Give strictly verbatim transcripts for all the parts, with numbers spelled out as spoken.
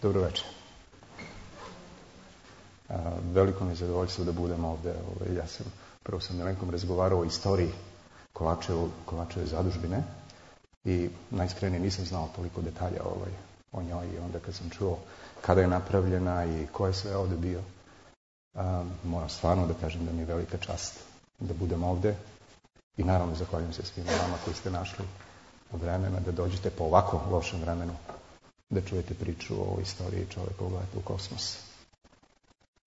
Dobro večer. Veliko mi je zadovoljstvo da budem ovdje. Ja sam prvo sa Milenkom razgovarao o istoriji Kovačevo, Kovačeve zadužbine i najiskrenije nisam znao toliko detalja ovaj, o njoj i onda kad sam čuo kada je napravljena i ko je sve ovdje bio, um, moram stvarno da kažem da mi je velika čast da budem ovdje i naravno zahvaljujem se svima vama koji ste našli vremena da dođete po ovako lošem vremenu da čujete priču o istoriji čovjekovog leta u kosmos.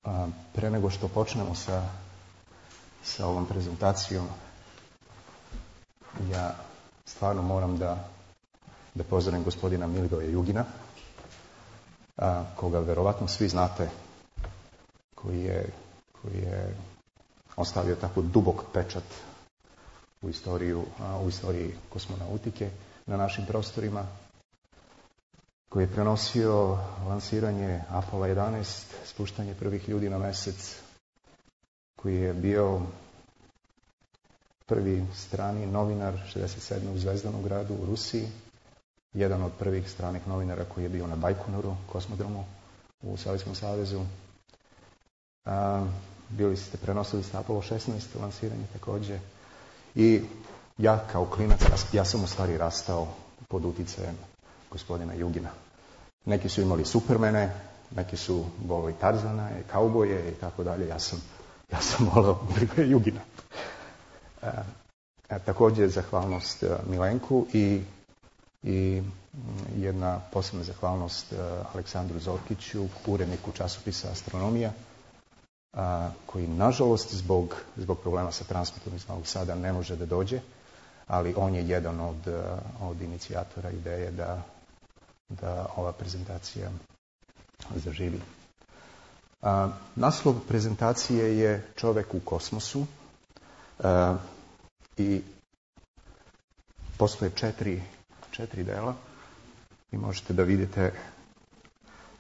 Um, pre nego što počnemo sa, sa ovom prezentacijom, ja stvarno moram da, da pozdravim gospodina Milivoja Jugina, a, koga verovatno svi znate, koji je, koji je ostavio tako dubok pečat u, istoriju, a, u istoriji kosmonautike na našim prostorima, koji je prenosio lansiranje Apollo jedanaest, spuštanje prvih ljudi na mesec, koji je bio prvi strani novinar šezdeset sedme u Zvezdanom gradu u Rusiji, jedan od prvih stranih novinara koji je bio na Bajkonoru, kosmodromu u Sovjetskom savezu. A, bili ste, prenosili ste Apollo šesnaest lansiranje također. I ja kao klinac, ja sam u stvari rastao pod uticajem gospodina Jugina. Neki su imali Supermene, neki su volili Tarzana, kauboje i tako dalje. Ja sam, ja sam volio Jugina. E, e, također zahvalnost e, Milenku i, i jedna posebna zahvalnost e, Aleksandru Zorkiću, uredniku časopisa Astronomija, a, koji nažalost zbog, zbog problema sa transportom iz Novog Sada ne može da dođe, ali on je jedan od, od inicijatora ideje da, da ova prezentacija zaživi. A, naslov prezentacije je Čovek u kosmosu. A, i postoje četiri, četiri dela i možete da vidite,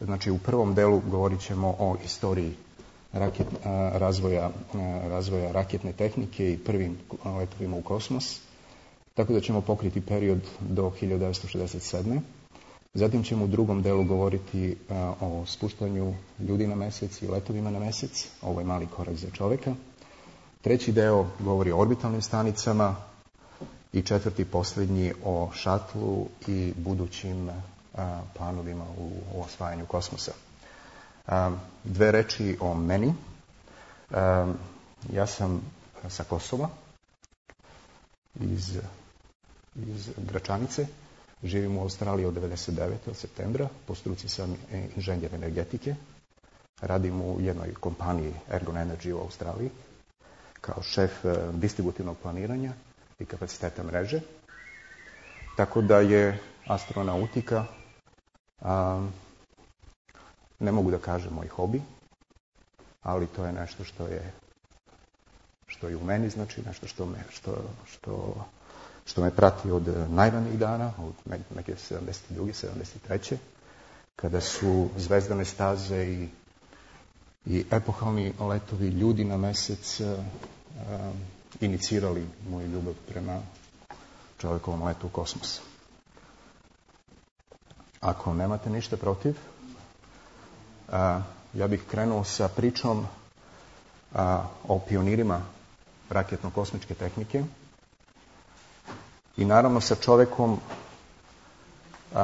znači u prvom delu govorit ćemo o istoriji raket, a, razvoja, a, razvoja raketne tehnike i prvim letovima u kosmos, tako da ćemo pokriti period do hiljadu devetsto šezdeset sedme. Zatim ćemo u drugom delu govoriti a, o spuštanju ljudi na mesec i letovima na mesec. Ovo je mali korak za čoveka. Treći deo govori o orbitalnim stanicama i četvrti posljednji o šatlu i budućim a, planovima u, u osvajanju kosmosa. A, dve reči o meni. A, ja sam sa Kosova, iz, iz Gračanice. Živim u Australiji od devedeset devete od septembra. Po struci sam inženjer energetike. Radim u jednoj kompaniji Ergon Energy u Australiji kao šef distributivnog planiranja i kapaciteta mreže. Tako da je astronautika, a, ne mogu da kažem moj hobi, ali to je nešto što je, što je u meni, znači nešto što me, što, što, što me prati od najranijih dana, od neke sedamdeset druge sedamdeset treće kada su zvezdane staze i i epohalni letovi ljudi na mesec uh, uh, inicirali moju ljubav prema čovjekovom letu u kosmos. Ako nemate ništa protiv, uh, ja bih krenuo sa pričom uh, o pionirima raketno-kosmičke tehnike i naravno sa čovjekom uh,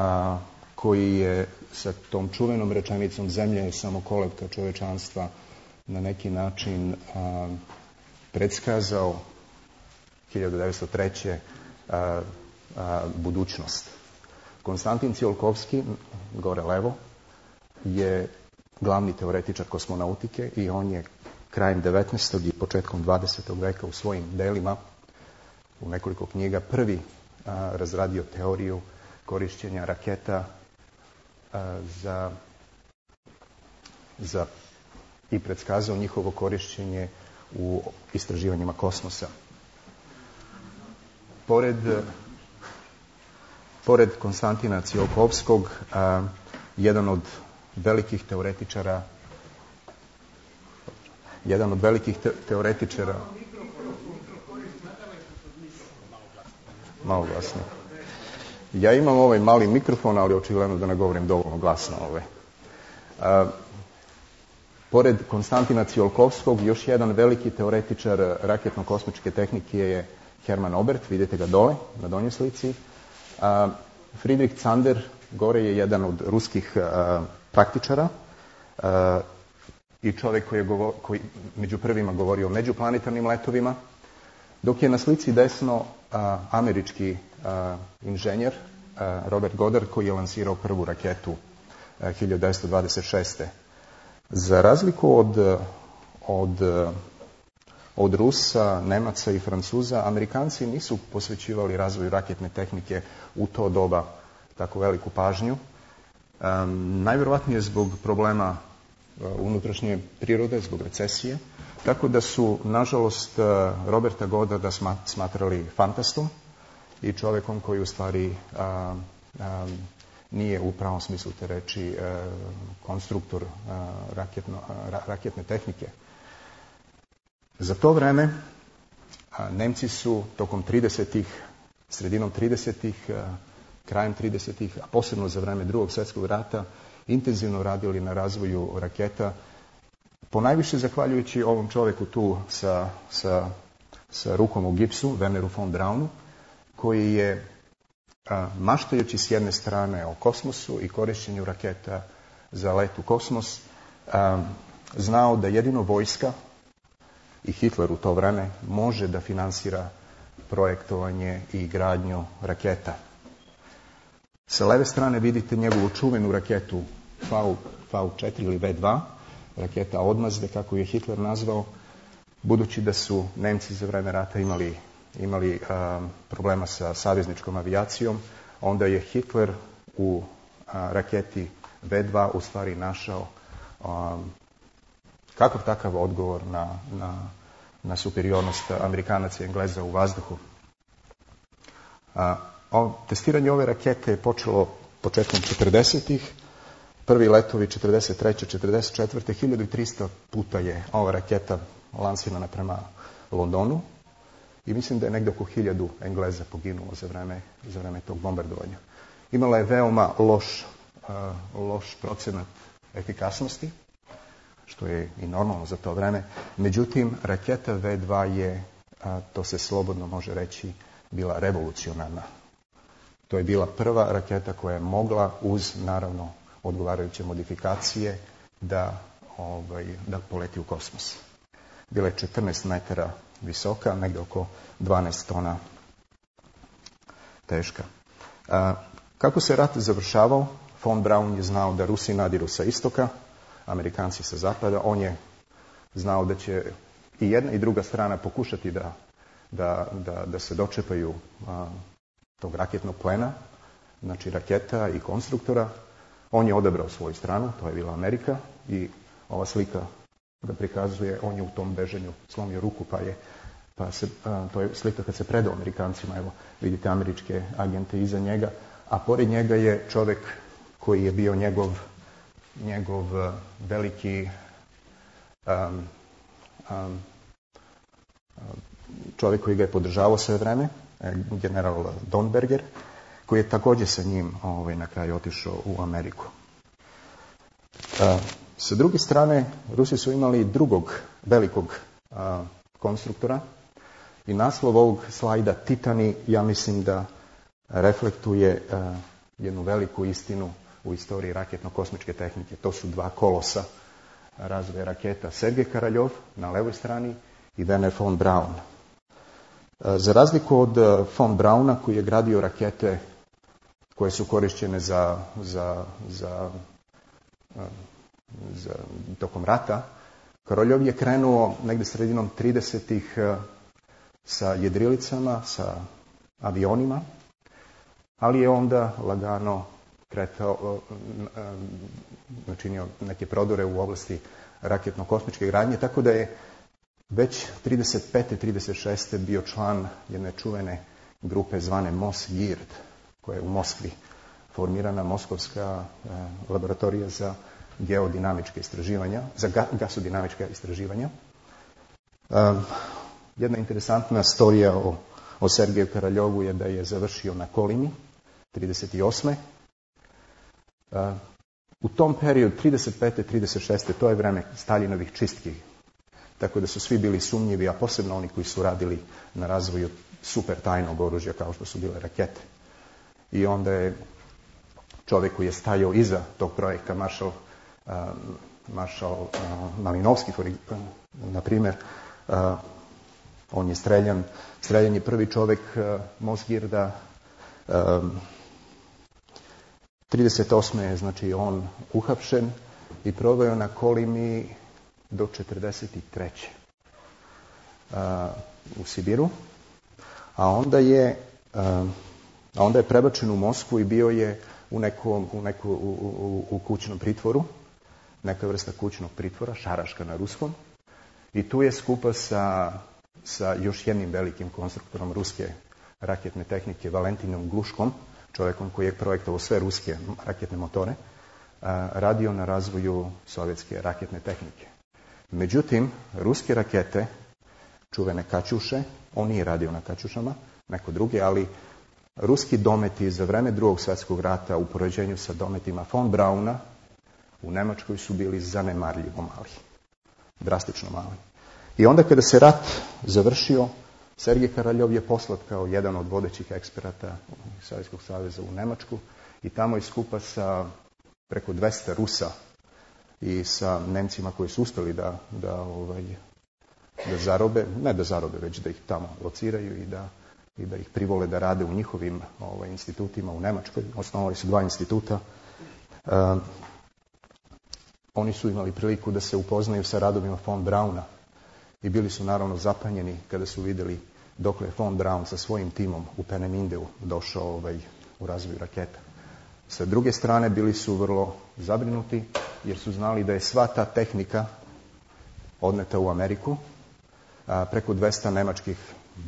koji je sa tom čuvenom rečenicom zemlja je samo kolevka čovečanstva na neki način a, predskazao hiljadu devetsto treće. A, a, budućnost. Konstantin Tsiolkovski, gore levo, je glavni teoretičar kosmonautike i on je krajem devetnaestog i početkom dvadesetog veka u svojim delima, u nekoliko knjiga, prvi a, razradio teoriju korišćenja raketa Za, za i predskazao njihovo korišćenje u istraživanjima kosmosa. Pored, pored Konstantina Tsiolkovskog, a, jedan od velikih teoretičara jedan od velikih te, teoretičara malo glasnije. Ja imam ovaj mali mikrofon, ali očigledno da ne govorim dovoljno glasno. Ovaj. Pored Konstantina Tsiolkovskog, još jedan veliki teoretičar raketno-kosmičke tehnike je Hermann Oberth, vidite ga dole na donjoj slici. Friedrich Zander, gore je jedan od ruskih praktičara i čovjek koji je govor, koji među prvima govorio o međuplanetarnim letovima, dok je na slici desno američki inženjer Robert Goddard koji je lansirao prvu raketu hiljadu devetsto dvadeset šeste. Za razliku od, od, od Rusa, Nemaca i Francuza, Amerikanci nisu posvećivali razvoju raketne tehnike u to doba tako veliku pažnju. Um, najvjerovatnije zbog problema uh, unutrašnje prirode, zbog recesije. Tako da su, nažalost, uh, Roberta Goddarda smatrali fantastom i čovjekom koji u stvari uh, um, nije u pravom smislu te reči konstruktor raketno, raketne tehnike. Za to vreme Nemci su tokom tridesetih, sredinom tridesetih, krajem tridesetih, a posebno za vreme Drugog svjetskog rata, intenzivno radili na razvoju raketa, ponajviše zahvaljujući ovom čovjeku tu sa, sa, sa rukom u gipsu, Werneru von Braunu, koji je maštajući s jedne strane o kosmosu i korišćenju raketa za let u kosmos, znao da jedino vojska i Hitler u to vreme može da finansira projektovanje i gradnju raketa. Sa leve strane vidite njegovu čuvenu raketu V četiri ili V dva, raketa odmazde, kako je Hitler nazvao, budući da su Nemci za vreme rata imali imali um, problema sa savezničkom avijacijom, onda je Hitler u uh, raketi V dva u stvari našao um, kakav takav odgovor na, na, na superiornost Amerikanaca i Engleza u vazduhu. Uh, o, testiranje ove rakete je počelo početkom četrdesetih. Prvi letovi četrdeset treće četrdeset četvrte hiljadu trista puta je ova raketa lansirana prema Londonu. I mislim da je negdje oko hiljadu Engleza poginulo za vreme, za vreme tog bombardovanja. Imala je veoma loš, uh, loš procenat efikasnosti, što je i normalno za to vreme. Međutim, raketa V dva je, uh, to se slobodno može reći, bila revolucionarna. To je bila prva raketa koja je mogla, uz naravno odgovarajuće modifikacije, da, ovaj, da poleti u kosmos. Bila je četrnaest metara visoka, negdje oko dvanaest tona teška. A, kako se rat završavao, von Braun je znao da Rusi nadiru sa istoka, Amerikanci sa zapada. On je znao da će i jedna i druga strana pokušati da, da, da, da se dočepaju a, tog raketnog plena, znači raketa i konstruktora. On je odabrao svoju stranu, to je bila Amerika, i ova slika ga prikazuje, on je u tom bežanju slomio ruku, pa je, pa se, a, to je slika kad se predao Amerikancima, evo vidite američke agente iza njega, a pored njega je čovjek koji je bio njegov, njegov veliki um, um, čovjek koji ga je podržavao sve vreme, general Donberger, koji je također sa njim ovaj, na kraju otišao u Ameriku. Uh, Sa druge strane, Rusi su imali drugog velikog a, konstruktora i naslov ovog slajda Titani, ja mislim da reflektuje a, jednu veliku istinu u istoriji raketno-kosmičke tehnike. To su dva kolosa razvoja raketa, Sergej Karaljov na levoj strani i Werner von Braun. A, za razliku od von Brauna, koji je gradio rakete koje su korišćene za, za, za a, za, tokom rata, Koroljov je krenuo negdje sredinom tridesetih sa jedrilicama, sa avionima, ali je onda lagano kretao, načinio neke prodore u oblasti raketno-kosmičke gradnje, tako da je već trideset pete trideset šeste bio član jedne čuvene grupe zvane Mosgird, koja je u Moskvi formirana, Moskovska laboratorija za geodinamičke istraživanja, za gasodinamička istraživanja. Um, jedna interesantna storija o, o Sergeju Karaljovu je da je završio na Kolini trideset osme. Uh, U tom periodu, trideset pete trideset šeste to je vreme Staljinovih čistki. Tako da su svi bili sumnjivi, a posebno oni koji su radili na razvoju super tajnog oružja kao što su bile rakete. I onda je čovjek koji je stajao iza tog projekta, maršal, uh, maršal uh, Malinovski, na primjer, uh, on je streljan, streljan je prvi čovjek uh, Mosgirda. Um, trideset osme je znači on uhapšen i proveo na Kolimi do četrdeset treće Uh, u Sibiru, a onda je uh, a onda je prebačen u Moskvu i bio je u nekom u, neku, u, u, u kućnom pritvoru, neka vrsta kućnog pritvora, šaraška na ruskom, i tu je skupa sa, sa još jednim velikim konstruktorom ruske raketne tehnike, Valentinom Gluškom, čovjekom koji je projektovao sve ruske raketne motore, uh, radio na razvoju sovjetske raketne tehnike. Međutim, ruske rakete, čuvene Kaćuše, on nije radio na Kaćušama, neko drugi, ali ruski dometi za vreme drugog svjetskog rata u poređenju sa dometima von Brauna u Nemačkoj su bili zanemarljivo mali, drastično mali. I onda kada se rat završio, Sergej Karaljov je poslat kao jedan od vodećih eksperata Sovjetskog saveza u Nemačku i tamo je skupa sa preko dvesta Rusa i sa Nemcima koji su uspjeli da, da, ovaj, da zarobe, ne da zarobe, već da ih tamo lociraju i da, i da ih privole da rade u njihovim ovaj, institutima u Nemačkoj. Osnovali su dva instituta. Uh, oni su imali priliku da se upoznaju sa radovima von Brauna i bili su naravno zapanjeni kada su vidjeli dokle je von Braun sa svojim timom u Penemindeu došao ovaj, u razvoju raketa. Sa druge strane bili su vrlo zabrinuti jer su znali da je sva ta tehnika odneta u Ameriku, a, preko dvesta nemačkih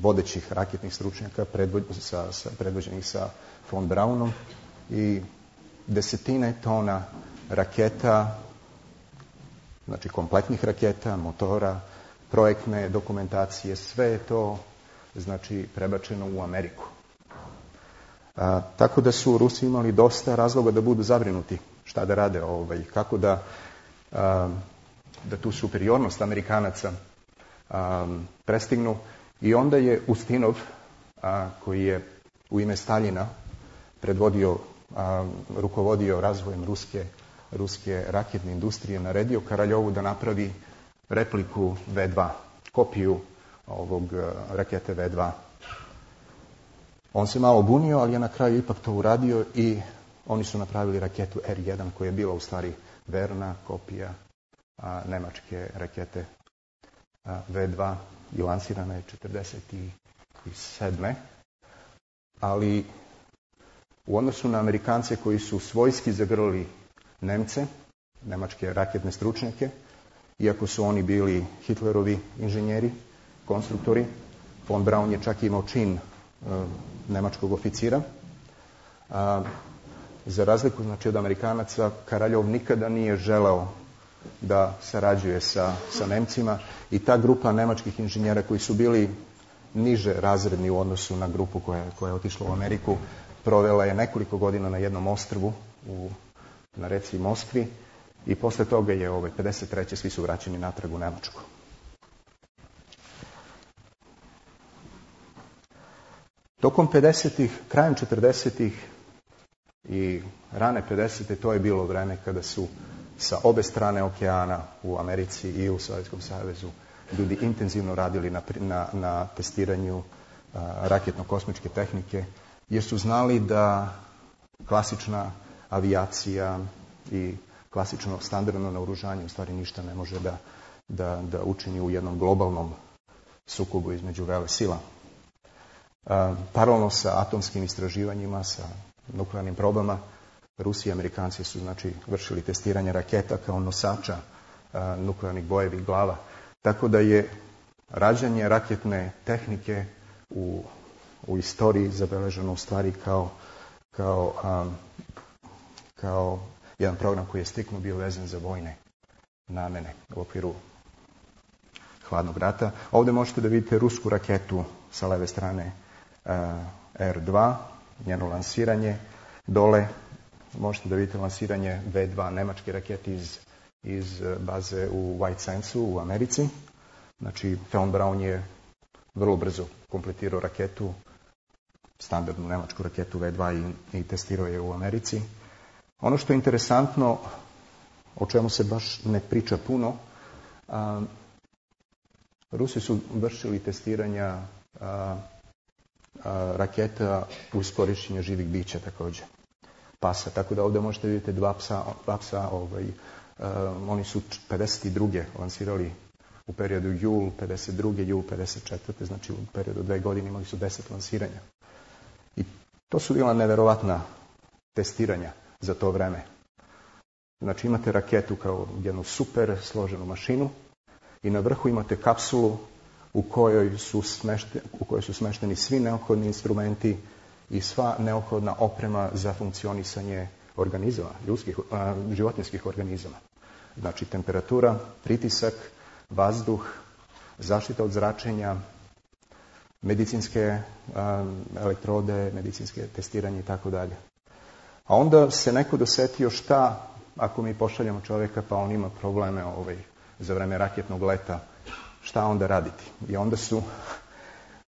vodećih raketnih stručnjaka predvođenih sa, sa, predvođenih sa von Braunom i desetine tona raketa, znači kompletnih raketa, motora, projektne dokumentacije, sve je to znači prebačeno u Ameriku. A, tako da su Rusi imali dosta razloga da budu zabrinuti šta da rade, ovaj, kako da, a, da tu superiornost Amerikanaca a, prestignu. I onda je Ustinov, a, koji je u ime Staljina predvodio, a, rukovodio razvojem ruske, ruske raketne industrije, naredio Karaljovu da napravi repliku ve dva, kopiju ovog rakete ve dva. On se malo bunio, ali je na kraju ipak to uradio i oni su napravili raketu er jedan koja je bila u stvari verna kopija a, nemačke rakete a, ve dva i lansirana je četrdeset sedme Ali u odnosu na Amerikance koji su svojski zagrlili Nemce, nemačke raketne stručnjake, iako su oni bili Hitlerovi inženjeri, konstruktori, von Braun je čak imao čin e, nemačkog oficira. A, za razliku znači, od Amerikanaca, Karaljov nikada nije želeo da sarađuje sa, sa Nemcima i ta grupa nemačkih inženjera koji su bili niže razredni u odnosu na grupu koja, koja je otišla u Ameriku, provela je nekoliko godina na jednom ostrvu u, na reci Moskvi i posle toga je ovaj, pedeset treće svi su vraćeni natrag u Nemačku. Tokom pedesetih, krajem četrdesetih i rane pedesete to je bilo vreme kada su sa obe strane okeana u Americi i u Sovjetskom savezu ljudi intenzivno radili na, na, na testiranju a, raketno-kosmičke tehnike, jer su znali da klasična avijacija i klasično standardno naoružanje u stvari ništa ne može da, da, da učini u jednom globalnom sukobu između vele sila. A, paralelno sa atomskim istraživanjima, sa nuklearnim probama, Rusi i Amerikanci su znači vršili testiranje raketa kao nosača a, nuklearnih bojevih glava. Tako da je rađanje raketne tehnike u, u istoriji zabeleženo u stvari kao, kao, um, kao jedan program koji je striktno bio vezan za vojne namene u okviru hladnog rata. Ovdje možete da vidite rusku raketu sa leve strane uh, er dva, njeno lansiranje. Dole možete da vidite lansiranje ve dva nemačke rakete iz, iz baze u White Sandsu u Americi. Znači, von Braun je vrlo brzo kompletirao raketu, standardnu nemačku raketu ve dva i, i testirao je u Americi. Ono što je interesantno, o čemu se baš ne priča puno, a, Rusi su vršili testiranja a, a, raketa uz korišćenje živih bića također, pasa. Tako da ovdje možete vidjeti dva psa, dva psa ovaj, a, oni su pedeset druge lansirali u periodu jul pedeset druge jul pedeset četvrte znači u periodu dve godine imali su deset lansiranja. I to su bila neverovatna testiranja za to vreme. Znači imate raketu kao jednu super složenu mašinu i na vrhu imate kapsulu u kojoj su, smešte, u kojoj su smešteni svi neophodni instrumenti i sva neophodna oprema za funkcionisanje organizama, ljudskih, a, životinjskih organizama. Znači temperatura, pritisak, vazduh, zaštita od zračenja, medicinske a, elektrode, medicinske testiranje i tako dalje. A onda se neko dosetio šta ako mi pošaljemo čovjeka pa on ima probleme ovaj, za vreme raketnog leta, šta onda raditi? I onda su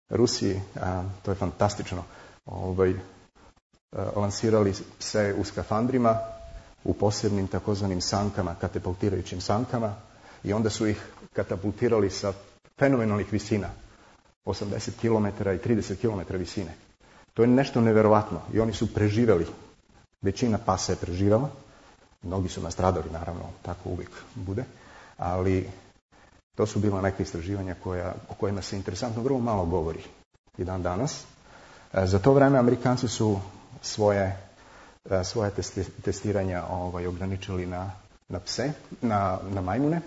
Rusi, a, to je fantastično, ovaj, a, lansirali se u skafandrima, u posebnim takozvanim sankama, katapultirajućim sankama, i onda su ih katapultirali sa fenomenalnih visina, osamdeset kilometara i trideset kilometara visine. To je nešto neverovatno i oni su preživjeli. Većina pasa je preživjela, mnogi su nastradali, naravno, tako uvijek bude, ali to su bila neka istraživanja koja, o kojima se interesantno vrlo malo govori i dan danas. Za to vreme Amerikanci su svoje, svoje testiranja ovaj, ograničili na, na pse, na, na majmune.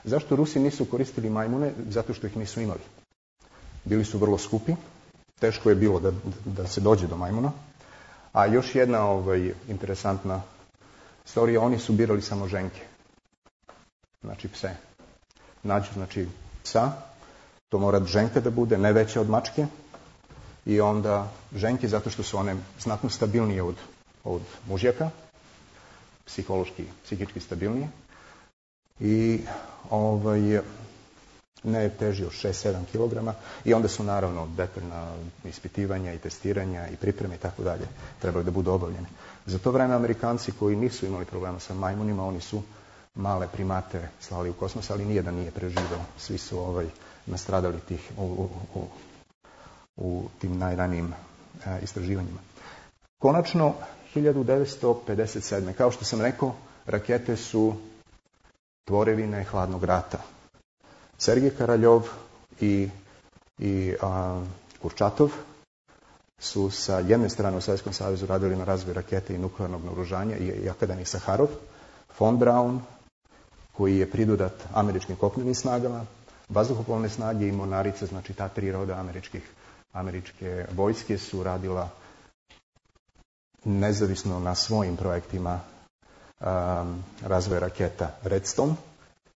Zašto Rusi nisu koristili majmune? Zato što ih nisu imali. Bili su vrlo skupi, teško je bilo da, da se dođe do majmuna. A još jedna ovaj, interesantna storija, oni su birali samo ženke, znači pse. Nađu, znači, psa, to mora ženka da bude, ne veća od mačke, i onda ženke zato što su one znatno stabilnije od, od mužjaka, psihološki, psihički stabilnije, i ovaj, ne teži od šest sedam kilograma, i onda su naravno detaljna ispitivanja i testiranja i pripreme i tako dalje trebali da budu obavljene. Za to vreme Amerikanci koji nisu imali problema sa majmunima, oni su male primate slali u kosmos, ali nijedan nije preživio. Svi su ovaj, nastradali tih, u, u, u, u tim najranijim e, istraživanjima. Konačno, hiljadu devetsto pedeset sedme kao što sam rekao, rakete su tvorevine hladnog rata. Sergej Karaljov i, i a, Kurčatov su sa jedne strane u Sovjetskom savezu radili na razvoju rakete i nuklearnog naoružanja i, i akademik Saharov, von Braun, koji je pridodat američkim kopnenim snagama, vazduhoplovne snage i mornarice, znači ta tri roda američkih, američke vojske su radila nezavisno na svojim projektima um, razvoja raketa Redstone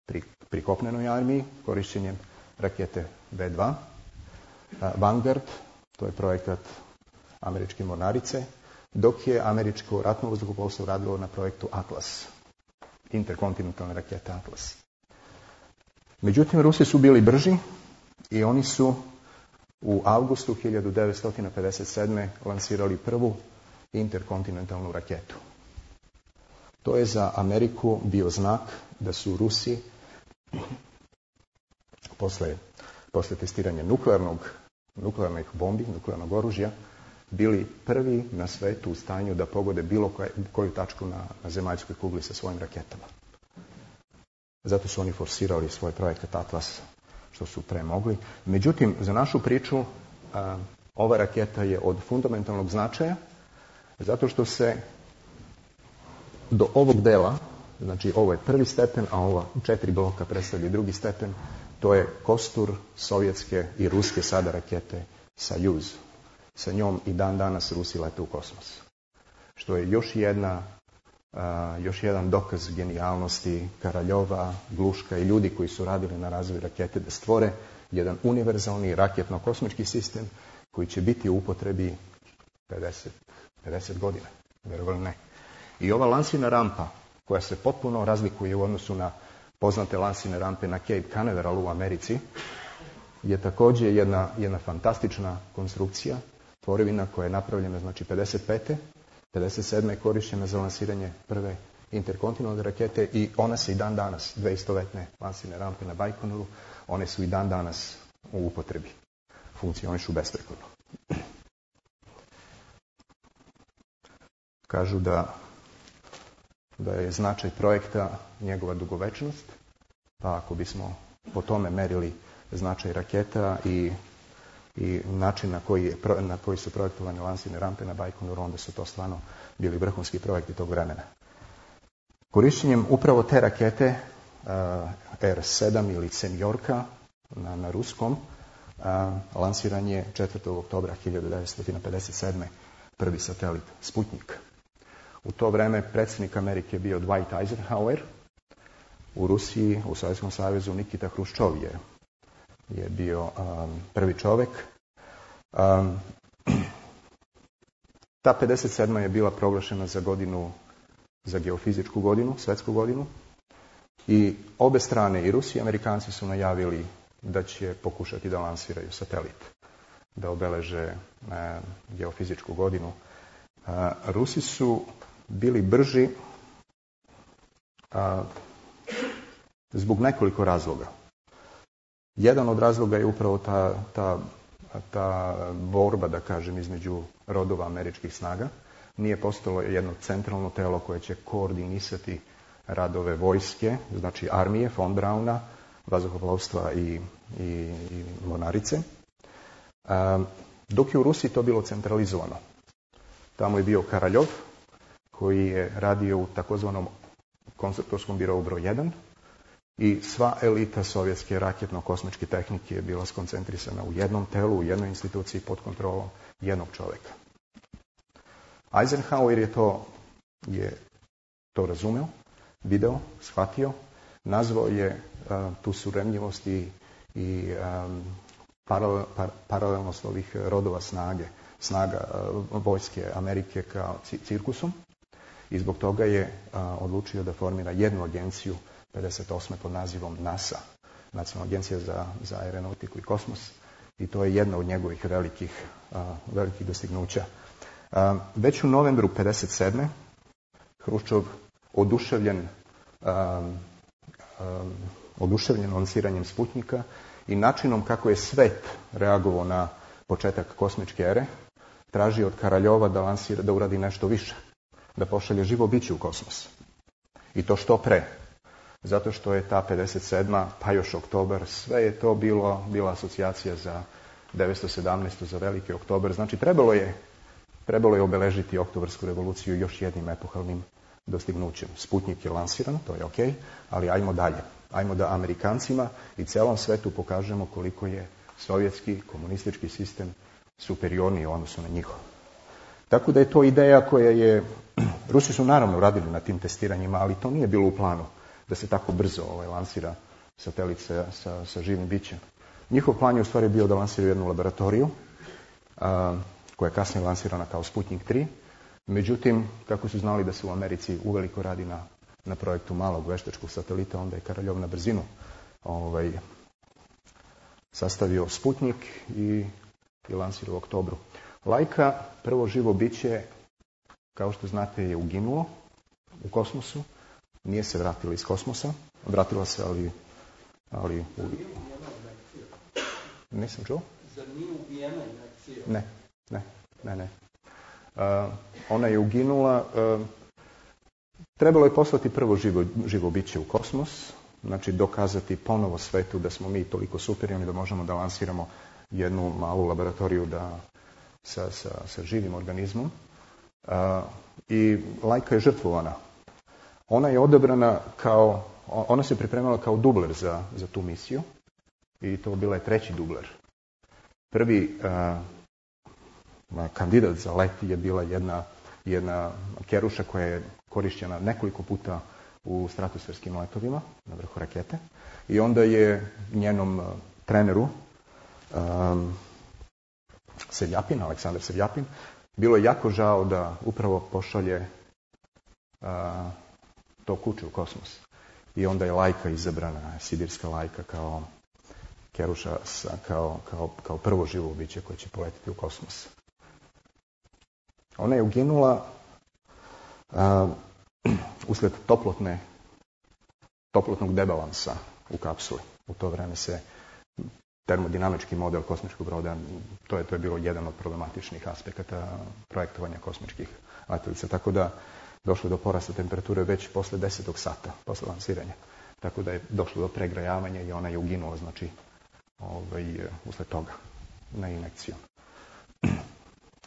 pri, pri kopnenoj armiji, korišćenjem rakete ve dva. Uh, Vanguard, to je projekat američke mornarice, dok je američko ratno vazduhoplovstvo radilo na projektu Atlas, interkontinentalne rakete Atlas. Međutim, Rusi su bili brži i oni su u avgustu hiljadu devetsto pedeset sedme lansirali prvu interkontinentalnu raketu. To je za Ameriku bio znak da su Rusi posle, posle testiranja nuklearnog, nuklearnih bombi, nuklearnog oružja, bili prvi na svetu u stanju da pogode bilo koju, koju tačku na, na zemaljskoj kugli sa svojim raketama. Zato su oni forsirali svoj projekat Atlas, što su pre mogli. Međutim, za našu priču a, ova raketa je od fundamentalnog značaja, zato što se do ovog dela, znači ovo je prvi stepen, a ova četiri bloka predstavlja drugi stepen, to je kostur sovjetske i ruske sada rakete Sojuz. Sa njom i dan danas Rusi lete u kosmos. Što je još jedna, uh, još jedan dokaz genijalnosti Karaljova, Gluška i ljudi koji su radili na razvoju rakete da stvore jedan univerzalni raketno-kosmički sistem koji će biti u upotrebi pedeset, pedeset godina, verovali ne. I ova lansirna rampa, koja se potpuno razlikuje u odnosu na poznate lansirne rampe na Cape Canaveral u Americi, je također jedna, jedna fantastična konstrukcija, tvorevina koja je napravljena znači pedeset pete pedeset sedme je korištena za lansiranje prve interkontinentalne rakete i ona se i dan danas, dve istovetne lansirne rampe na Bajkonuru, one su i dan danas u upotrebi. Funkcionišu besprekorno. Kažu da, da je značaj projekta njegova dugovečnost, pa ako bismo po tome merili značaj raketa i, i način na koji, je, na koji su projektovane lansirne rampe na Bajkonuru, onda su to stvarno bili vrhunski projekti tog vremena. Korištenjem upravo te rakete, uh, R sedam ili Semjorka na, na ruskom, uh, lansiran je četvrtog oktobra hiljadu devetsto pedeset sedme prvi satelit Sputnik. U to vreme predsjednik Amerike je bio Dwight Eisenhower, u Rusiji, u Sovjetskom savezu Nikita Hruščov je, je bio um, prvi čovjek. Um, ta pedeset sedma je bila proglašena za godinu, za geofizičku godinu, svjetsku godinu. I obe strane, i Rusi i Amerikanci, su najavili da će pokušati da lansiraju satelit, da obeleže e, geofizičku godinu. E, Rusi su bili brži a, zbog nekoliko razloga. Jedan od razloga je upravo ta, ta, ta borba, da kažem, između rodova američkih snaga. Nije postalo jedno centralno telo koje će koordinisati radove vojske, znači armije, von Brauna, vazduhoplovstva i, i, i mornarice. A, dok je u Rusiji to bilo centralizovano. Tamo je bio Karaljov, koji je radio u takozvanom konstruktorskom birovu broj jedan i sva elita sovjetske raketno-kosmičke tehnike je bila skoncentrisana u jednom telu, u jednoj instituciji pod kontrolom jednog čovjeka. Eisenhower je to, je to razumeo, video, shvatio, nazvao je uh, tu suremljivost i, i um, paralel, par, paralelnost ovih rodova snage, snaga uh, vojske Amerike kao cirkusom i zbog toga je uh, odlučio da formira jednu agenciju pedeset osme pod nazivom NASA, Nacionalna agencija za, za aeronautiku i kosmos, i to je jedna od njegovih velikih, uh, velikih dostignuća. Uh, već u novembru pedeset sedme Hruščov oduševljen, um, um, oduševljen lansiranjem Sputnika i načinom kako je svet reagovao na početak kosmičke ere, traži od Karaljova da, lansira, da uradi nešto više, da pošalje živo biće u kosmos. I to što pre. Zato što je ta pedeset sedma, pa još oktobar, sve je to bilo, bila asocijacija za devetsto sedamnaestu, za veliki oktobar. Znači trebalo je, trebalo je obeležiti oktobarsku revoluciju još jednim epohalnim dostignućem. Sputnik je lansiran, to je ok, ali ajmo dalje. Ajmo da Amerikancima i celom svetu pokažemo koliko je sovjetski komunistički sistem superiorniji u odnosu na njihov. Tako da je to ideja koja je, Rusi su naravno radili na tim testiranjima, ali to nije bilo u planu da se tako brzo ovaj, lansira satelit sa, sa, sa živim bićem. Njihov plan je u stvari bio da lansiraju jednu laboratoriju, a, koja je kasnije lansirana kao Sputnik tri. Međutim, kako su znali da se u Americi uveliko radi na, na projektu malog veštačkog satelita, onda je Karaljov na brzinu ovaj, sastavio Sputnik i, i lansirao u oktobru. Lajka, prvo živo biće, kao što znate, je uginulo u kosmosu. Nije se vratila iz kosmosa. Vratila se, ali... ali u... Nisam čuo? Zar nije ubijena injekcija? Ne, ne, ne, ne. Uh, ona je uginula. Uh, trebalo je poslati prvo živo, živo biće u kosmos, znači dokazati ponovo svetu da smo mi toliko superiorni da možemo da lansiramo jednu malu laboratoriju da, sa, sa, sa živim organizmom. Uh, I Lajka je žrtvovana. Ona je odabrana kao, ona se pripremala kao dubler za, za tu misiju i to bila je treći dubler. Prvi uh, kandidat za let je bila jedna, jedna keruša koja je korišćena nekoliko puta u stratosferskim letovima na vrhu rakete i onda je njenom uh, treneru um, Sevljapin, Aleksandar Sevljapin, bilo je jako žao da upravo pošalje a, to kuće u kosmos. I onda je Lajka izabrana, sibirska Lajka, kao Keruša, kao, kao, kao prvo živo biće koje će poletiti u kosmos. Ona je uginula a, usled toplotne, toplotnog debalansa u kapsuli. U to vreme se termodinamički model kosmičkog broda, to je, to je bilo jedan od problematičnih aspekata projektovanja kosmičkih letelica. Tako da došlo do porasta temperature već posle desetog sata, posle lansiranja. Tako da je došlo do pregrajavanja i ona je uginula, znači, ovaj, usled toga, na injekciju.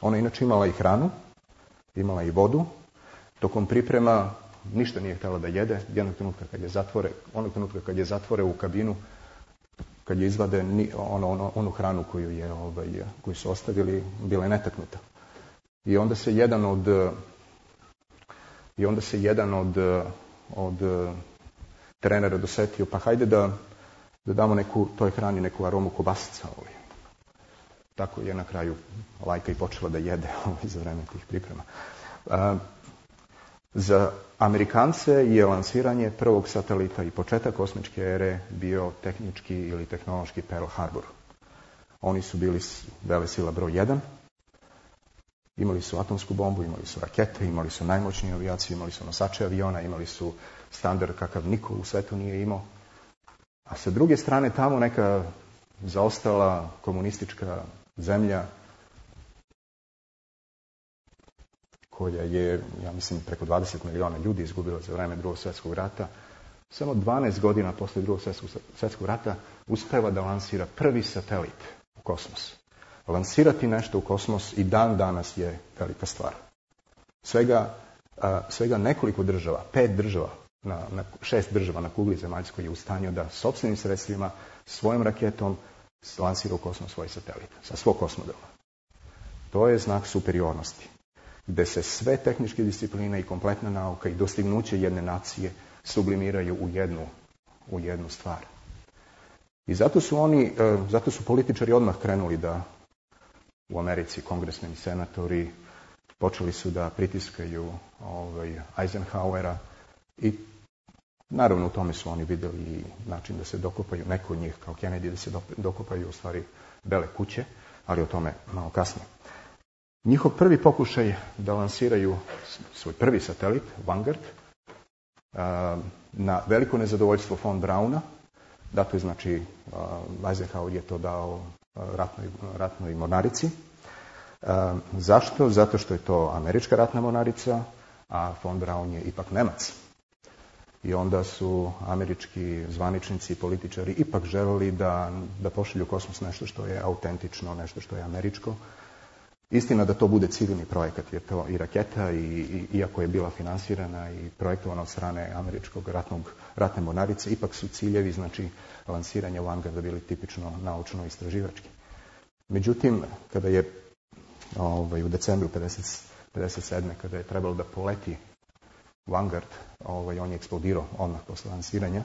Ona je inače imala i hranu, imala i vodu. Tokom priprema ništa nije htjela da jede. Jednog trenutka kad je zatvore, onog trenutka kad je zatvore u kabinu, kad je izvade ono, ono, onu hranu koju, je, ovaj, koju su ostavili, bila je netaknuta. I onda se jedan od i onda se jedan od, od trenera dosetio, pa hajde da, da damo neku, toj hrani neku aromu kobasica. Ovaj. Tako je na kraju Lajka i počela da jede ovaj, za vreme tih priprema. A, za Amerikance je lansiranje prvog satelita i početak kosmičke ere bio tehnički ili tehnološki Pearl Harbor. Oni su bili velesila broj jedan. Imali su atomsku bombu, imali su rakete, imali su najmoćniju avijaciju, imali su nosače aviona, imali su standard kakav niko u svetu nije imao. A sa druge strane tamo neka zaostala komunistička zemlja koja je, ja mislim, preko dvadeset miliona ljudi izgubila za vreme Drugog svjetskog rata, samo dvanaest godina posle Drugog svjetskog rata uspeva da lansira prvi satelit u kosmos. Lansirati nešto u kosmos i dan danas je velika stvar. Svega, a, svega nekoliko država, pet država, na, na, šest država na kugli zemaljskoj je u stanju da sopstvenim sredstvima, svojom raketom lansira u kosmos svoj satelit, sa svog kosmodroma. To je znak superiornosti, gde se sve tehničke discipline i kompletna nauka i dostignuće jedne nacije sublimiraju u jednu, u jednu stvar. I zato su oni, zato su političari odmah krenuli da u Americi, kongresmeni, senatori, počeli su da pritiskaju ovaj, Eisenhowera i naravno u tome su oni vidjeli i način da se dokopaju, neko od njih kao Kennedy, da se dokopaju u stvari Bele kuće, ali o tome malo kasnije. Njihov prvi pokušaj da lansiraju svoj prvi satelit, Vanguard, na veliko nezadovoljstvo von Brauna, dato je znači, Eisenhower je to dao ratnoj, ratnoj mornarici. Zašto? Zato što je to američka ratna mornarica, a von Braun je ipak Nemac. I onda su američki zvaničnici i političari ipak želeli da, da pošalju u kosmos nešto što je autentično, nešto što je američko. Istina da to bude civilni projekat, jer to i raketa, i, i, iako je bila finansirana i projektovana od strane američkog ratnog, ratne mornarice, ipak su ciljevi, znači, lansiranja Vanguarda bili tipično naučno-istraživački. Međutim, kada je ovaj, u decembru pedeset sedme kada je trebalo da poleti Vanguard, ovaj, on je eksplodirao odmah posle lansiranja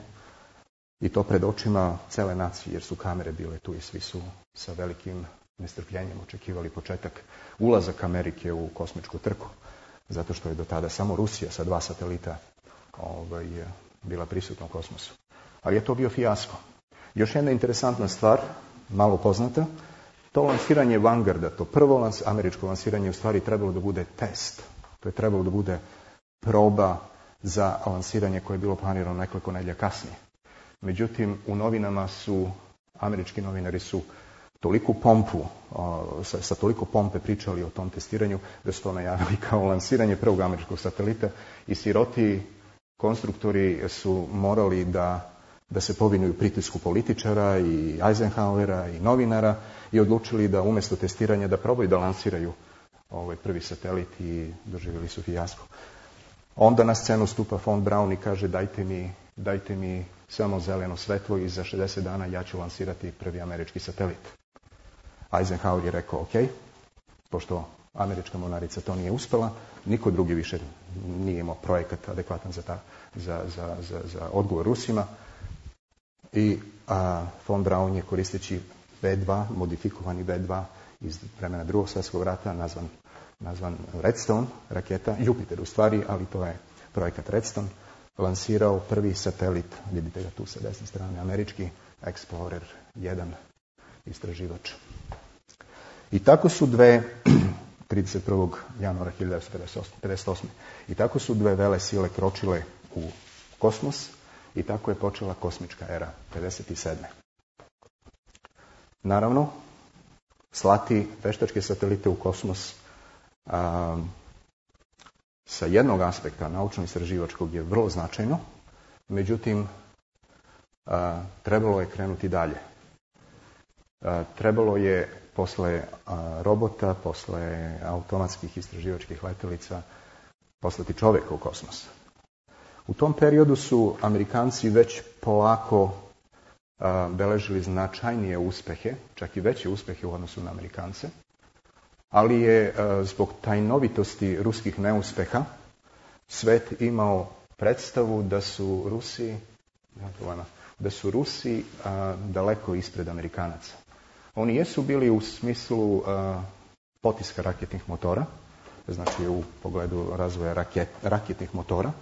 i to pred očima cele nacije, jer su kamere bile tu i svi su sa velikim nestrpljenjem očekivali početak ulazak Amerike u kosmičku trku, zato što je do tada samo Rusija sa dva satelita ovaj, bila prisutna u kosmosu. Ali je to bio fijasko. Još jedna interesantna stvar, malo poznata, to lansiranje Vanguarda, to prvo lans, američko lansiranje u stvari trebalo da bude test. To je trebalo da bude proba za lansiranje koje je bilo planirano nekoliko nedelja kasnije. Međutim, u novinama su, američki novinari su toliku pompu, sa, sa toliko pompe pričali o tom testiranju, da su to najavili kao lansiranje prvog američkog satelita i siroti konstruktori su morali da, da se povinuju pritisku političara i Eisenhowera i novinara i odlučili da umjesto testiranja da probaju da lansiraju ovaj prvi satelit i doživjeli su fijasko. Onda na scenu stupa von Braun i kaže dajte mi, dajte mi samo zeleno svetlo i za šezdeset dana ja ću lansirati prvi američki satelit. Eisenhower je rekao ok, pošto američka mornarica to nije uspela, niko drugi više nije imao projekat adekvatan za, ta, za, za, za, za odgovor Rusima. I a, von Braun je koristeći V dva, modifikovani V dva iz vremena Drugog svjetskog rata, nazvan, nazvan Redstone raketa, Jupiter u stvari, ali to je projekat Redstone, lansirao prvi satelit, vidite ga tu sa desne strane, američki Explorer jedan istraživač. I tako su dve, trideset prvog januara hiljadu devetsto pedeset osme. I tako su dve vele sile kročile u kosmos i tako je počela kosmička era, pedeset sedme. Naravno, slati veštačke satelite u kosmos a, sa jednog aspekta naučno-istraživačkog je vrlo značajno, međutim, a, trebalo je krenuti dalje. A, trebalo je posle a, robota, posle automatskih istraživačkih letelica, poslati čoveka u kosmos. U tom periodu su Amerikanci već polako a, beležili značajnije uspehe, čak i veće uspehe u odnosu na Amerikance, ali je a, zbog tajnovitosti ruskih neuspeha svet imao predstavu da su Rusi, da su Rusi a, daleko ispred Amerikanaca. Oni jesu bili u smislu a, potiska raketnih motora, znači u pogledu razvoja raket, raketnih motora,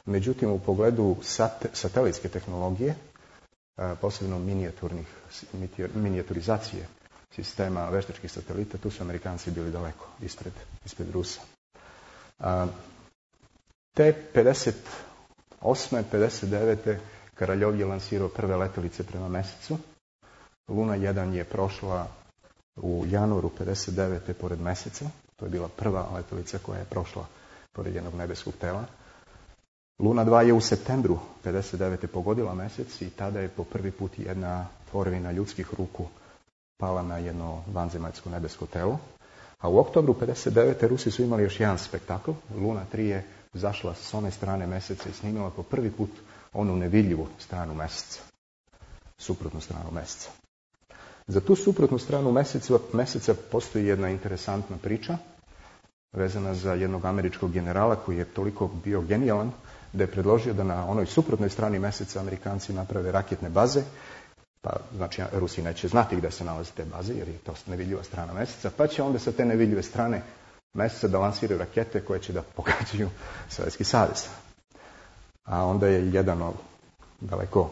međutim u pogledu sat, satelitske tehnologije, a, posebno minijaturnih, minijaturizacije sistema veštačkih satelita, tu su Amerikanci bili daleko ispred, ispred Rusa. A, te pedeset osme pedeset devete Karaljov je lansirao prve letelice prema mesecu. Luna jedan je prošla u januaru pedeset devete pored meseca. To je bila prva letelica koja je prošla pored jednog nebeskog tela. Luna dva je u septembru pedeset devete pogodila mesec i tada je po prvi put jedna tvorevina ljudskih ruku pala na jedno vanzemaljsko nebesko telo. A u oktobru pedeset devete Rusi su imali još jedan spektakl. Luna tri je zašla s one strane meseca i snimila po prvi put onu nevidljivu stranu meseca. Suprotnu stranu meseca. Za tu suprotnu stranu meseca, meseca postoji jedna interesantna priča vezana za jednog američkog generala koji je toliko bio genijalan da je predložio da na onoj suprotnoj strani meseca Amerikanci naprave raketne baze. Pa, znači, Rusi neće znati gde se nalaze te baze, jer je to nevidljiva strana meseca, pa će onda sa te nevidljive strane meseca da lansiraju rakete koje će da pogađaju Sovjetski savez. A onda je jedan od daleko,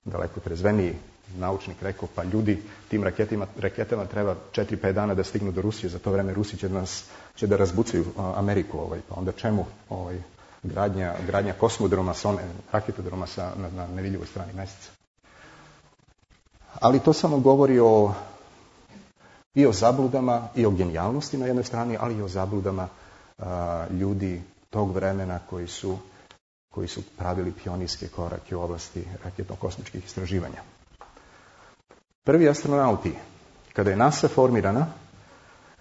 daleko trezveniji naučnik rekao, pa ljudi, tim raketima, raketama treba četiri pet dana da stignu do Rusije, za to vreme Rusi će da, nas, će da razbucaju Ameriku, ovaj, pa onda čemu ovaj, gradnja, gradnja kosmodroma, sa one, raketodroma sa, na, na nevidljivoj strani meseca. Ali to samo govori o, i o zabludama, i o genijalnosti na jednoj strani, ali i o zabludama a, ljudi tog vremena koji su, koji su pravili pionirske korake u oblasti raketno-kosmičkih istraživanja. Prvi astronauti, kada je NASA formirana,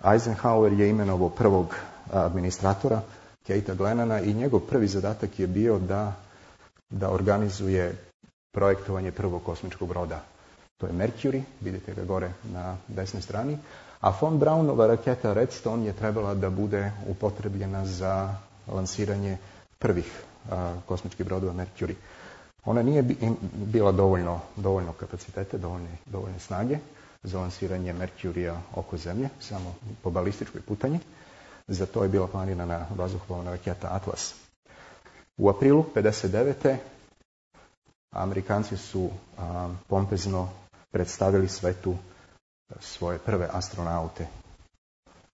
Eisenhower je imenovao prvog administratora, Keita Glennana, i njegov prvi zadatak je bio da, da organizuje projektovanje prvog kosmičkog broda. To je Mercury, vidite ga gore na desnoj strani, a von Braunova raketa Redstone je trebala da bude upotrebljena za lansiranje prvih a, kosmičkih brodova Mercury. Ona nije bila dovoljno, dovoljno kapacitete, dovoljne, dovoljne snage za lansiranje Mercurija oko Zemlje, samo po balističkoj putanji. Za to je bila planirana vazduhoplovna raketa Atlas. U aprilu pedeset devete Amerikanci su a, pompezno predstavili svetu svoje prve astronaute.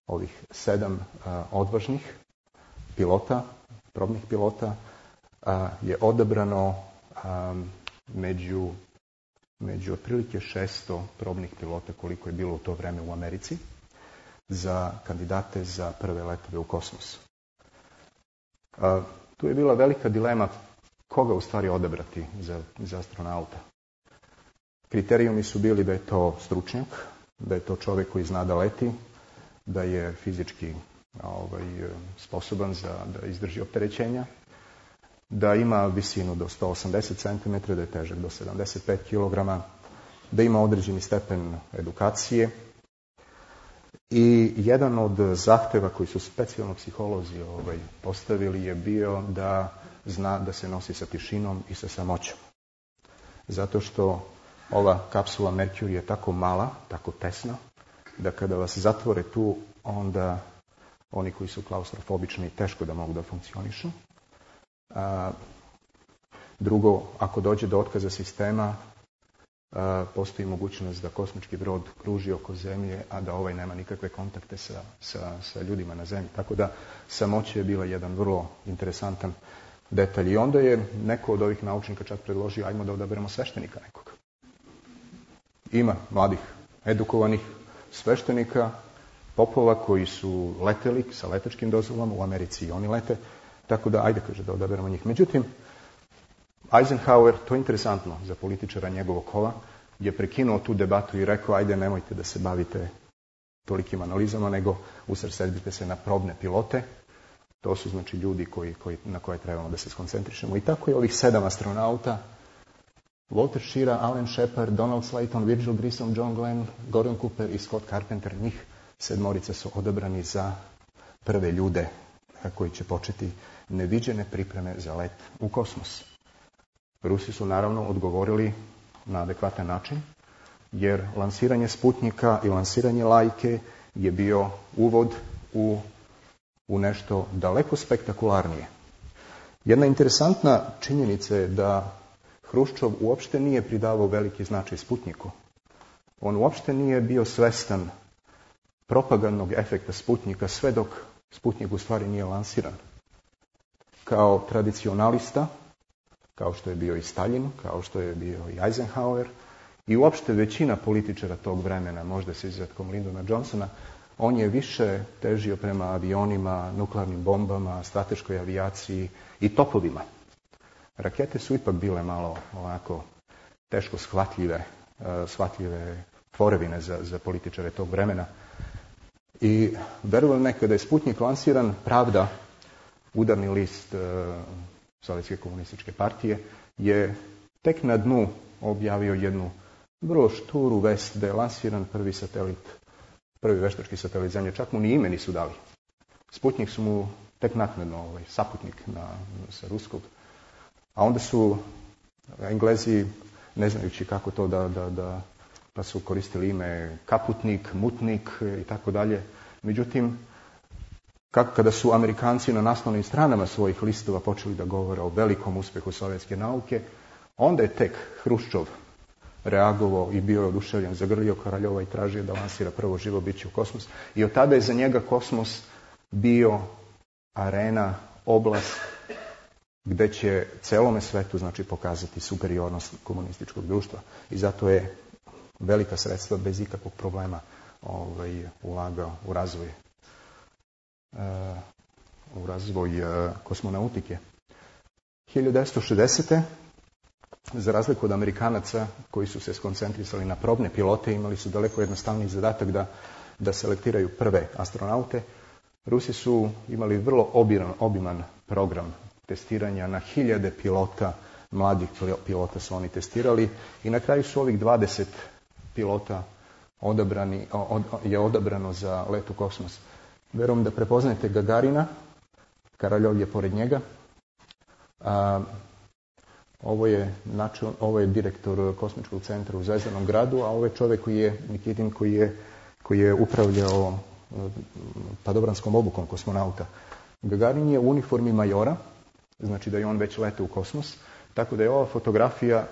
Ovih sedam a, odvažnih pilota, probnih pilota, a, je odabrano a, među, među otprilike šesto probnih pilota koliko je bilo u to vreme u Americi za kandidate za prve letove u kosmos. A, tu je bila velika dilema koga u stvari odabrati za, za astronauta. Kriterijumi su bili da je to stručnjak, da je to čovjek koji zna da leti, da je fizički ovaj, sposoban za da izdrži opterećenja, da ima visinu do sto osamdeset centimetara, da je težak do sedamdeset pet kilograma, da ima određeni stepen edukacije. I jedan od zahteva koji su specijalno psiholozi ovaj, postavili je bio da zna da se nosi sa tišinom i sa samoćom. Zato što ova kapsula Mercury je tako mala, tako tesna, da kada vas zatvore tu, onda oni koji su klaustrofobični teško da mogu da funkcionišu. A, drugo, ako dođe do otkaza sistema, a, postoji mogućnost da kosmički brod kruži oko Zemlje, a da ovaj nema nikakve kontakte sa, sa, sa ljudima na Zemlji. Tako da samoća je bila jedan vrlo interesantan detalj. I onda je neko od ovih naučnika čak predložio, ajmo da odaberemo sveštenika nekoga. Ima mladih, edukovanih sveštenika, popova koji su leteli sa letačkim dozvolama, u Americi i oni lete, tako da ajde, kaže, da odaberemo njih. Međutim, Eisenhower, to je interesantno za političara njegovog kova, je prekinuo tu debatu i rekao, ajde, nemojte da se bavite tolikim analizama, nego usredsredite se na probne pilote. To su znači ljudi koji, koji, na koje trebamo da se skoncentrišemo. I tako je ovih sedam astronauta, Walter Schirra, Alan Shepard, Donald Slayton, Virgil Grissom, John Glenn, Gordon Cooper i Scott Carpenter, njih sedmorica su odabrani za prve ljude koji će početi neviđene pripreme za let u kosmos. Rusi su naravno odgovorili na adekvatan način, jer lansiranje Sputnika i lansiranje Lajke je bio uvod u, u nešto daleko spektakularnije. Jedna interesantna činjenica je da Hruščov uopšte nije pridavao veliki značaj Sputniku. On uopšte nije bio svestan propagandnog efekta Sputnika sve dok Sputnik u stvari nije lansiran. Kao tradicionalista, kao što je bio i Stalin, kao što je bio i Eisenhower i uopšte većina političara tog vremena, možda s izuzetkom Lyndona Johnsona, on je više težio prema avionima, nuklearnim bombama, strateškoj avijaciji i topovima. Rakete su ipak bile malo ovako teško shvatljive, shvatljive tvorevine za, za političare tog vremena. I verujem nekada je Sputnik lansiran, Pravda, udarni list e, Sovjetske komunističke partije, je tek na dnu objavio jednu vrlo šturu vest da je lansiran prvi satelit, prvi veštački satelit Zemlje. Čak mu ni ime nisu dali. Sputnik su mu tek naknadno, ovaj, saputnik na, sa ruskog. A onda su Englezi, ne znajući kako to da, da, da pa su koristili ime Kaputnik, Mutnik i tako dalje. Međutim, kako kada su Amerikanci na naslovnim stranama svojih listova počeli da govore o velikom uspehu sovjetske nauke, onda je tek Hruščov reagovao i bio oduševljen, zagrlio Karaljova i tražio da lansira prvo živo biće u kosmos. I od tada je za njega kosmos bio arena, oblast gde će celome svetu znači pokazati superiornost komunističkog društva. I zato je velika sredstva bez ikakvog problema ovaj, ulagao u razvoj uh, u razvoj uh, kosmonautike. hiljadu devetsto šezdesete. za razliku od Amerikanaca koji su se skoncentrisali na probne pilote, imali su daleko jednostavniji zadatak da, da selektiraju prve astronaute, Rusi su imali vrlo obiman, obiman program testiranja na hiljade pilota, mladih pilota su oni testirali i na kraju su ovih dvadeset pilota odabrani, od, je odabrano za let u kosmos. Verujem da prepoznajete Gagarina, Karaljov je pored njega. A, ovo, je, način, ovo je direktor kosmičkog centra u Zvezdanom gradu, a ovo je čovjek koji je, Nikitin, koji je, koji je upravljao padobranskom obukom kosmonauta. Gagarin je u uniformi majora, znači da je on već letao u kosmos, tako da je ova fotografija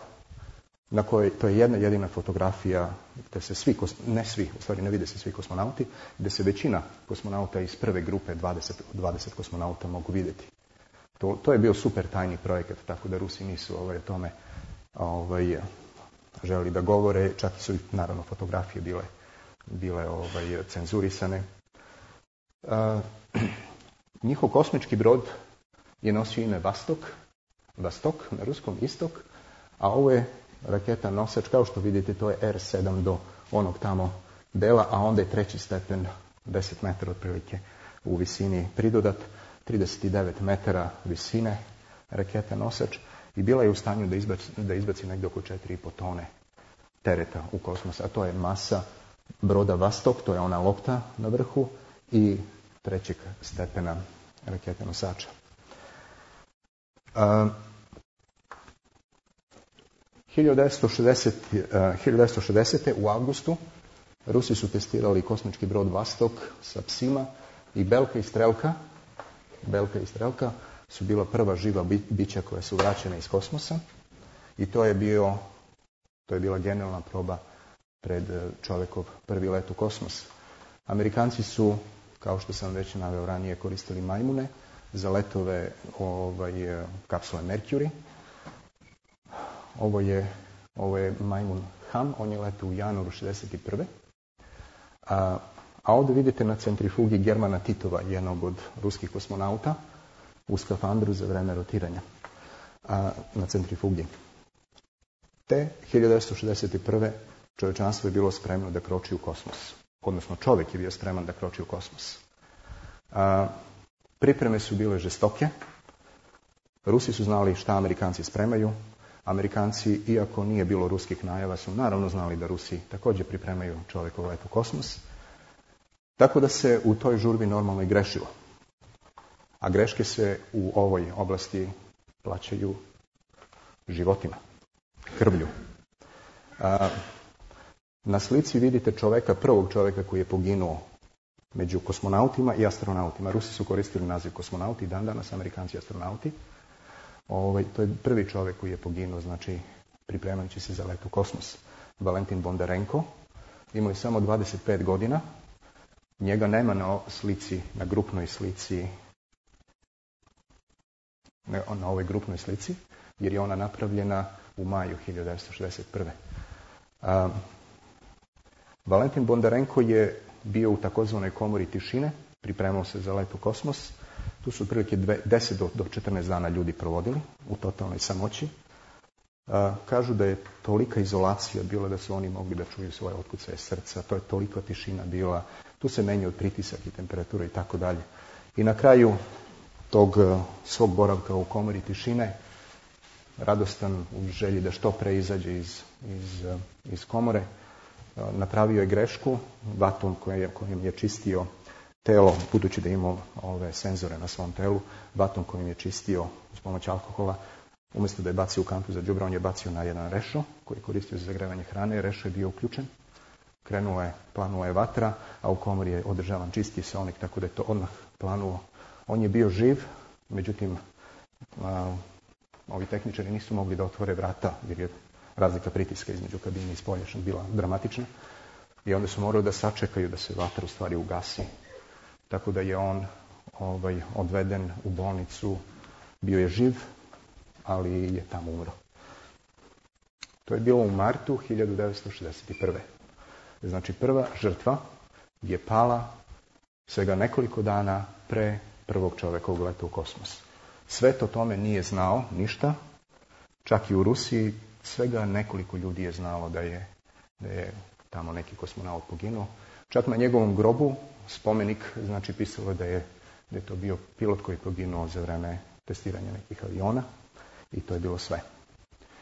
na kojoj, to je jedna jedina fotografija gde se svi, ne svi, u stvari ne vide se svi kosmonauti, gde se većina kosmonauta iz prve grupe, dvadeset, dvadeset kosmonauta mogu vidjeti. To, to je bio super tajni projekat, tako da Rusi nisu ovaj, o tome ovaj, želi da govore, čak su i naravno fotografije bile, bile ovaj, cenzurisane. A, njihov kosmički brod je nosio ime Vastok, Vastok na ruskom istok, a ovo je raketa nosač, kao što vidite, to je er sedam do onog tamo dela, a onda je treći stepen, deset metara otprilike u visini pridodat, trideset devet metara visine raketa nosač i bila je u stanju da izbaci, da izbaci negdje oko četiri i po tone tereta u kosmos, a to je masa broda Vastok, to je ona lopta na vrhu i trećeg stepena rakete nosača. Uh, hiljadu devetsto šezdesete. u avgustu Rusi su testirali kosmički brod Vastok sa psima i Belka i Strelka, Belka i Strelka su bila prva živa bića koja su vraćena iz kosmosa i to je bio, to je bila genijalna proba pred čovjekov prvi let u kosmos. Amerikanci su, kao što sam već naveo ranije, koristili majmune za letove ovaj, kapsule Mercury. Ovo je, ovo je majmun Ham, on je letao u januaru šezdeset prve. A, a ovdje vidite na centrifugi Germana Titova, jednog od ruskih kosmonauta, u skafandru za vreme rotiranja a, na centrifugi. Te hiljadu devetsto šezdeset prve čovječanstvo je bilo spremno da kroči u kosmos. Odnosno čovjek je bio spreman da kroči u kosmos. A, pripreme su bile žestoke. Rusi su znali šta Amerikanci spremaju. Amerikanci, iako nije bilo ruskih najava, su naravno znali da Rusi također pripremaju čovjekov let u kosmos. Tako da se u toj žurbi normalno i grešilo. A greške se u ovoj oblasti plaćaju životima, krvlju. A, na slici vidite čovjeka, prvog čovjeka koji je poginuo među kosmonautima i astronautima. Rusi su koristili naziv kosmonauti, dan danas Amerikanci astronauti. Ovaj, to je prvi čovjek koji je poginuo, znači pripremajući se za let u kosmos. Valentin Bondarenko. Imao je samo dvadeset pet godina. Njega nema na slici, na grupnoj slici, ne, na ovoj grupnoj slici, jer je ona napravljena u maju hiljadu devetsto šezdeset prve. A, Valentin Bondarenko je bio u takozvanoj komori tišine, pripremao se za let u kosmos. Tu su otprilike deset do četrnaest dana ljudi provodili u totalnoj samoći. A, kažu da je tolika izolacija bila da su oni mogli da čuju svoje otkucaje srca, to je toliko tišina bila, tu se menjao pritisak i temperatura i tako dalje. I na kraju tog svog boravka u komori tišine, radostan u želji da što pre izađe iz, iz, iz komore, napravio je grešku vatom kojim je čistio telo, budući da imao ove senzore na svom telu, vatom kojim je čistio uz pomoć alkohola, umjesto da je bacio u kantu za đubre, on je bacio na jedan rešo koji je koristio za zagrevanje hrane. Rešo je bio uključen, krenula je, planula je vatra, a u komori je održavan čisti seonik, tako da je to odmah planuo. On je bio živ, međutim, a, ovi tehničari nisu mogli da otvore vrata, jer je razlika pritiska između kabine i spoljašnja bila dramatična. I onda su morali da sačekaju da se vatra u stvari ugasi. Tako da je on ovaj, odveden u bolnicu, bio je živ, ali je tamo umro. To je bilo u martu hiljadu devetsto šezdeset prve. Znači prva žrtva je pala svega nekoliko dana pre prvog čovjekovog leta u kosmos. Svet o tome nije znao ništa, čak i u Rusiji svega nekoliko ljudi je znalo da je, da je tamo neki kosmonaut poginuo. Čak na njegovom grobu spomenik, znači pisalo da je, da je to bio pilot koji je poginuo za vreme testiranja nekih aviona i to je bilo sve.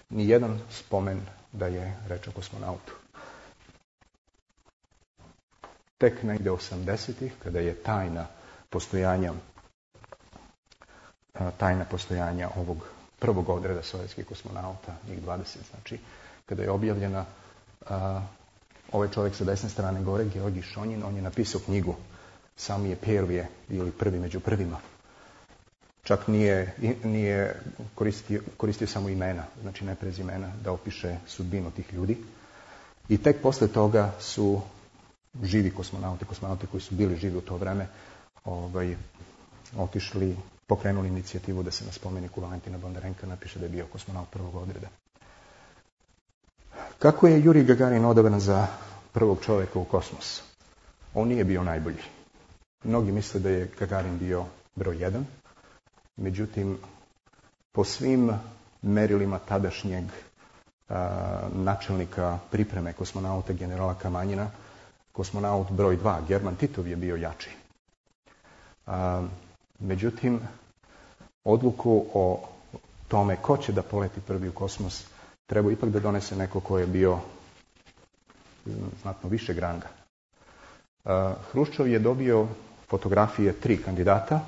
Nijedan spomen da je reč o kosmonautu. Tek negde osamdesetih, kada je tajna postojanja tajna postojanja ovog prvog odreda sovjetskih kosmonauta, njih dvadeset, znači, kada je objavljena, a, ovaj čovjek sa desne strane gore, Georgij Šonjin, on je napisao knjigu Sami je Prvije, ili prvi među prvima. Čak nije, nije koristio, koristio samo imena, znači ne prezimena, da opiše sudbinu tih ljudi. I tek posle toga su živi kosmonauti, kosmonauti koji su bili živi u to vreme, ovaj, otišli, pokrenuli inicijativu da se na spomeniku Valentina Bondarenka napiše da je bio kosmonaut prvog odreda. Kako je Jurij Gagarin odabran za prvog čovjeka u kosmos? On nije bio najbolji. Mnogi misle da je Gagarin bio broj jedan, međutim, po svim merilima tadašnjeg a, načelnika pripreme kosmonauta generala Kamanjina, kosmonaut broj dva, German Titov, je bio jači. A, međutim, odluku o tome ko će da poleti prvi u kosmos treba ipak da donese neko ko je bio znatno višeg ranga. A, Hruščov je dobio fotografije tri kandidata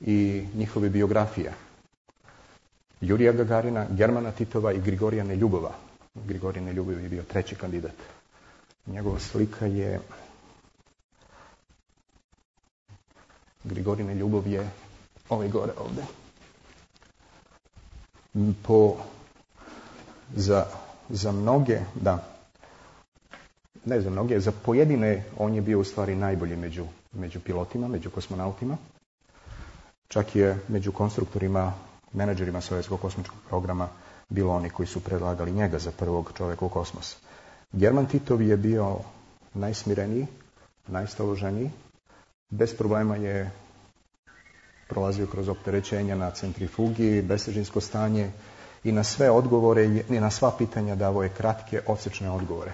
i njihove biografije. Jurija Gagarina, Germana Titova i Grigorija Neljubova. Grigorij Neljubov je bio treći kandidat. Njegova slika je... Grigorij Neljubov je ovaj gore ovdje. Po, za, za mnoge, da, ne za mnoge, za pojedine on je bio u stvari najbolji među, među pilotima, među kosmonautima. Čak je među konstruktorima, menadžerima sovjetskog kosmičkog programa bilo oni koji su predlagali njega za prvog čovjeka u kosmos. German Titov je bio najsmireniji, najstaloženiji. Bez problema je prolazio kroz opterećenja na centrifugi, bestežinsko stanje i na sve odgovore i na sva pitanja davao je kratke, odsečne odgovore.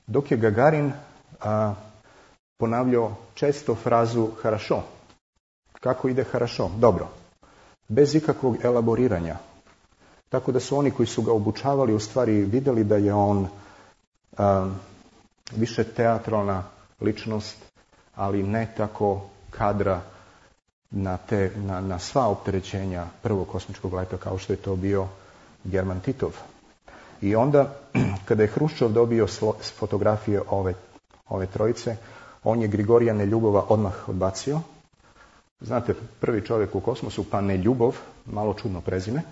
Dok je Gagarin a, ponavljao često frazu harašo. Kako ide harašo? Dobro. Bez ikakvog elaboriranja. Tako da su oni koji su ga obučavali u stvari vidjeli da je on a, više teatralna ličnost, ali ne tako kadra na, te, na, na sva opterećenja prvog kosmičkog leta kao što je to bio German Titov. I onda, kada je Hruščov dobio slo, fotografije ove, ove trojice, on je Grigorija Neljubova odmah odbacio. Znate, prvi čovjek u kosmosu, pa Neljubov, malo čudno prezime.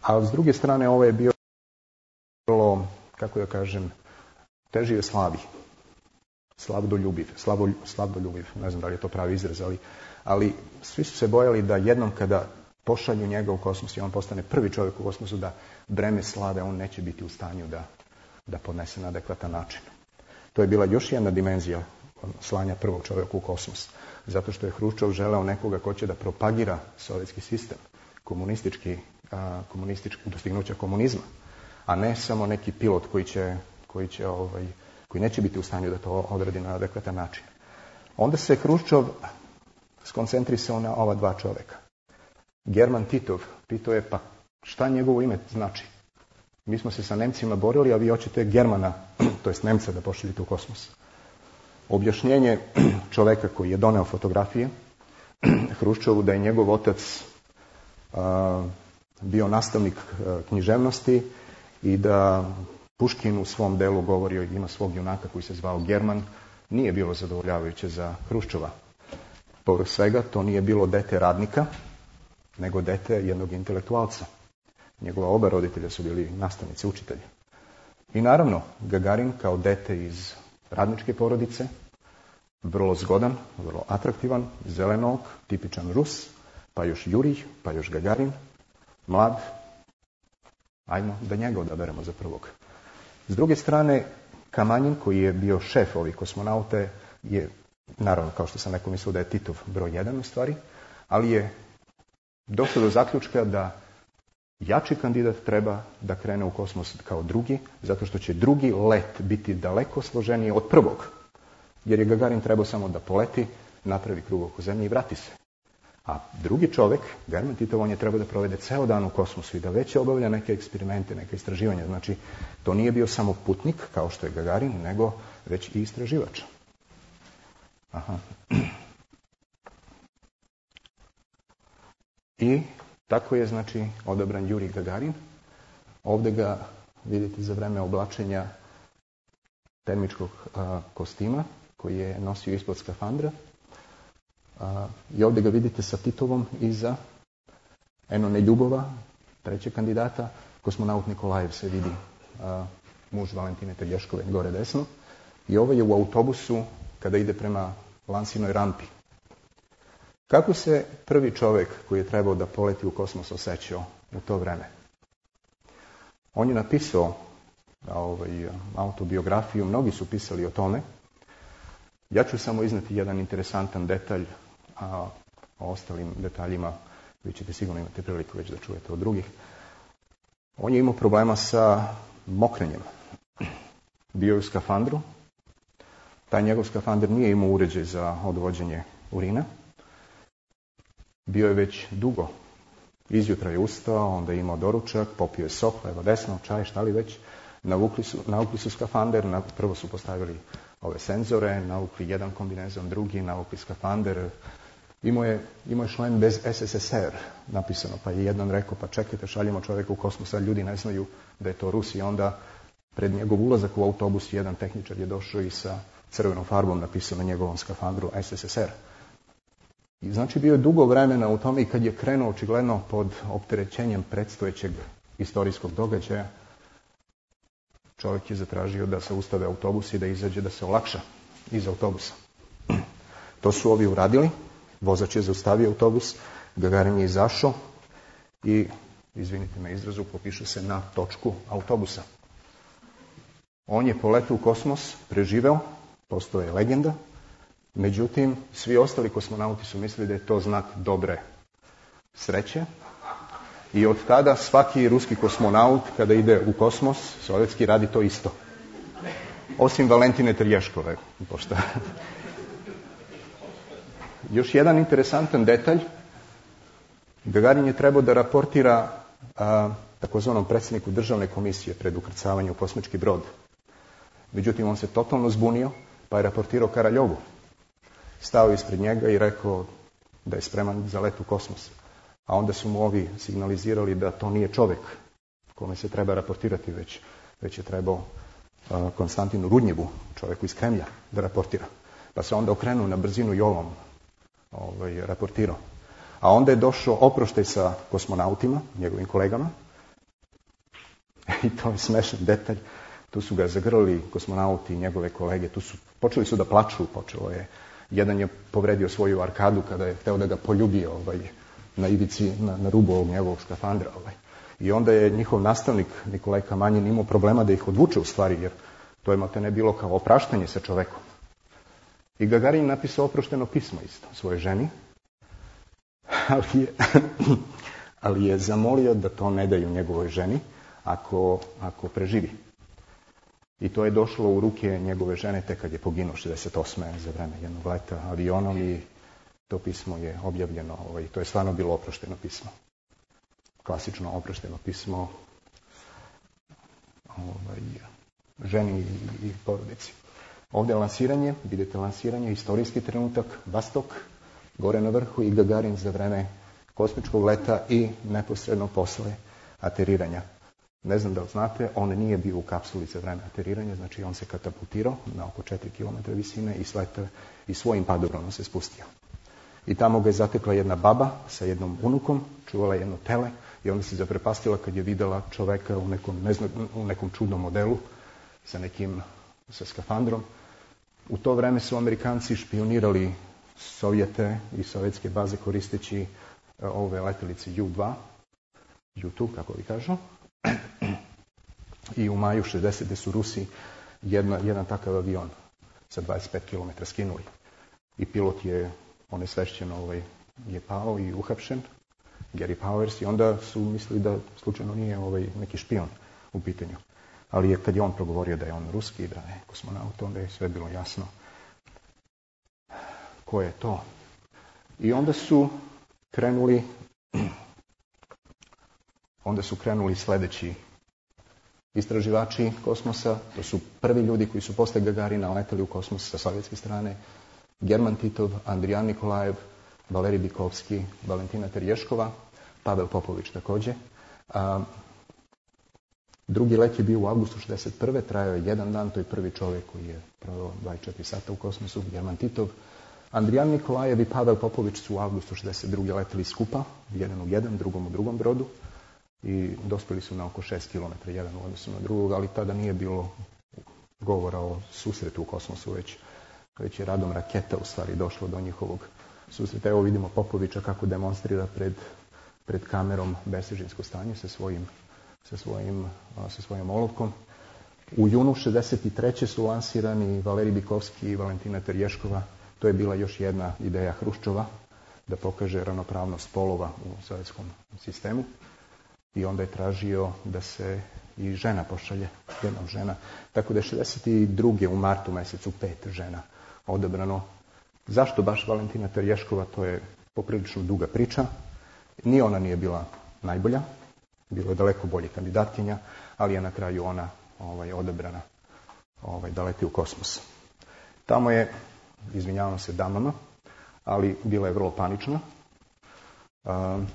A s druge strane, ovo je bio, kako da kažem, teži je slabi. Slavdoljubiv, slavo, slavdoljubiv, ne znam da li je to pravi izraz, ali, ali svi su se bojali da jednom kada pošalju njega u kosmos i on postane prvi čovjek u kosmosu, da breme slave on neće biti u stanju da, da podnese na adekvatan način. To je bila još jedna dimenzija slanja prvog čovjeka u kosmos. Zato što je Hruščov želeo nekoga ko će da propagira sovjetski sistem, komunistički, a, komunistički dostignuća komunizma, a ne samo neki pilot koji će, koji će ovaj, koji neće biti u stanju da to odradi na adekvatan način. Onda se Hruščov skoncentrisao na ova dva čovjeka. German Titov pitao je, pa šta njegovo ime znači? Mi smo se sa Nemcima borili, a vi hoćete Germana, to jest Nemca, da pošaljete u kosmos. Objašnjenje čovjeka koji je doneo fotografije Hruščovu da je njegov otac a, bio nastavnik a, književnosti i da Puškin u svom delu govorio i ima svog junaka koji se zvao German, nije bilo zadovoljavajuće za Hruščova. Povrh svega, to nije bilo dete radnika, nego dete jednog intelektualca. Njegova oba roditelja su bili nastavnici, učitelji. I naravno, Gagarin kao dete iz radničke porodice, vrlo zgodan, vrlo atraktivan, zelenog, tipičan Rus, pa još Jurij, pa još Gagarin, mlad. Ajmo da njega odaberemo za prvog. S druge strane, Kamanjin, koji je bio šef ovih kosmonaute, je, naravno, kao što sam neko mislio da je Titov broj jedan u stvari, ali je došao do zaključka da jači kandidat treba da krene u kosmos kao drugi, zato što će drugi let biti daleko složeniji od prvog. Jer je Gagarin trebao samo da poleti, napravi krug oko zemlje i vrati se. A drugi čovjek, German Titov, on je trebao da provede ceo dan u kosmosu i da već obavlja neke eksperimente, neke istraživanja. Znači, to nije bio samo putnik, kao što je Gagarin, nego već i istraživač. Aha. I tako je, znači, odabran Jurij Gagarin. Ovdje ga vidite za vreme oblačenja termičkog a, kostima koji je nosio ispod skafandra. A, I ovdje ga vidite sa Titovom iza Eno Neljubova, trećeg kandidata. Kosmonaut Nikolajev se vidi, a, muž Valentine Telješkove, gore desno. I ovo je u autobusu kada ide prema Lansinoj rampi. Kako se prvi čovjek koji je trebao da poleti u kosmos osjećao u to vreme? On je napisao ovaj, autobiografiju, mnogi su pisali o tome. Ja ću samo izneti jedan interesantan detalj, a o ostalim detaljima vi ćete sigurno imati priliku već da čujete od drugih. On je imao problema sa mokrenjem. Bio je u skafandru. Taj njegov skafander nije imao uređaj za odvođenje urina. Bio je već dugo. Izjutra je ustao, onda je imao doručak, popio je sok, levo desno, čaj, šta li već. Navukli su, navukli su skafander, prvo su postavili ove senzore, navukli jedan kombinezon, drugi, navukli skafander. Imao je, imao je šlem bez S S S R napisano, pa je jedan rekao, pa čekajte, šaljemo čovjeka u kosmos, a ljudi ne znaju da je to Rus. I onda pred njegov ulazak u autobus jedan tehničar je došao i sa crvenom farbom napisao na njegovom skafandru S S S R. I znači bio je dugo vremena u tome i kad je krenuo očigledno pod opterećenjem predstojećeg istorijskog događaja, čovjek je zatražio da se ustave autobus i da izađe da se olakša iz autobusa. To su ovi uradili, vozač je zaustavio autobus, Gagarin je izašao i, izvinite me izrazu, popiše se na točku autobusa. On je poletio u kosmos, preživeo, postao je legenda, međutim, svi ostali kosmonauti su mislili da je to znak dobre sreće i od tada svaki ruski kosmonaut kada ide u kosmos, sovjetski, radi to isto. Osim Valentine Terješkove. Pošto... Još jedan interesantan detalj. Gagarin je trebao da raportira a, takozvanom predsjedniku državne komisije pred ukrcavanjem u kosmički brod. Međutim, on se totalno zbunio, pa je raportirao Karaljovu. Stao ispred njega i rekao da je spreman za let u kosmos. A onda su mu ovi signalizirali da to nije čovjek kome se treba raportirati, već, već je trebao uh, Konstantinu Rudnjevu, čovjeku iz Kremlja, da raportira. Pa se onda okrenuo na brzinu i ovom ovaj, raportirao. A onda je došao oproštaj sa kosmonautima, njegovim kolegama. I to je smešan detalj. Tu su ga zagrlili kosmonauti i njegove kolege. Tu su, počeli su da plaču, počelo je. Jedan je povredio svoju arkadu kada je hteo da ga poljubi ovaj, na ivici, na, na rubu ovog njegovog skafandra. Ovaj. I onda je njihov nastavnik, Nikolaj Kamanjin, imao problema da ih odvuče u stvari, jer to je malte ne bilo kao opraštanje sa čovekom. I Gagarin napisao oprošteno pismo isto svojoj ženi, ali je, ali je zamolio da to ne daju njegovoj ženi ako, ako preživi. I to je došlo u ruke njegove žene tek kad je poginuo šezdeset osme za vreme jednog leta avionom i to pismo je objavljeno. Ovaj, to je stvarno bilo oprošteno pismo. Klasično oprošteno pismo ovaj, ženi i, i porodici. Ovdje je lansiranje, vidite lansiranje, istorijski trenutak, Vostok, gore na vrhu i Gagarin za vreme kosmičkog leta i neposredno posle ateriranja. Ne znam da li znate, on nije bio u kapsuli za vreme ateriranja, znači on se katapultirao na oko četiri kilometra visine i, sleta, i svojim padobronom se spustio. I tamo ga je zatekla jedna baba sa jednom unukom, čuvala jedno tele i onda se zaprepastila kad je videla čoveka u nekom, ne znam, u nekom čudnom modelu sa nekim sa skafandrom. U to vreme su Amerikanci špionirali Sovjete i sovjetske baze koristeći ove letelice U dva, U dva, kako vi kažu. I u maju šezdesete su Rusi jedna, jedan takav avion sa dvadeset pet kilometara skinuli. I pilot je, on je svešćeno, ovaj, je pao i uhapšen, Gary Powers, i onda su mislili da slučajno nije ovaj, neki špion u pitanju. Ali je, kad je on progovorio da je on ruski, da je kosmonaut, onda je sve bilo jasno ko je to. I onda su krenuli onda su krenuli sljedeći istraživači kosmosa. To su prvi ljudi koji su posle Gagarina leteli u kosmos sa sovjetske strane. German Titov, Andrijan Nikolajev, Valerij Bikovski, Valentina Terješkova, Pavel Popović također. A, drugi let je bio u avgustu šezdeset prve. Trajao je jedan dan, to je prvi čovjek koji je proveo dvadeset četiri sata u kosmosu, German Titov. Andrijan Nikolajev i Pavel Popović su u avgustu šezdeset druge leteli skupa, jedan u jedan, drugom u drugom brodu. I dospjeli su na oko šest kilometara jedan u odnosu na drugog, ali tada nije bilo govora o susretu u kosmosu, već, već je radom raketa u stvari došlo do njihovog susreta. Evo vidimo Popovića kako demonstrira pred, pred kamerom besežinsko stanje sa svojim, sa svojim, sa svojim olovkom. U junu šezdeset treće su lansirani Valerij Bikovski i Valentina Terješkova. To je bila još jedna ideja Hruščova da pokaže ravnopravnost polova u sovjetskom sistemu. I onda je tražio da se i žena pošalje, jedna žena. Tako da je šezdeset druge u martu mjesecu pet žena odabrano. Zašto baš Valentina Terješkova, to je poprilično duga priča. Ni ona nije bila najbolja, bilo je daleko bolje kandidatkinja, ali je na kraju ona ovaj, odabrana ovaj, da leti u kosmos. Tamo je, izvinjavam se damama, ali bila je vrlo panična. Um,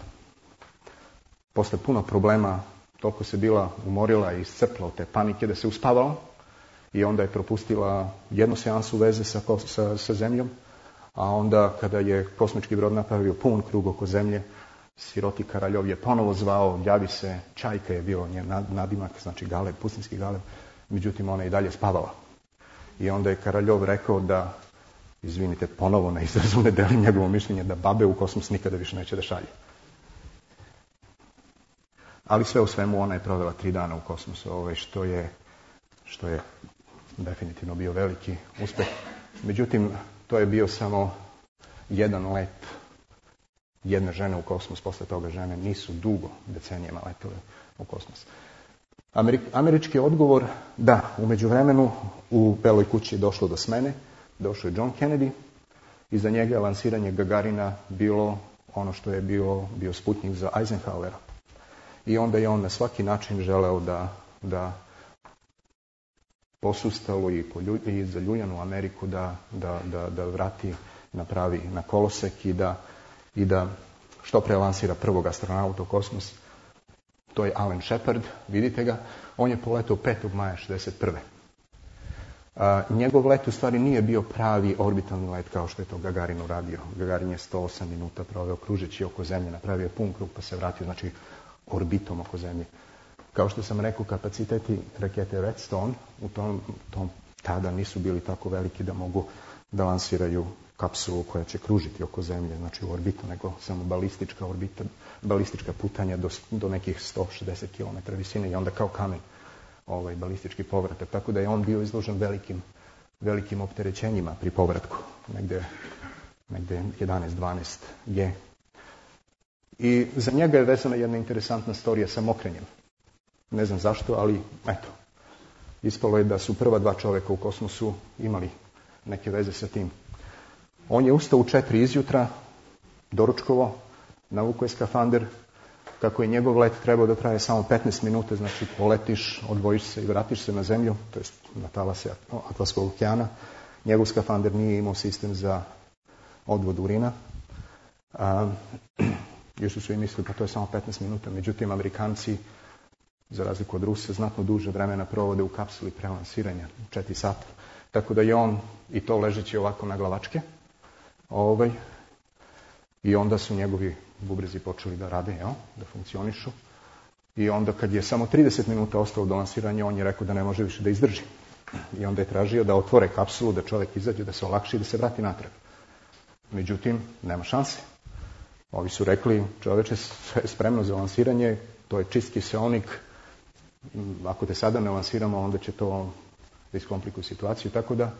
Posle puno problema, toliko se bila umorila i iscrpla od te panike da se uspavala i onda je propustila jednu seansu veze sa, sa, sa zemljom, A onda kada je kosmički brod napravio pun krug oko zemlje, siroti Karaljov je ponovo zvao, javi se, Čajka je bio njen nadimak, znači galeb, pustinski galeb, međutim ona je i dalje spavala. I onda je Karaljov rekao da, izvinite, ponovo na izrazu ne delim njegovo mišljenje, da babe u kosmos nikada više neće da šalje. Ali sve u svemu ona je provela tri dana u kosmosu, ovaj, što je, što je definitivno bio veliki uspeh. Međutim, to je bio samo jedan let jedne žene u kosmos. Posle toga žene nisu dugo decenijama letele u kosmos. Amerik, američki odgovor, da, u međuvremenu u Beloj kući je došlo do smene, došao je John Kennedy i za njega je lansiranje Gagarina bilo ono što je bio, bio Sputnik za Eisenhowera. I onda je on na svaki način želeo da, da posustalo i, i za ljuljanu Ameriku da, da, da, da vrati na pravi, na kolosek i da, i da što pre lansira prvog astronauta u kosmos. To je Alan Shepard, vidite ga. On je poletao petog maja šezdeset prve. A, njegov let u stvari nije bio pravi orbitalni let kao što je to Gagarin uradio. Gagarin je sto osam minuta proveo kružeći oko zemlje, napravio pun krug pa se vratio, znači orbitom oko zemlje. Kao što sam rekao, kapaciteti rakete Redstone u tom, tom tada nisu bili tako veliki da mogu da lansiraju kapsulu koja će kružiti oko zemlje, znači u orbitu, nego samo balistička orbita, balistička putanja do, do nekih sto šezdeset kilometara visine i onda kao kamen ovaj, balistički povratak. Tako da je on bio izložen velikim, velikim opterećenjima pri povratku, negde, negde jedanaest dvanaest G. I za njega je vezana jedna interesantna storija sa mokrenjem. Ne znam zašto, ali eto, ispalo je da su prva dva čoveka u kosmosu imali neke veze sa tim. On je ustao u četiri izjutra, doručkovo, navukao je skafander, kako je njegov let trebao da traje samo petnaest minuta, znači poletiš, odvojiš se i vratiš se na zemlju, to jest na talase Atlantskog okeana. Njegov skafander nije imao sistem za odvod urina. A, još su svi mislili pa to je samo petnaest minuta, međutim Amerikanci, za razliku od Rusa, znatno duže vremena provode u kapsuli pre lansiranja, četiri sata. Tako da je on i to ležeći ovako na glavačke. Ovaj, I onda su njegovi bubrezi počeli da rade, jel, da funkcionišu. I onda kad je samo trideset minuta ostalo do lansiranja, on je rekao da ne može više da izdrži. I onda je tražio da otvore kapsulu, da čovjek izađe, da se olakši i da se vrati natrag. Međutim, nema šanse. Ovi su rekli, čoveče, sve je spremno za lansiranje, to je čist kiseonik, ako te sada ne lansiramo, onda će to da iskomplikuje situaciju, tako da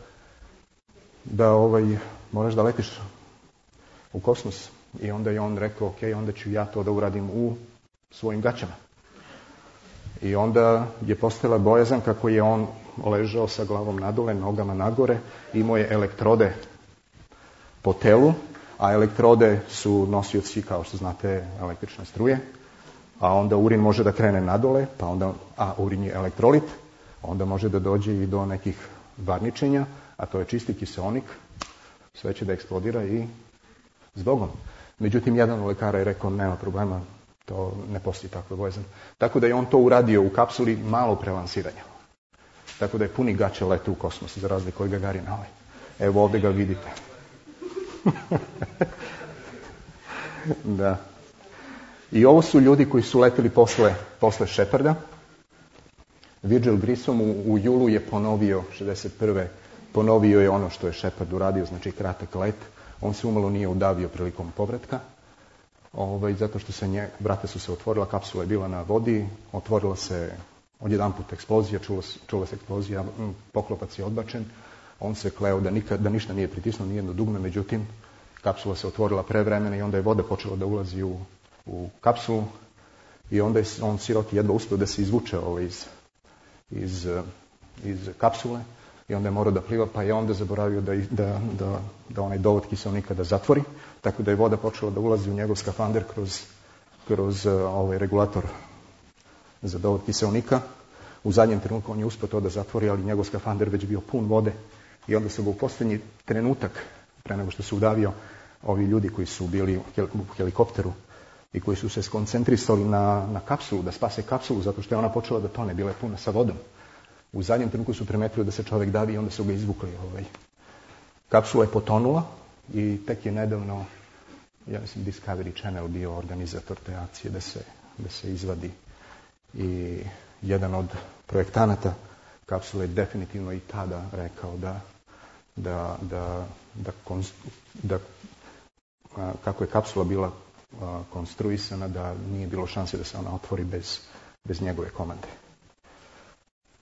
da ovaj, moraš da letiš u kosmos. I onda je on rekao, ok, onda ću ja to da uradim u svojim gaćama. I onda je postojala bojazan kako je on ležao sa glavom nadole, nogama nagore, imao je elektrode po telu, a elektrode su nosioci, kao što znate, električne struje, a onda urin može da krene nadole, pa onda, a urin je elektrolit, onda može da dođe i do nekih varničenja, a to je čisti kiseonik, sve će da eksplodira i s Bogom. Međutim, jedan od lekara je rekao, nema problema, to ne postoji takva bojazan. Tako da je on to uradio u kapsuli malo pre lansiranja. Tako da je puni gaće lete u kosmos, za razliku od Gagarina. Evo ovdje ga vidite. Da. I ovo su ljudi koji su leteli posle, posle Sheparda. Virgil Grissom u, u julu je ponovio, šezdeset prve ponovio je ono što je Shepard uradio, znači kratak let. On se umalo nije udavio prilikom povratka, ovaj, zato što se nje, vrata su se otvorila, kapsula je bila na vodi, otvorila se odjedanput eksplozija, čula, čula se eksplozija, poklopac je odbačen. On se kleo da, nikad, da ništa nije pritisnuo, nijedno dugme, međutim, kapsula se otvorila pre vremena i onda je voda počela da ulazi u, u kapsulu i onda je on siroti jedva uspio da se izvuče ovaj, iz, iz, iz kapsule i onda je morao da pliva, pa je onda zaboravio da, da, da, da onaj dovod kiseonika da zatvori, tako da je voda počela da ulazi u njegov skafander kroz, kroz ovaj regulator za dovod kiseonika. U zadnjem trenutku on je uspio to da zatvori, ali njegov skafander već bio pun vode i onda su ga u posljednji trenutak, pre nego što se udavio, ovi ljudi koji su bili u helikopteru i koji su se skoncentrisali na, na kapsulu, da spase kapsulu, zato što je ona počela da tone, bila je puna sa vodom. U zadnjem trenutku su primetili da se čovjek davi i onda su ga izvukli. Ovaj. Kapsula je potonula i tek je nedavno, ja mislim, Discovery Channel bio organizator te akcije da se, da se izvadi. I jedan od projektanata kapsule je definitivno i tada rekao da, da, da, da, da a, kako je kapsula bila a, konstruisana, da nije bilo šanse da se ona otvori bez, bez njegove komande.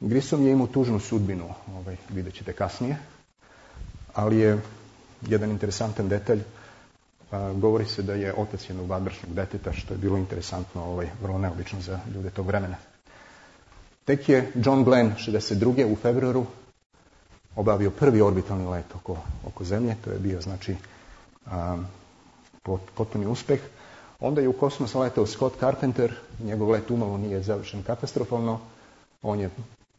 Grissom je imao tužnu sudbinu, ovaj, vidjet ćete kasnije, ali je jedan interesantan detalj. A, govori se da je otac jednog vanbračnog deteta, što je bilo interesantno, ovaj, vrlo neobično za ljude tog vremena. Tek je John Glenn šezdeset druge u februaru obavio prvi orbitalni let oko, oko Zemlje. To je bio, znači, a, potpuni uspeh. Onda je u kosmos letao Scott Carpenter. Njegov let umalo nije završen katastrofalno. On je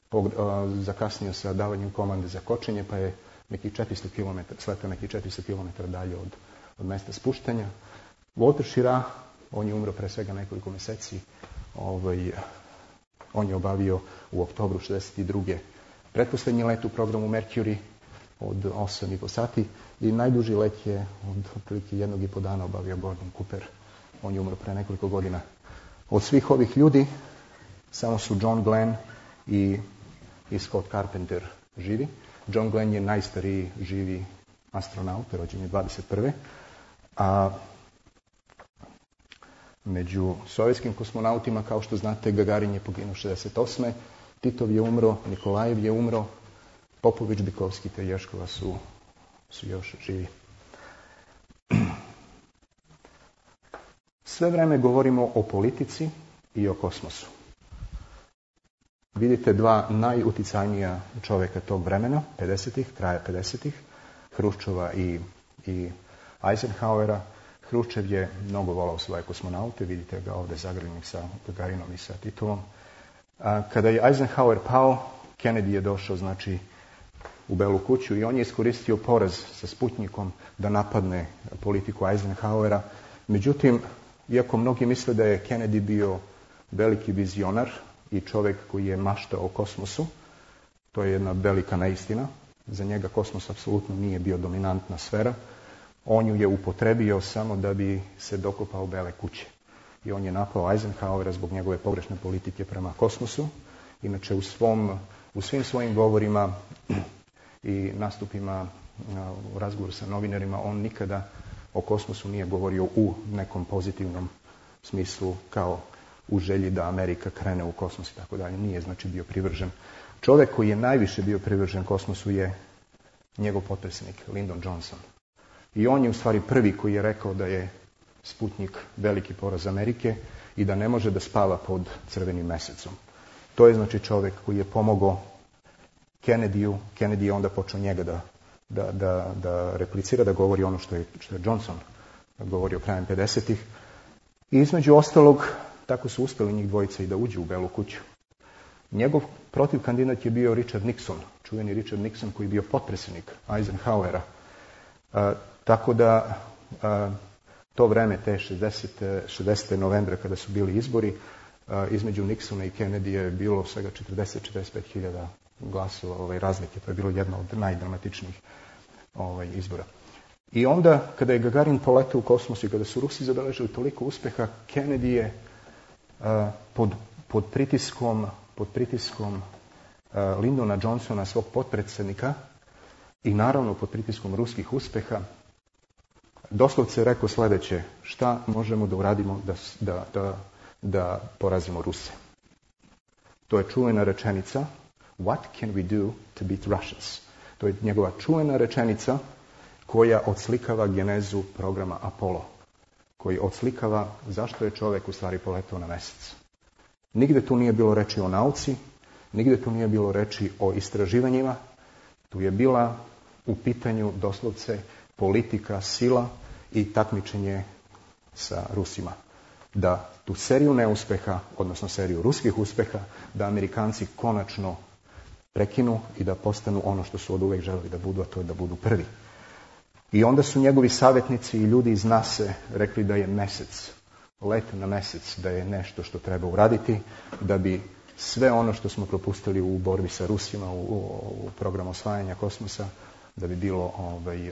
pog, a, zakasnio sa davanjem komande za kočenje, pa je neki četiristo kilometara, sletao neki četiristo kilometara dalje od, od mesta spuštanja. Walter Schirra, on je umro pre svega nekoliko meseci. Ovaj, on je obavio u oktobru šezdeset druge pretposlednji let u programu Mercury od osam i po sati i najduži let je od otprilike jednog i po dana obavio Gordon Cooper. On je umro pre nekoliko godina. Od svih ovih ljudi samo su John Glenn i, i Scott Carpenter živi. John Glenn je najstariji živi astronaut, rođen je dvadeset prve A među sovjetskim kosmonautima, kao što znate, Gagarin je poginuo šezdeset osme Titov je umro, Nikolajev je umro, Popović, Bikovski te Ješkova su, su još živi. Sve vreme govorimo o politici i o kosmosu. Vidite dva najuticajnija čovjeka tog vremena, pedesetih, kraja pedesetih, Hruščova i, i Eisenhowera. Hruščev je mnogo volao svoje kosmonaute, vidite ga ovdje zagrljenih sa Gagarinom i sa Titovom. A kada je Eisenhower pao, Kennedy je došao, znači, u Belu kuću i on je iskoristio poraz sa Sputnikom da napadne politiku Eisenhowera. Međutim, iako mnogi misle da je Kennedy bio veliki vizionar i čovjek koji je maštao o kosmosu, to je jedna velika neistina. Za njega kosmos apsolutno nije bio dominantna sfera. On ju je upotrebio samo da bi se dokopao Bele kuće. I on je napao Eisenhowera zbog njegove pogrešne politike prema kosmosu. Inače, u, svom, u svim svojim govorima i nastupima u razgovoru sa novinarima, on nikada o kosmosu nije govorio u nekom pozitivnom smislu, kao u želji da Amerika krene u kosmos i tako dalje. Nije, znači, bio privržen. Čovjek koji je najviše bio privržen kosmosu je njegov potpredsjednik, Lyndon Johnson. I on je u stvari prvi koji je rekao da je Sputnik veliki poraz Amerike i da ne može da spava pod crvenim mesecom. To je, znači, čovjek koji je pomogao Kennedyu. Kennedy je onda počeo njega da, da, da, da replicira, da govori ono što je, što je Johnson govorio krajem pedesetih. I između ostalog, tako su uspjeli njih dvojica i da uđu u Belu kuću. Njegov protivkandidat je bio Richard Nixon, čuveni Richard Nixon koji je bio potpredsjednik Eisenhowera. A, tako da a, to vreme, te šezdesete novembra kada su bili izbori, a, između Nixona i Kennedy je bilo svega četrdeset do četrdeset pet hiljada glasova ovaj, razlike. To je bilo jedno od najdramatičnijih ovaj, izbora. I onda, kada je Gagarin poletao u kosmos i kada su Rusi zabeležili toliko uspeha, Kennedy je a, pod, pod pritiskom, pod pritiskom a, Lyndona Johnsona, svog potpredsjednika, i naravno pod pritiskom ruskih uspeha, doslovce rekao sljedeće: šta možemo da uradimo da, da, da, da porazimo Ruse. To je čuvena rečenica What can we do to beat Russians? To je njegova čuvena rečenica koja odslikava genezu programa Apollo, koji odslikava zašto je čovjek u stvari poletao na mjesec. Nigde tu nije bilo reči o nauci, nigde tu nije bilo reči o istraživanjima, tu je bila u pitanju doslovce politika, sila i takmičenje sa Rusima. Da tu seriju neuspeha, odnosno seriju ruskih uspeha, da Amerikanci konačno prekinu i da postanu ono što su od uvek želeli da budu, a to je da budu prvi. I onda su njegovi savjetnici i ljudi iz nase rekli da je mesec, let na mesec, da je nešto što treba uraditi, da bi sve ono što smo propustili u borbi sa Rusima, u, u, u programu osvajanja kosmosa, da bi bilo ovaj,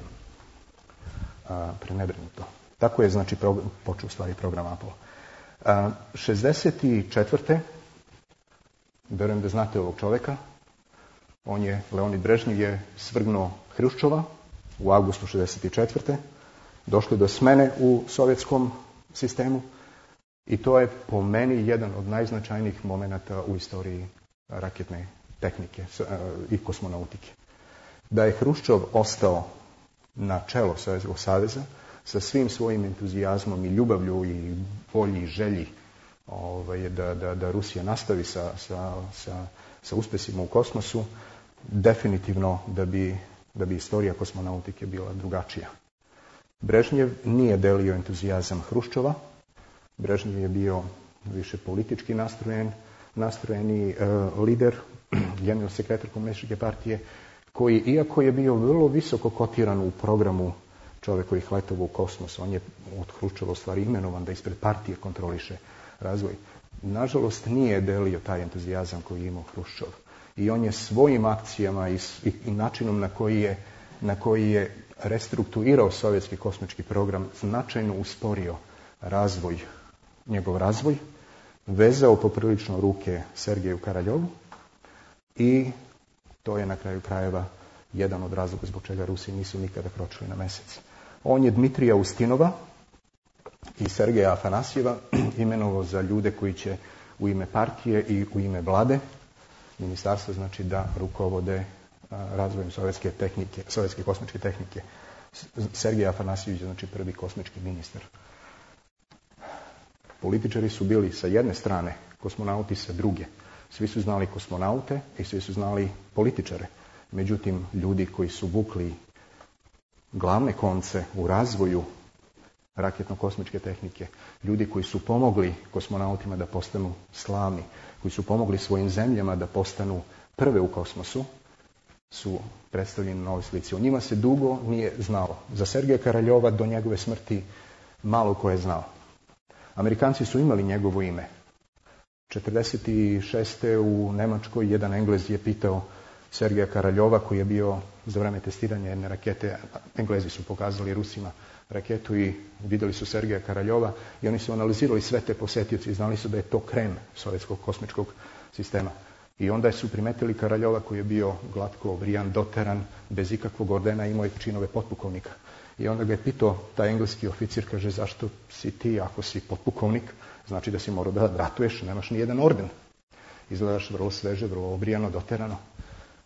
a, prenebrinuto. Tako je, znači, prog- počeo u stvari program Apollo. A, šezdeset četvrte verujem da znate ovog čoveka, on je, Leonid Brežnjev je svrgnuo Hruščova u avgustu šezdeset četvrte Došlo je do smene u sovjetskom sistemu i to je po meni jedan od najznačajnijih momenata u istoriji raketne tehnike i kosmonautike. Da je Hruščov ostao na čelo Sovjetskog saveza sa svim svojim entuzijazmom i ljubavlju i volji i želji ovaj, da, da, da Rusija nastavi sa, sa, sa, sa uspesima u kosmosu, definitivno da bi, da bi istorija kosmonautike bila drugačija. Brežnjev nije delio entuzijazam Hruščova. Brežnjev je bio više politički nastrojen, nastrojeni uh, lider, generalni sekretar komunističke partije, koji, iako je bio vrlo visoko kotiran u programu čovekovih letova u kosmos, on je od Hruščova u stvari imenovan da ispred partije kontroliše razvoj. Nažalost, nije delio taj entuzijazam koji je imao Hruščov. I on je svojim akcijama i, i, i načinom na koji je, na koji je restrukturirao sovjetski kosmički program značajno usporio razvoj, njegov razvoj, vezao poprilično ruke Sergeju Karaljovu i to je na kraju krajeva jedan od razloga zbog čega Rusi nisu nikada kročili na mesec. On je Dmitrija Ustinova i Sergeja Afanasjeva imenovao za ljude koji će u ime partije i u ime vlade ministarstva, znači da rukovode razvojem sovjetske tehnike, sovjetske kosmičke tehnike. Sergej Afanasjević je znači prvi kosmički ministar. Političari su bili sa jedne strane, kosmonauti sa druge. Svi su znali kosmonaute i svi su znali političare. Međutim, ljudi koji su vukli glavne konce u razvoju raketno-kosmičke tehnike, ljudi koji su pomogli kosmonautima da postanu slavni, koji su pomogli svojim zemljama da postanu prve u kosmosu, su predstavljeni na ovoj slici. O njima se dugo nije znalo. Za Sergeja Karaljova do njegove smrti malo ko je znao. Amerikanci su imali njegovo ime. četrdeset šeste u Nemačkoj jedan Englez je pitao Sergeja Karaljova, koji je bio za vreme testiranja jedne rakete, Englezi su pokazali Rusima raketu i vidjeli su Sergeja Karaljova i oni su analizirali sve te posetioci i znali su da je to krem sovjetskog kosmičkog sistema. I onda su primetili Karaljova koji je bio glatko obrijan, doteran, bez ikakvog ordena, imao je činove potpukovnika. I onda ga je pitao taj engleski oficir, kaže, zašto si ti, ako si potpukovnik, znači da si morao da ratuješ, nemaš ni jedan orden. Izgledaš vrlo sveže, vrlo obrijano, doterano.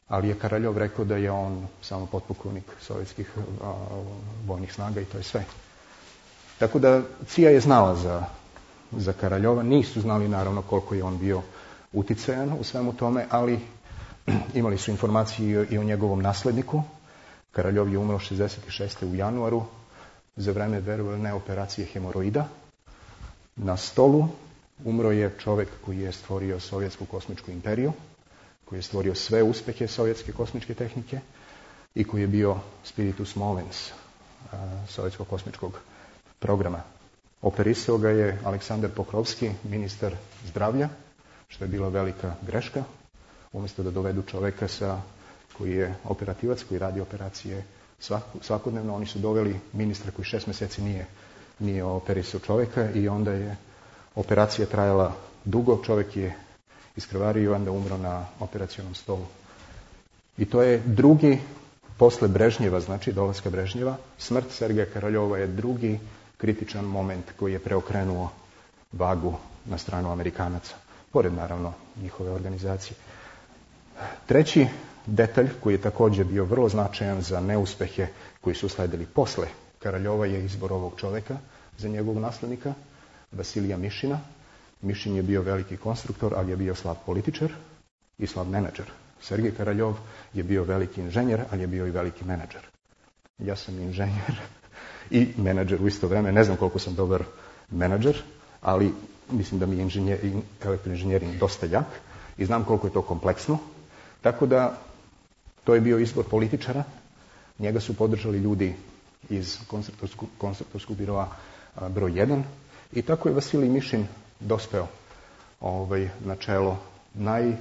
Ali je Karaljov rekao da je on samo potpukovnik sovjetskih a, vojnih snaga i to je sve. Tako da C I A je znala za, za Karaljova, nisu znali naravno koliko je on bio uticajan u svemu tome, ali imali su informacije i o njegovom nasledniku. Karaljov je umro šezdeset šeste u januaru za vreme, verovali ne, operacije hemoroida. Na stolu umro je čovjek koji je stvorio sovjetsku kosmičku imperiju, koji je stvorio sve uspehe sovjetske kosmičke tehnike i koji je bio spiritus movens sovjetskog kosmičkog programa. Operisao ga je Aleksandar Pokrovski, ministar zdravlja, što je bila velika greška. Umjesto da dovedu čovjeka sa, koji je operativac, koji radi operacije svakodnevno, oni su doveli ministra koji šest mjeseci nije, nije operisao čovjeka i onda je operacija trajala dugo, čovjek je iskrvario i onda umro na operacionom stolu. I to je drugi, posle Brežnjeva, znači dolaska Brežnjeva, smrt Sergeja Karaljova je drugi kritičan moment koji je preokrenuo vagu na stranu Amerikanaca, pored naravno njihove organizacije. Treći detalj koji je također bio vrlo značajan za neuspehe koji su sledili posle Karaljova je izbor ovog čovjeka za njegovog naslednika, Vasilija Mišina. Mišin je bio veliki konstruktor, ali je bio slab političar i slab menadžer. Sergej Karaljov je bio veliki inženjer, ali je bio i veliki menadžer. Ja sam inženjer i menadžer u isto vrijeme. Ne znam koliko sam dobar menadžer, ali mislim da mi je inženjer, elektroinženjering dosta jak i znam koliko je to kompleksno. Tako da to je bio izbor političara. Njega su podržali ljudi iz konstruktorskog, konstruktorskog biroa broj jedan i tako je Vasilij Mišin dospeo ovaj, na čelo naj,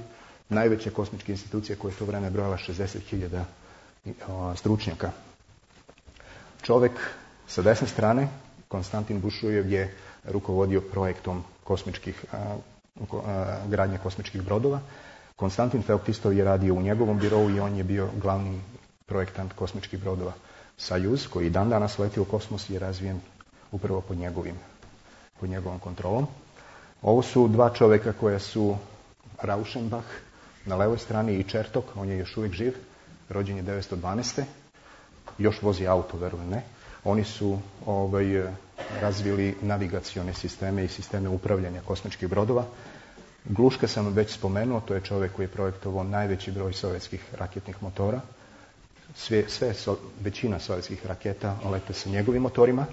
najveće kosmičke institucije koje je to vreme brojala šezdeset hiljada stručnjaka. Čovjek Sa desne strane, Konstantin Bušujev je rukovodio projektom kosmičkih, a, a, gradnje kosmičkih brodova. Konstantin Feoktistov je radio u njegovom birovu i on je bio glavni projektant kosmičkih brodova. Sajuz, koji dan danas leti u kosmos, je razvijen upravo pod njegovim, pod njegovom kontrolom. Ovo su dva čovjeka koja su Rauschenbach na levoj strani i Čertok, on je još uvijek živ, rođen je devetsto dvanaeste. Još vozi auto, verujem ne. Oni su ovaj, razvili navigacione sisteme i sisteme upravljanja kosmičkih brodova. Gluška sam već spomenuo, to je čovjek koji je projektovao najveći broj sovjetskih raketnih motora. Sve, sve so, većina sovjetskih raketa lete sa njegovim motorima.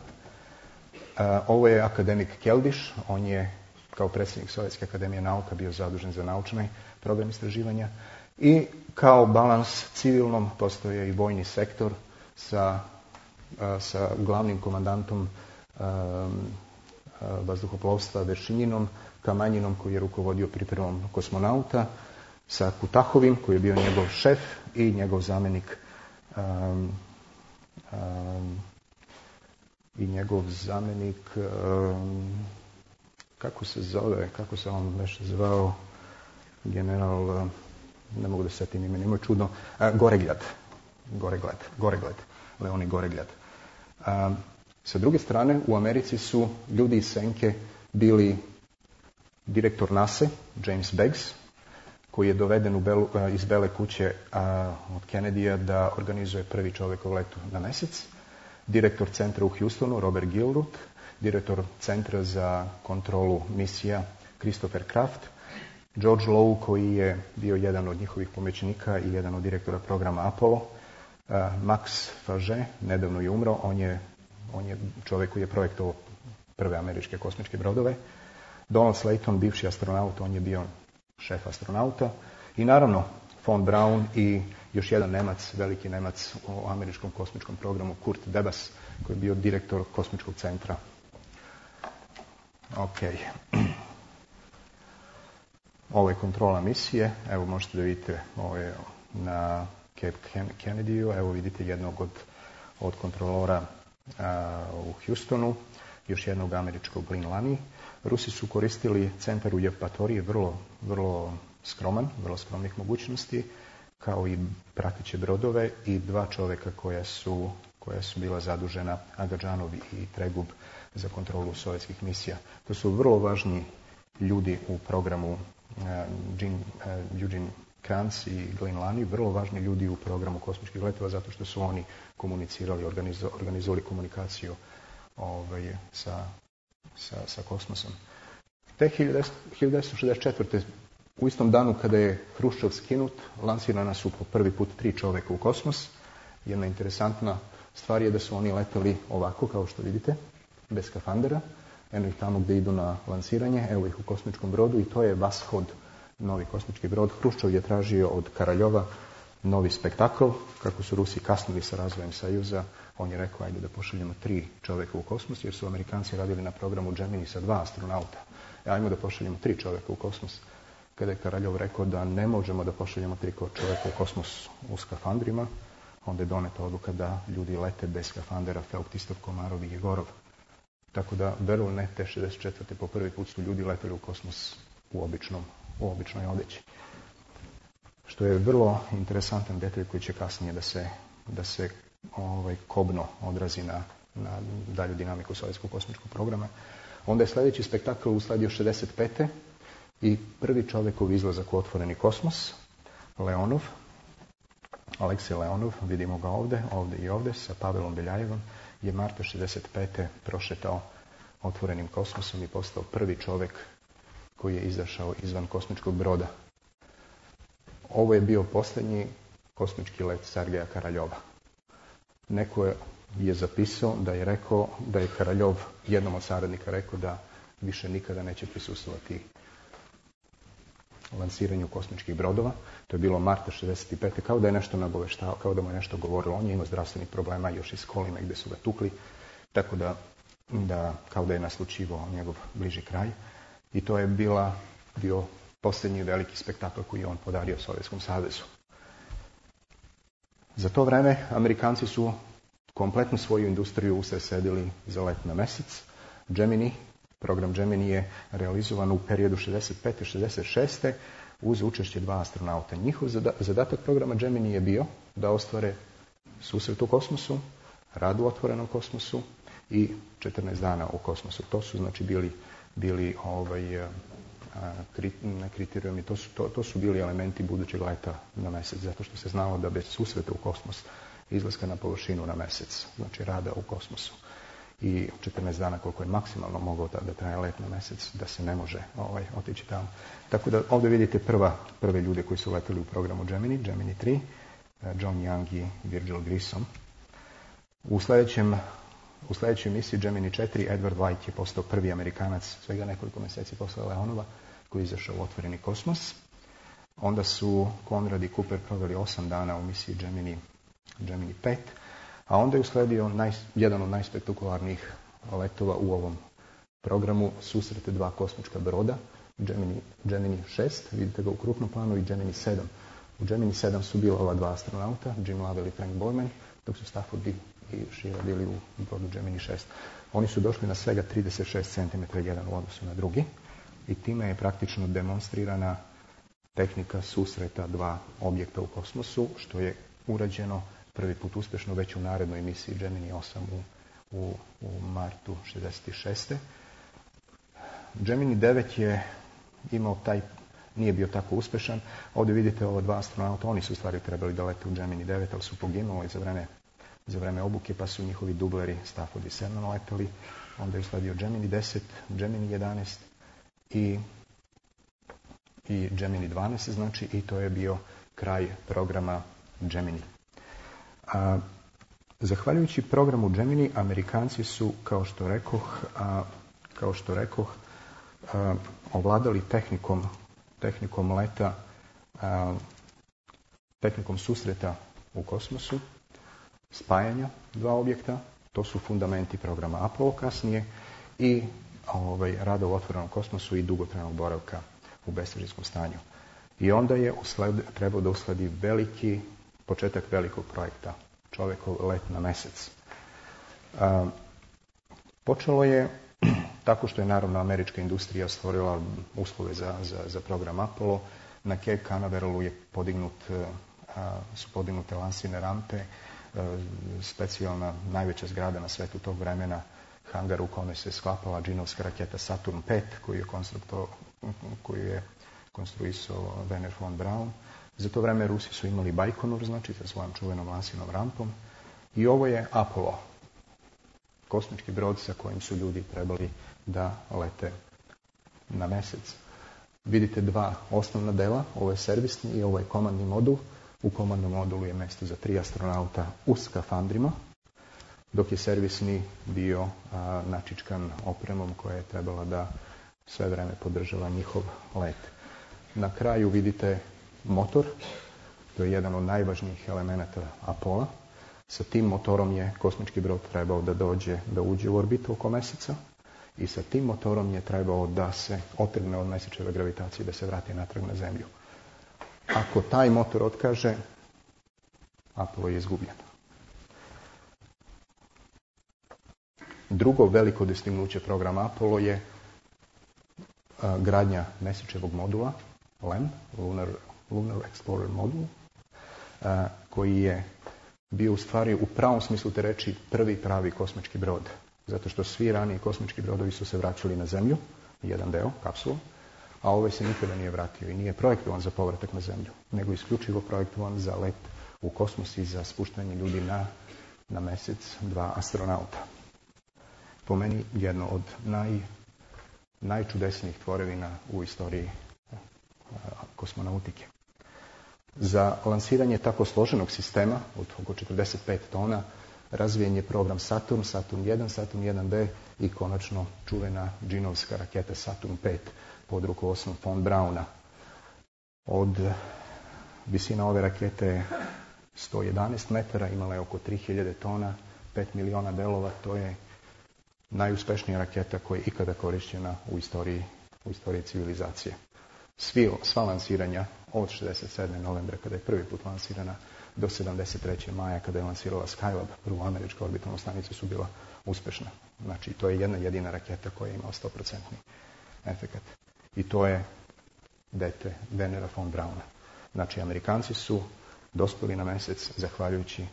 A, ovo je akademik Keldyš, on je kao predsjednik Sovjetske akademije nauka bio zadužen za naučni program istraživanja. I kao balans civilnom postoje i vojni sektor sa, a, sa glavnim komandantom a, a, vazduhoplovstva Veršinjinom, Kamanjinom koji je rukovodio pripremom kosmonauta, sa Kutahovim koji je bio njegov šef i njegov zamjenik um, um, i njegov zamjenik um, kako se zove, kako se on već zvao, general, ne mogu da se setim ime, nemoj čudno, a, Goreglad, Goreglad, Goreglad, Leoni Goreglad. A, sa druge strane, u Americi su ljudi iz senke bili direktor nase, James Beggs, koji je doveden u Belu, iz Bele kuće a, od Kennedyja da organizuje prvi čovjekov let na mjesec, direktor centra u Houstonu, Robert Gilruth, direktor centra za kontrolu misija, Christopher Kraft, George Low, koji je bio jedan od njihovih pomoćnika i jedan od direktora programa Apollo, a, Max Faget, nedavno je umro, on je, on je čovjek koji je projektovao prve američke kosmičke brodove, Donald Slayton, bivši astronaut, on je bio šef astronauta. I naravno, von Braun i još jedan Nemac, veliki Nemac u američkom kosmičkom programu, Kurt Debas, koji je bio direktor kosmičkog centra. Ok. Ovo je kontrola misije. Evo možete da vidite, ovo je na Cape Kennedyu. Evo vidite jednog od, od kontrolora a, u Houstonu, još jednog američkog Glyn Lani. Rusi su koristili centar u Jevpatoriji, vrlo, vrlo skroman, vrlo skromnih mogućnosti, kao i prateće brodove i dva čovjeka koja su, koja su bila zadužena, Agadžanov i Tregub, za kontrolu sovjetskih misija. To su vrlo važni ljudi u programu, uh, Jean, uh, Eugene Kranz i Glyn Lani, vrlo važni ljudi u programu kosmičkih letova, zato što su oni komunicirali, organizo, organizovali komunikaciju ovaj, sa Sa, sa kosmosom. Te hiljadu devetsto šezdeset četvrte. u istom danu kada je Hruščov skinut, lansirana su po prvi put tri čovjeka u kosmos. Jedna interesantna stvar je da su oni leteli ovako, kao što vidite, bez skafandera. Eno ih tamo gdje idu na lansiranje, evo ih u kosmičkom brodu i to je Vashod, novi kosmički brod. Hruščov je tražio od Karaljova novi spektakl, kako su Rusi kasnili sa razvojem Sajuza, on je rekao ajde da pošaljemo tri čovjeka u kosmos, jer su Amerikanci radili na programu Gemini sa dva astronauta. E, ajmo da pošaljemo tri čovjeka u kosmos. Kada je Karaljov rekao da ne možemo da pošaljemo tri čovjeka u kosmos u skafandrima, onda je doneta odluka da ljudi lete bez skafandera, Feoktistov, Komarov i Jegorov. Tako da, verujem ne, te šezdeset četvrte po prvi put su ljudi leteli u kosmos u, običnom, u običnoj odeći. Što je vrlo interesantan detalj koji će kasnije da se, da se ovaj, kobno odrazi na, na dalju dinamiku sovjetskog kosmičkog programa. Onda je sljedeći spektakl usledio šezdeset pete i prvi čovjekov izlazak u otvoreni kosmos, Leonov, Aleksej Leonov, vidimo ga ovdje, ovdje i ovdje, sa Pavelom Beljajevom, je marta šezdeset pete prošetao otvorenim kosmosom i postao prvi čovjek koji je izašao izvan kosmičkog broda. Ovo je bio posljednji kosmički let Sergeja Karaljova. Neko je, je zapisao da je rekao da je Karaljov jednom od saradnika rekao da više nikada neće prisustvovati lansiranju kosmičkih brodova. To je bilo marta šezdeset pete kao da je nešto nagoveštao, kao da mu je nešto govorilo. On je imao zdravstvenih problema još iz Kolime gdje su ga tukli, tako da, da kao da je naslučivao njegov bliži kraj. I to je bila, bio posljednji veliki spektakl koji je on podario Sovjetskom savezu. Za to vreme Amerikanci su kompletnu svoju industriju usredsredili za let na mesec. Gemini, program Gemini je realizovan u periodu šezdeset pete šezdeset šeste uz učešće dva astronauta. Njihov zadatak programa Gemini je bio da ostvare susret u kosmosu, rad u otvorenom kosmosu i četrnaest dana u kosmosu. To su znači bili, bili ovaj, kriterijumi, to su, to, to su bili elementi budućeg leta na mesec, zato što se znalo da bez susreta u kosmos, izlaska na površinu na mesec, znači rada u kosmosu i četrnaest dana koliko je maksimalno mogao da, da traje let na mesec, da se ne može ovaj, otići tamo. Tako da ovdje vidite prva, prve ljude koji su leteli u programu Gemini, Gemini tri, John Young i Virgil Grissom. U sljedećem U sljedećoj misiji Gemini četiri Edward White je postao prvi Amerikanac svega nekoliko mjeseci posle Leonova koji je izašao u otvoreni kosmos. Onda su Conrad i Cooper proveli osam dana u misiji Gemini, Gemini pet, a onda je usledio naj, jedan od najspektakularnijih letova u ovom programu, susrete dva kosmička broda, Gemini, Gemini šest, vidite ga u krupnom planu, i Gemini sedam. U Gemini sedam su bila ova dva astronauta, Jim Lovell i Frank Borman, dok su Stafford i Sheila bili u brodu Gemini šest. Oni su došli na svega trideset šest centimetara jedan u odnosu na drugi i time je praktično demonstrirana tehnika susreta dva objekta u kosmosu, što je urađeno prvi put uspješno već u narednoj misiji Gemini osam u, u, u martu šezdeset šeste. Gemini devet je imao taj, nije bio tako uspješan. Ovdje vidite ova dva astronauta, oni su u stvari trebali da lete u Gemini devet, ali su poginuli za vreme za vreme obuke, pa su njihovi dubleri Stafford i Cernan letali. Onda je usledio Gemini deset, Gemini jedanaest i, i Gemini dvanaest, znači, i to je bio kraj programa Gemini. A, zahvaljujući programu Gemini, Amerikanci su, kao što rekoh, a, kao što rekoh, a, ovladali tehnikom, tehnikom leta, a, tehnikom susreta u kosmosu, spajanja dva objekta, to su fundamenti programa Apollo kasnije, i ovaj, rada u otvorenom kosmosu i dugotrajnog boravka u besvemirskom stanju. I onda je usled, trebao da usledi veliki, početak velikog projekta, čovjekov let na mesec. A, počelo je tako što je naravno američka industrija stvorila uslove za, za, za program Apollo. Na Cape Canaveralu je podignut, a, su podignute lansirne rampe, specijalna najveća zgrada na svetu tog vremena, hangar u kome se sklapala džinovska raketa Saturn pet, koju je, koju je konstruisao Wernher von Braun. Za to vreme Rusi su imali Bajkonur, znači sa svojom čuvenom lansirnom rampom. I ovo je Apollo, kosmički brod sa kojim su ljudi trebali da lete na mesec. Vidite dva osnovna dela, ovo je servisni i ovo je komandni modul. U komandnom modulu je mjesto za tri astronauta u skafandrima, dok je servisni bio a, načičkan opremom koja je trebala da sve vreme podržava njihov let. Na kraju vidite motor, to je jedan od najvažnijih elemenata Apola. Sa tim motorom je kosmički brod trebao da dođe, da uđe u orbitu oko meseca i sa tim motorom je trebao da se otrgne od mesečeve gravitacije, da se vrati natrag na Zemlju. Ako taj motor otkaže, Apollo je izgubljen. Drugo veliko dostignuće programa Apollo je a, gradnja mesečevog modula, L E M, Lunar, Lunar Explorer modul, a, koji je bio u stvari u pravom smislu te reći prvi pravi kosmički brod. Zato što svi raniji kosmički brodovi su se vraćali na Zemlju, jedan deo, kapsula, a ovaj se nikada nije vratio i nije projektovan za povratak na Zemlju, nego isključivo projektovan za let u kosmos i za spuštanje ljudi na, na mesec, dva astronauta. Po meni jedno od naj, najčudesnijih tvorevina u istoriji a, kosmonautike. Za lansiranje tako složenog sistema od oko četrdeset pet tona razvijen je program Saturn, Saturn jedan, Saturn jedan B i konačno čuvena džinovska raketa Saturn pet pod rukovodstvom von Brauna. Od visina ove rakete je sto jedanaest metara, imala je oko tri hiljade tona, pet miliona delova, to je najuspešnija raketa koja je ikada korišćena u istoriji, u istoriji civilizacije. Svi, sva lansiranja od šezdeset sedme novembra kada je prvi put lansirana do sedamdeset treće maja kada je lansirala Skylab, prvu američku orbitalnu stanicu, su bila uspešna. Znači, to je jedna jedina raketa koja je imala sto posto efekat. I to je dete Wernera von Brauna. Znači, Amerikanci su dospeli na mesec zahvaljujući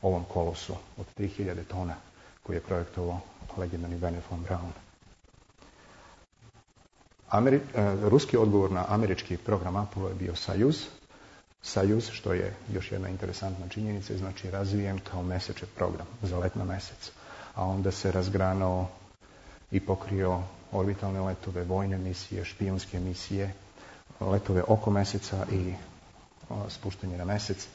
ovom kolosu od tri hiljade tona koji je projektovao legendarni Wernher von Braun. Ameri, uh, ruski odgovor na američki program Apollo je bio Sajuz. Sajuz, što je još jedna interesantna činjenica, znači razvijen kao mesečev program za let na mesec. A onda se razgranao i pokrio orbitalne letove, vojne misije, špijunske misije, letove oko meseca i o, spuštanje na mesec.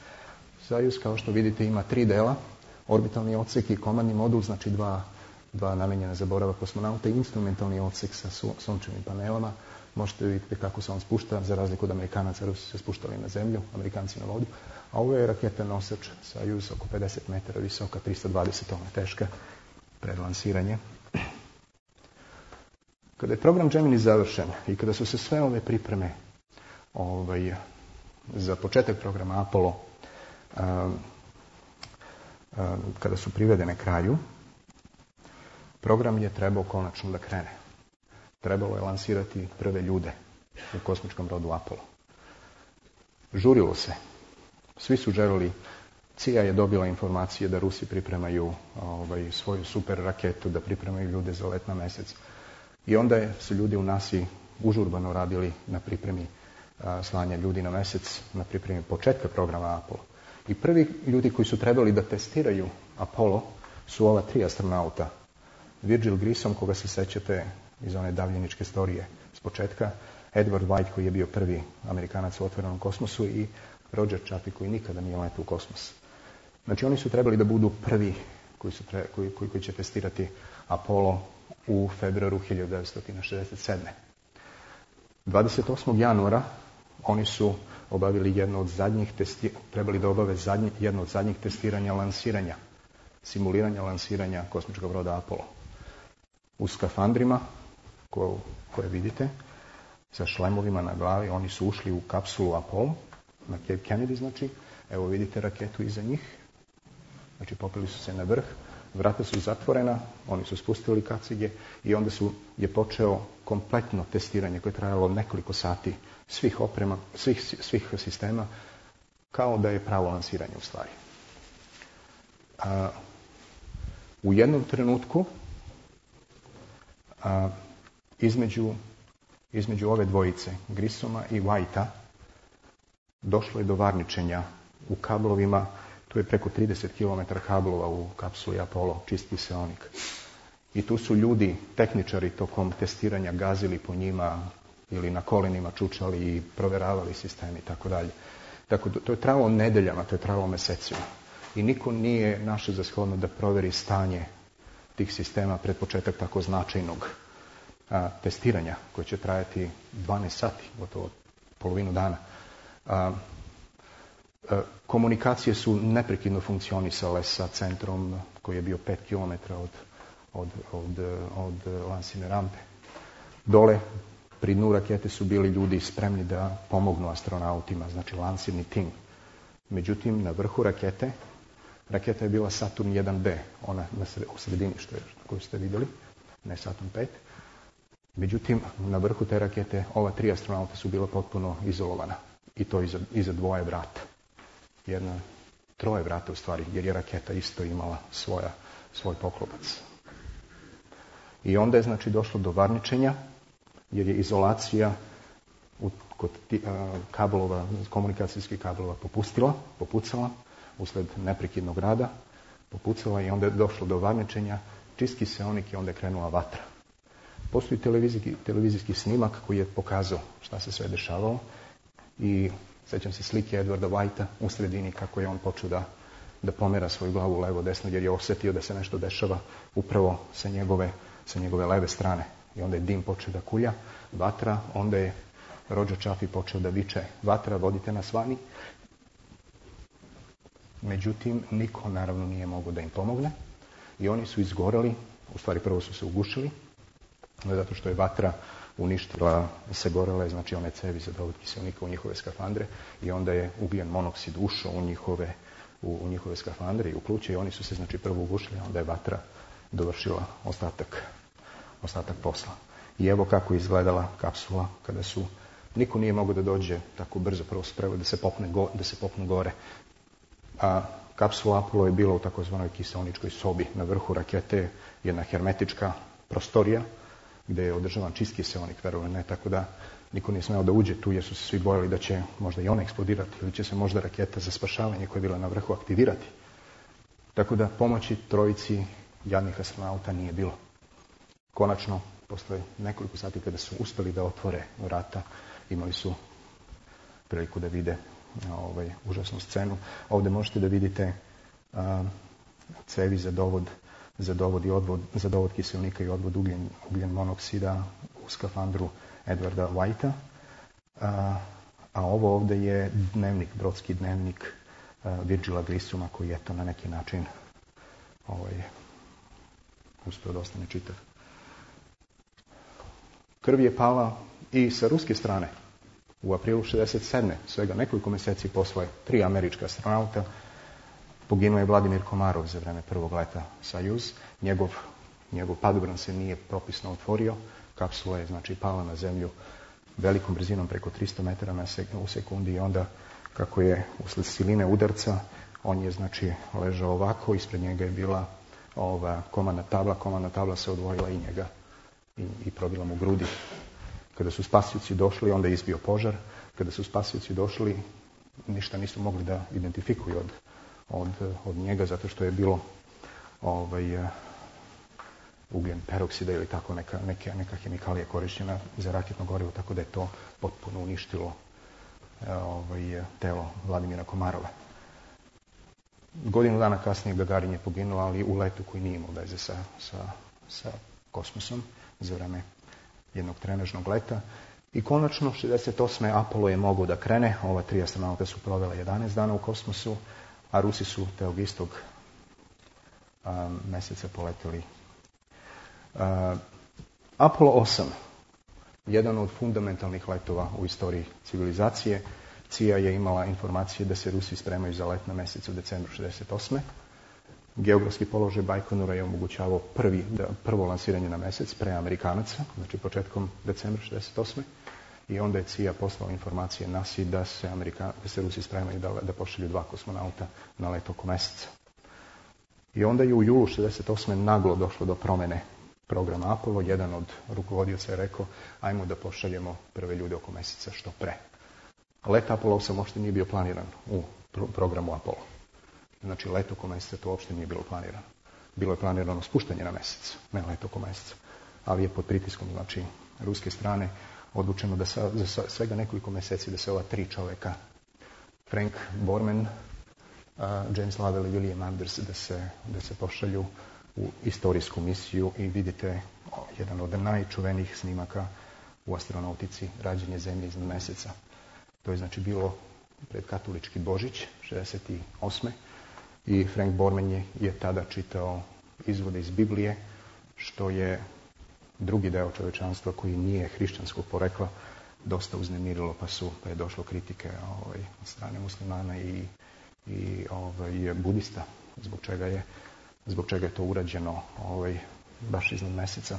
Sajuz, kao što vidite, ima tri dela. Orbitalni odsek i komandni modul, znači dva, dva namenjena za boravak kosmonauta, i instrumentalni odsek sa su, sunčevim panelama. Možete vidjeti kako se on spušta, za razliku od Amerikanaca. Rusi se spuštali na zemlju, Amerikanci na vodu. A ovo je raketa nosač Sajuz, oko pedeset metara visoka, tristo dvadeset tona teška, pred lansiranje. Kada je program Gemini završen i kada su se sve ove pripreme ovaj, za početak programa Apollo um, um, kada su privedene kraju, program je trebao konačno da krene. Trebalo je lansirati prve ljude u kosmičkom brodu Apollo. Žurilo se. Svi su želeli. C I A je dobila informacije da Rusi pripremaju ovaj, svoju super raketu, da pripremaju ljude za let na mesec. I onda je, su ljudi u nasi užurbano radili na pripremi a, slanja ljudi na mesec, na pripremi početka programa Apollo. I prvi ljudi koji su trebali da testiraju Apollo su ova tri astronauta. Virgil Grissom, koga se sećate iz one davljeničke storije s početka, Edward White, koji je bio prvi Amerikanac u otvorenom kosmosu, i Roger Chaffee, koji nikada nije letao u kosmos. Znači, oni su trebali da budu prvi koji, su tre, koji, koji, koji će testirati Apollo u februaru hiljadu devetsto šezdeset sedme. dvadeset osmog januara oni su obavili jedno od zadnjih testi, trebali da obave zadnje, jedno od zadnjih testiranja lansiranja, simuliranja lansiranja kosmičkog broda Apollo. U skafandrima, ko, koje vidite, sa šlemovima na glavi, oni su ušli u kapsulu Apollo, na Cape Kennedy, znači. Evo vidite raketu iza njih. Znači, popeli su se na vrh, vrata su zatvorena, oni su spustili kacige i onda su, je počeo kompletno testiranje koje je trajalo nekoliko sati svih oprema, svih, svih sistema, kao da je pravo lansiranje u stvari. A, u jednom trenutku a, između, između ove dvojice, Grissoma i Whitea, došlo je do varničenja u kablovima. Tu je preko trideset kilometara kablova u kapsuli Apollo, čisti seonik. I tu su ljudi, tehničari, tokom testiranja gazili po njima ili na kolenima čučali i proveravali sistemi i tako dalje. Tako, to je trajalo nedeljama, to je trajalo mesecima. I niko nije našao za shodno da proveri stanje tih sistema pred početak tako značajnog a, testiranja, koje će trajati dvanaest sati, gotovo polovinu dana. A, a, komunikacije su neprekidno funkcionisale sa centrom koji je bio pet kilometara od, od, od, od lansirne rampe. Dole, pri dnu rakete, su bili ljudi spremni da pomognu astronautima, znači lansirni tim. Međutim, na vrhu rakete, raketa je bila Saturn jedan B, ona na sred, u sredini što je, koju ste vidjeli, ne Saturn pet. Međutim, na vrhu te rakete ova tri astronauta su bila potpuno izolovana. I to iza, iza dvoje vrata. Jedna, troje vrata u stvari, jer je raketa isto imala svoja, svoj poklopac. I onda je znači došlo do varničenja, jer je izolacija u, kod ti, a, kablova, komunikacijskih kablova popustila, popucala, usled neprekidnog rada, popucala i onda je došlo do varničenja, čisti seonik i onda je krenula vatra. Postoji televizijski, televizijski snimak koji je pokazao šta se sve dešavalo i sećam se slike Edwarda Whitea u sredini kako je on počeo da, da pomera svoju glavu levo desno jer je osjetio da se nešto dešava upravo sa njegove, sa njegove leve strane. I onda je dim počeo da kulja, vatra, onda je Roger Chaffee počeo da viče vatra, vodite nas vani. Međutim, niko naravno nije mogao da im pomogne i oni su izgoreli, u stvari prvo su se ugušili, zato što je vatra uništila, sagorele, znači one cevi za dovod kiselnika u njihove skafandre i onda je ugljen monoksid ušao u njihove, u, u njihove skafandre i u pluće i oni su se znači prvo ugušili, a onda je vatra dovršila ostatak, ostatak posla. I evo kako je izgledala kapsula kada su, niko nije mogao da dođe tako brzo, prvo su trebali da se popne, go, da se popnu gore. A kapsula Apollo je bila u takozvanoj kiseoničkoj sobi. Na vrhu rakete jedna hermetička prostorija gdje je održavan čist kiseonik, verovali ne, tako da niko nije smeo da uđe tu jer su se svi bojali da će možda i ona eksplodirati ili će se možda raketa za spašavanje koja je bila na vrhu aktivirati. Tako da pomoći trojici jadnih astronauta nije bilo. Konačno, posle nekoliko sati kada su uspeli da otvore vrata, imali su priliku da vide ovaj, užasnu scenu. Ovdje možete da vidite a, cevi za dovod, za dovod i odvod, za dovod kiselnika i odvod ugljen, ugljen monoksida u skafandru Edwarda Whitea. A, a ovo ovdje je dnevnik, brodski dnevnik a, Virgila Grissuma koji je to na neki način ovaj, uspio da ostane čitav. Krv je pala i sa ruske strane. U aprilu šezdeset sedme, svega nekoliko mjeseci posle, tri američka astronauta, poginuo je Vladimir Komarov za vreme prvog leta Sajuz. Njegov, njegov padobran se nije propisno otvorio. Kapsula je znači pala na zemlju velikom brzinom preko tristo metara na sek, u sekundi i onda kako je usled siline udarca, on je znači ležao ovako, ispred njega je bila ova komandna tabla, komandna tabla se odvojila i njega i, i probila mu grudi. Kada su spasioci došli, onda je izbio požar. Kada su spasioci došli, ništa nisu mogli da identifikuju od, od, od njega, zato što je bilo ovaj, ugljen peroksida ili tako neka, neka, neka hemikalija korišćena za raketno gorivo, tako da je to potpuno uništilo ovaj, telo Vladimira Komarova. Godinu dana kasnije Gagarin je poginuo, ali u letu koji nije imao veze sa, sa, sa kosmosom za vreme jednog trenažnog leta. I konačno, šezdeset osme Apollo je mogao da krene. Ova tri astronauta su provela jedanaest dana u kosmosu, a Rusi su tog istog um, meseca poleteli. Uh, Apollo osam, jedan od fundamentalnih letova u istoriji civilizacije. C I A je imala informacije da se Rusi spremaju za let na mesec u decembru šezdeset osme. Geografski položaj Bajkonura je omogućavao prvi, prvo lansiranje na mesec pre Amerikanaca, znači početkom decembra šezdeset osme. I onda je C I A poslao informacije nasi da se, Amerika, da se Rusi spremaju da, da pošalju dva kosmonauta na let oko meseca. I onda je u julu šezdeset osme naglo došlo do promene programa Apollo. Jedan od rukovodioca je rekao, ajmo da pošaljemo prve ljude oko meseca što pre. Let Apollo osam uopšte nije bio planiran u programu Apollo. Znači, let oko meseca to uopšte nije bilo planirano. Bilo je planirano spuštanje na mesec, ne let oko meseca. Ali je pod pritiskom, znači, ruske strane odlučeno da sa, za svega nekoliko mjeseci da se ova tri čoveka, Frank Borman, uh, James Lovell i William Anders, da se, da se pošalju u istorijsku misiju i vidite o, jedan od najčuvenijih snimaka u astronautici, rađenje zemlje iznad meseca. To je znači bilo pred katolički Božić, šezdeset osme. I Frank Borman je, je tada čitao izvode iz Biblije, što je drugi deo čovečanstva koji nije hrišćanskog porekla dosta uznemirilo, pa su pa je došlo kritike ovaj, od strane muslimana i, i ovaj, budista, zbog čega je, zbog čega je to urađeno ovaj, baš iznad meseca.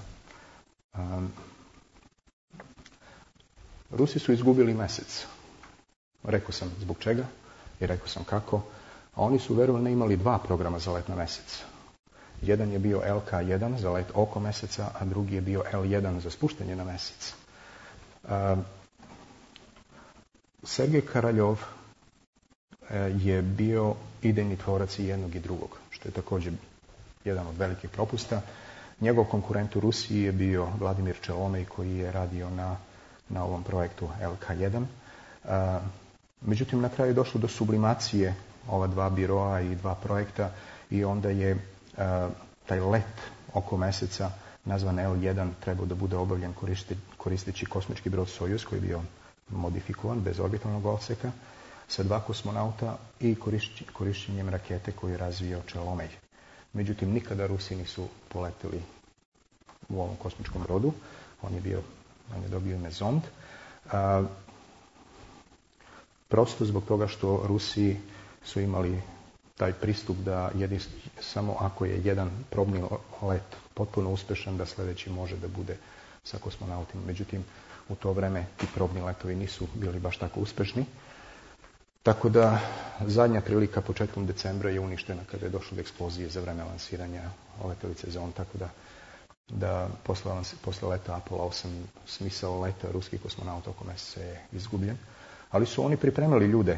Um, Rusi su izgubili mesec. Rekao sam zbog čega i rekao sam kako. A oni su, verovali, imali dva programa za let na mesec. Jedan je bio L K jedan za let oko meseca, a drugi je bio L jedan za spuštanje na mesec. Uh, Sergej Karaljov uh, je bio idejni tvorac i jednog i drugog, što je također jedan od velikih propusta. Njegov konkurent u Rusiji je bio Vladimir Čelomej, koji je radio na, na ovom projektu L K jedan. Uh, međutim, na kraju je došlo do sublimacije ova dva biroa i dva projekta i onda je uh, taj let oko meseca nazvan L jedan trebao da bude obavljen koristi, koristeći kosmički brod Sojuz koji je bio modifikovan bez orbitalnog odseka sa dva kosmonauta i korišć, korišćenjem rakete koju je razvio Čelomej. Međutim, nikada Rusi nisu poleteli u ovom kosmičkom brodu. On je bio on je dobio ime Zond. A, prosto zbog toga što Rusi su imali taj pristup da jedin, samo ako je jedan probni let potpuno uspešan, da sljedeći može da bude sa kosmonautima. Međutim, u to vreme ti probni letovi nisu bili baš tako uspešni. Tako da zadnja prilika početkom decembra je uništena kada je došlo do eksplozije za vreme lansiranja letelice Zond, tako da, da posle, posle leta Apollo osam smisao leta ruskih kosmonauta oko meseca je izgubljen. Ali su oni pripremili ljude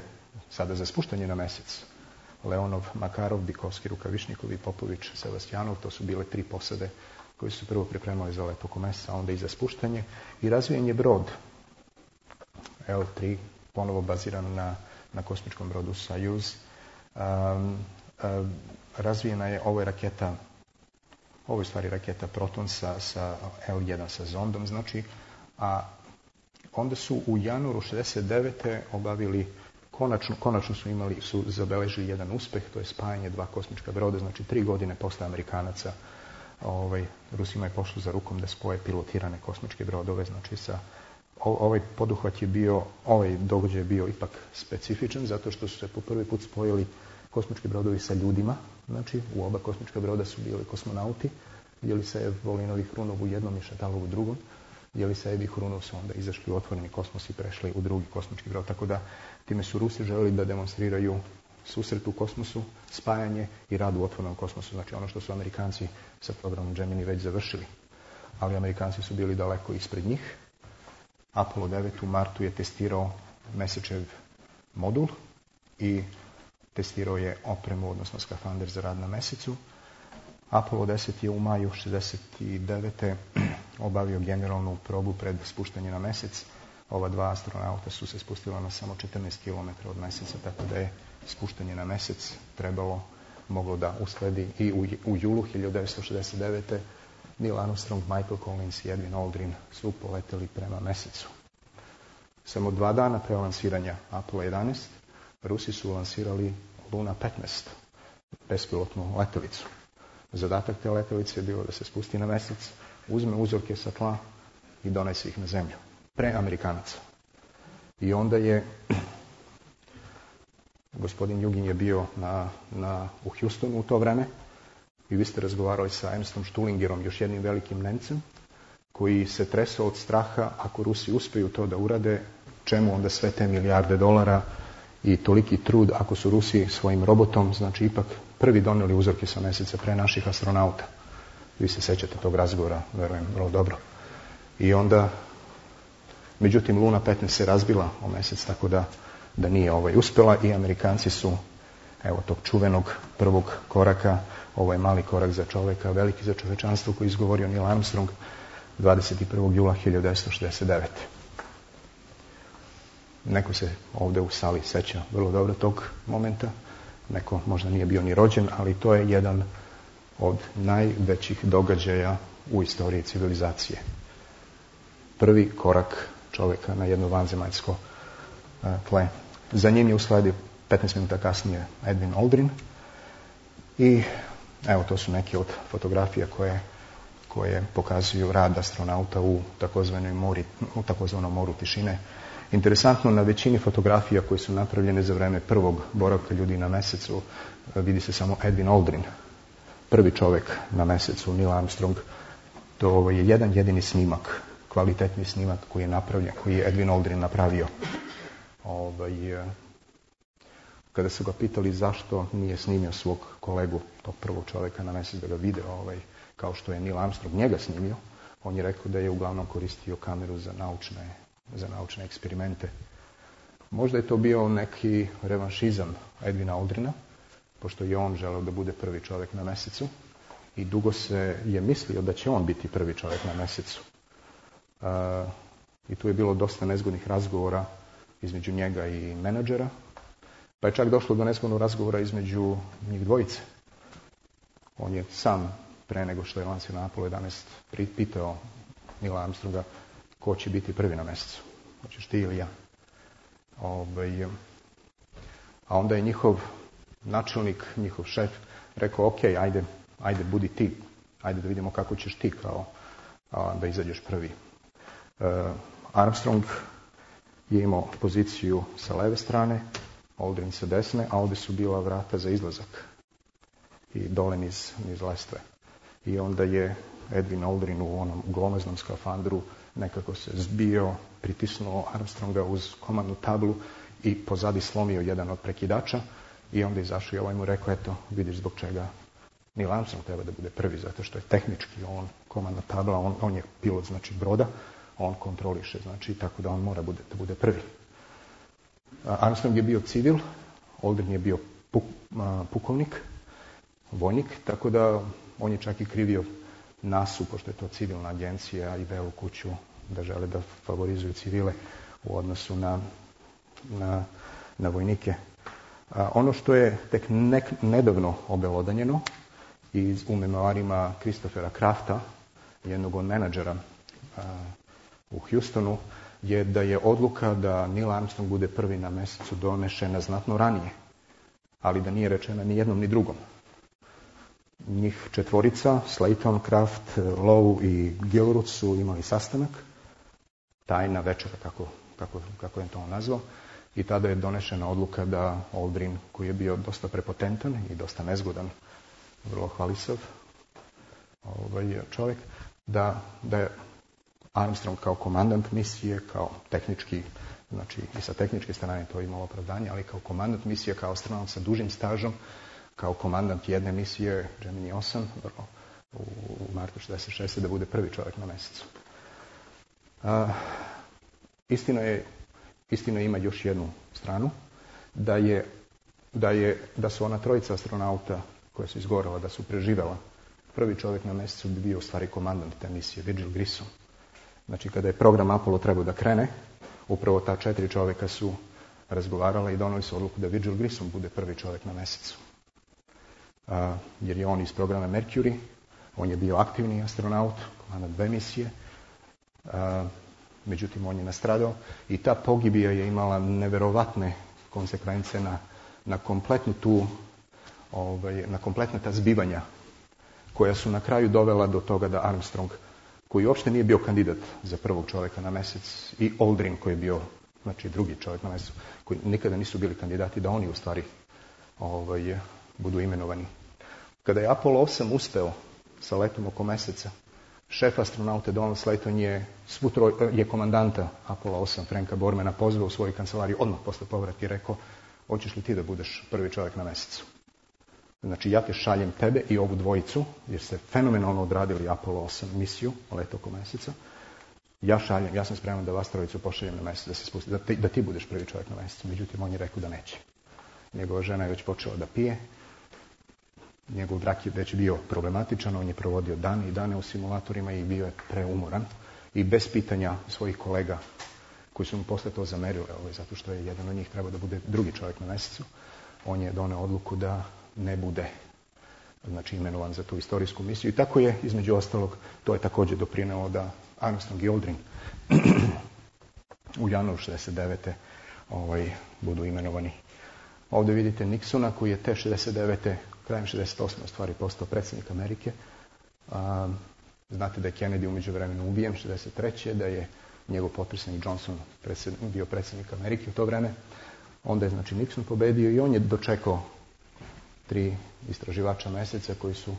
sada za spuštanje na mesec. Leonov, Makarov, Bikovski, Rukavišnikov i Popović, Sebastijanov, to su bile tri posade koji su prvo pripremali za let oko meseca, a onda i za spuštanje. I razvijen je brod L tri, ponovo baziran na, na kosmičkom brodu Soyuz. Um, um, razvijena je, ovo je raketa, ovo je stvari raketa Proton sa, sa L jedan sa zondom, znači, a onda su u januaru šezdeset devete obavili, konačno, konačno su imali, su zabeležili jedan uspeh, to je spajanje dva kosmička broda, znači tri godine posle Amerikanaca, ovaj, Rusima je pošlo za rukom da spoje pilotirane kosmičke brodove, znači sa, ovaj poduhvat je bio, ovaj događaj je bio ipak specifičan, zato što su se po prvi put spojili kosmički brodovi sa ljudima, znači u oba kosmička broda su bili kosmonauti, Jelisejev, Volinov i Hrunov u jednom i Šatalov u drugom. Jelisejev i Hrunov su onda izašli u otvoreni kosmos i prešli u drugi kosmički brod, tako da time su Rusi želeli da demonstriraju susret u kosmosu, spajanje i rad u otvorenom kosmosu, znači ono što su Amerikanci sa programom Gemini već završili. Ali Amerikanci su bili daleko ispred njih. Apollo devet u martu je testirao mesečev modul i testirao je opremu, odnosno skafander za rad na mesecu. Apollo deset je u maju šezdeset devete obavio generalnu probu pred spuštanje na mesec. Ova dva astronauta su se spustila na samo četrnaest kilometara od meseca, tako da je spuštanje na mesec trebalo, moglo da usledi i u, u julu hiljadu devetsto šezdeset devete. Neil Armstrong, Michael Collins i Edwin Aldrin su poleteli prema mesecu. Samo dva dana pre lansiranja Apollo jedanaest, Rusi su lansirali Luna petnaest, bespilotnu letelicu. Zadatak te letelice je bilo da se spusti na mesec, uzme uzorke sa tla i donese ih na zemlju. Pre Amerikanaca. I onda je gospodin Jugin je bio na, na, u Houstonu u to vreme i vi ste razgovarali sa Ernstom Stullingerom, još jednim velikim Nemcem, koji se tresao od straha ako Rusi uspeju to da urade, čemu onda sve te milijarde dolara i toliki trud ako su Rusi svojim robotom, znači ipak prvi doneli uzorke sa meseca pre naših astronauta. Vi se sećate tog razgovora, verujem, vrlo dobro. I onda, međutim, Luna petnaest se razbila o mesec, tako da, da nije ovaj uspela i Amerikanci su, evo tog čuvenog prvog koraka, ovo je mali korak za čoveka, veliki za čovečanstvo, koji je izgovorio Neil Armstrong dvadeset prvog jula hiljadu devetsto šezdeset devete. Neko se ovde u sali seća vrlo dobro tog momenta, neko možda nije bio ni rođen, ali to je jedan od najvećih događaja u istoriji civilizacije. Prvi korak čoveka na jedno vanzemaljsko tle. Za njim je usledio petnaest minuta kasnije Edwin Aldrin i evo to su neke od fotografija koje, koje pokazuju rad astronauta u takozvanoj mori, u takozvanom moru tišine. Interesantno, na većini fotografija koje su napravljene za vreme prvog boravka ljudi na mesecu vidi se samo Edwin Aldrin, prvi čovjek na mesecu, Neil Armstrong. To je jedan jedini snimak, kvalitetni snimak koji je napravljen, koji je Edwin Aldrin napravio. Ovaj, kada su ga pitali zašto nije snimio svog kolegu, tog prvog čovjeka na mesec, da ga vide ovaj, kao što je Neil Armstrong njega snimio, on je rekao da je uglavnom koristio kameru za naučne, za naučne eksperimente. Možda je to bio neki revanšizam Edwina Aldrina, pošto je on želeo da bude prvi čovjek na mesecu i dugo se je mislio da će on biti prvi čovjek na mesecu. Uh, I tu je bilo dosta nezgodnih razgovora između njega i menadžera, pa je čak došlo do nezgodnog razgovora između njih dvojice. On je sam, pre nego što je lansio na Apollo jedanaest, pitao Neila Armstronga ko će biti prvi na mesecu. Hoćeš ti ili ja? Ovaj, a onda je njihov načelnik, njihov šef, rekao, ok, ajde, ajde, budi ti. Ajde da vidimo kako ćeš ti kao a, da izađeš prvi. Armstrong je imao poziciju sa leve strane, Aldrin sa desne, a ovdje su bila vrata za izlazak i dole niz, niz lestve. I onda je Edwin Aldrin u onom glomaznom skafandru nekako se zbio, pritisnuo Armstronga uz komandnu tablu i pozadi slomio jedan od prekidača i onda izašao i ovaj mu rekao, eto, vidiš zbog čega Neil Armstrong treba da bude prvi, zato što je tehnički on komandna tabla, on, on je pilot, znači broda, on kontroliše, znači tako da on mora bude, da bude prvi. Armstrong je bio civil, Aldrin je bio puk, a, pukovnik, vojnik, tako da on je čak i krivio nasu, pošto je to civilna agencija i Belu kuću, da žele da favorizuju civile u odnosu na, na, na vojnike. A, ono što je tek nek, nedavno obelodanjeno iz, u memoarima Christophera Krafta, jednog od menadžera a, u Houstonu, je da je odluka da Neil Armstrong bude prvi na mesecu donešena znatno ranije, ali da nije rečena ni jednom ni drugom. Njih četvorica, Slayton, Kraft, Lowe i Gilruth su imali sastanak, tajna večera, kako, kako, kako je to on nazvao, i tada je donešena odluka da Aldrin, koji je bio dosta prepotentan i dosta nezgodan, vrlo hvalisav ovaj čovjek, da, da je Armstrong kao komandant misije, kao tehnički, znači i sa tehničke strane to je imalo opravdanje, ali kao komandant misije, kao astronaut sa dužim stažom, kao komandant jedne misije Gemini osam vrlo, u, u martu šezdeset šeste da bude prvi čovjek na mjesecu. A, istina je, istina ima još jednu stranu, da je, da je, da su ona trojica astronauta koja su izgorela, da su preživela, prvi čovjek na mjesecu bi bio u stvari komandant te misije, Virgil Grissom. Znači, kada je program Apollo trebao da krene, upravo ta četiri čovjeka su razgovarala i donali su odluku da Virgil Grissom bude prvi čovjek na mjesecu. A, jer je on iz programa Mercury, on je bio aktivni astronaut, komandant dve misije, a, međutim on je nastradao i ta pogibija je imala neverovatne konsekvence na, na kompletnu tu, ovaj, na kompletna ta zbivanja koja su na kraju dovela do toga da Armstrong, koji uopšte nije bio kandidat za prvog čovjeka na mjesec, i Aldrin koji je bio, znači drugi čovjek na mjesecu, koji nikada nisu bili kandidati, da oni u stvari ovaj, budu imenovani. Kada je Apollo osam uspeo sa letom oko mjeseca, šef astronauta Donald Slayton je, svutro, je komandanta Apollo osam Franka Bormana pozvao u svoju kancelariju odmah posle povratka i rekao, hoćeš li ti da budeš prvi čovjek na mjesecu? Znači, ja te šaljem tebe i ovu dvojicu, jer ste fenomenalno odradili Apollo osam misiju, let oko mjeseca. Ja šaljem, ja sam spreman da vas trojicu pošaljem na mjesec, da se spusti, da ti, da ti budeš prvi čovjek na mjesecu. Međutim, on je rekao da neće. Njegova žena je već počela da pije. Njegov brak je već bio problematičan, on je provodio dane i dane u simulatorima i bio je preumoran. I bez pitanja svojih kolega koji su mu posle to zamerili, ovaj, zato što je jedan od njih trebao da bude drugi čovjek na mjesecu, on je doneo odluku da ne bude, znači, imenovan za tu istorijsku misiju. I tako je, između ostalog, to je također doprinelo da Armstrong i Aldrin u januaru šezdeset devete ovaj, budu imenovani. Ovdje vidite Nixona koji je te šezdeset devete krajem šezdeset osme u stvari postao predsjednik Amerike. A, znate da je Kennedy u međuvremenu ubijen šezdeset treće da je njegov potpredsjednik Johnson predsjednik, bio predsjednik Amerike u to vreme. Onda je, znači, Nixon pobedio i on je dočekao tri istraživača mjeseca koji su,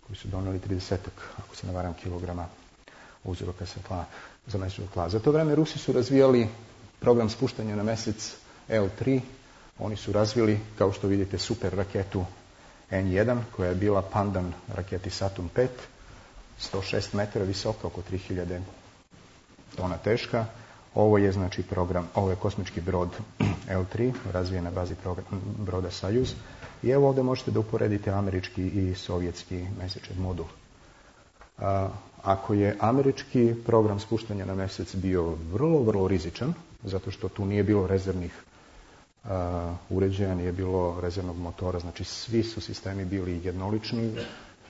koji su doneli tridesetak, ako se ne varam, kilograma uzroka sa tla, za mesečnog tla. Za to vreme Rusi su razvijali program spuštanja na mjesec L tri. Oni su razvili, kao što vidite, super raketu N jedan, koja je bila pandan raketi Saturn pet, sto šest metara visoka, oko tri hiljade tona teška. Ovo je, znači, program, ovo je kosmički brod L tri, razvijen na bazi program, broda Sajuz. I evo ovdje možete da uporedite američki i sovjetski mesečev modul. A, ako je američki program spuštanja na mjesec bio vrlo, vrlo rizičan, zato što tu nije bilo rezervnih a, uređaja, nije bilo rezervnog motora, znači svi su sistemi bili jednolični,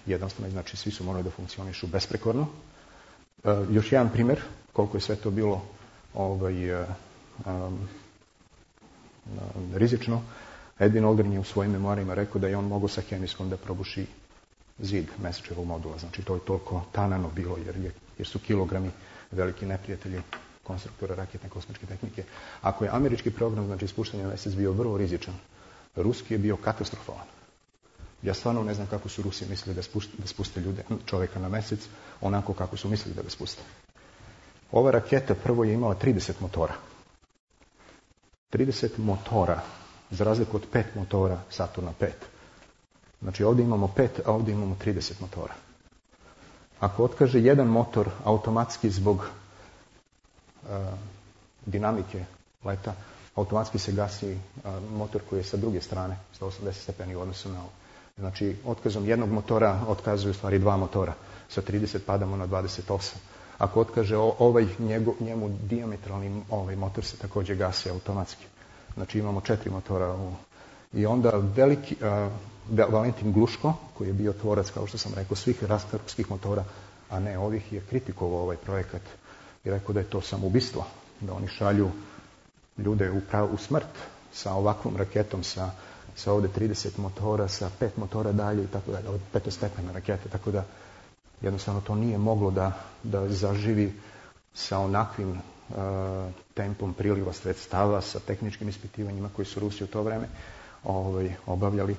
jednostavno, znači svi su morali da funkcionišu besprekorno. A, još jedan primjer, koliko je sve to bilo ovaj, a, a, rizično. Edwin Aldrin je u svojim memoarima rekao da je on mogao sa hemijskom da probuši zid mesečevog modula. Znači, to je toliko tanano bilo, jer, je, jer su kilogrami veliki neprijatelji konstruktora raketne kosmičke tehnike. Ako je američki program, znači ispuštanje na mjesec, bio vrlo rizičan, ruski je bio katastrofalan. Ja stvarno ne znam kako su Rusi mislili da spuste, da spuste ljude, čovjeka na mjesec, onako kako su mislili da ga spuste. Ova raketa prvo je imala trideset motora. trideset motora, za razliku od pet motora Saturna pet. Znači ovdje imamo pet, a ovdje imamo trideset motora. Ako otkaže jedan motor automatski zbog uh, dinamike leta, automatski se gasi uh, motor koji je sa druge strane, sto osamdeset stepeni u odnosu na ovo. Znači, otkazom jednog motora otkazuju stvari dva motora. Sa trideset padamo na dvadeset osam. Ako otkaže ovaj njegu, njemu diametralni ovaj motor se također gasi automatski. Znači imamo četiri motora. U... I onda veliki, uh, Valentin Gluško, koji je bio tvorac, kao što sam rekao, svih ruskih motora, a ne ovih, je kritikovao ovaj projekat i rekao da je to samoubistvo, da oni šalju ljude u, prav, u smrt sa ovakvom raketom, sa, sa ovdje trideset motora, sa pet motora dalje i tako dalje, od petostepene rakete, tako da jednostavno to nije moglo da, da zaživi sa onakvim uh, tempom priliva sredstava, sa tehničkim ispitivanjima koji su Rusi u to vreme ovaj, obavljali.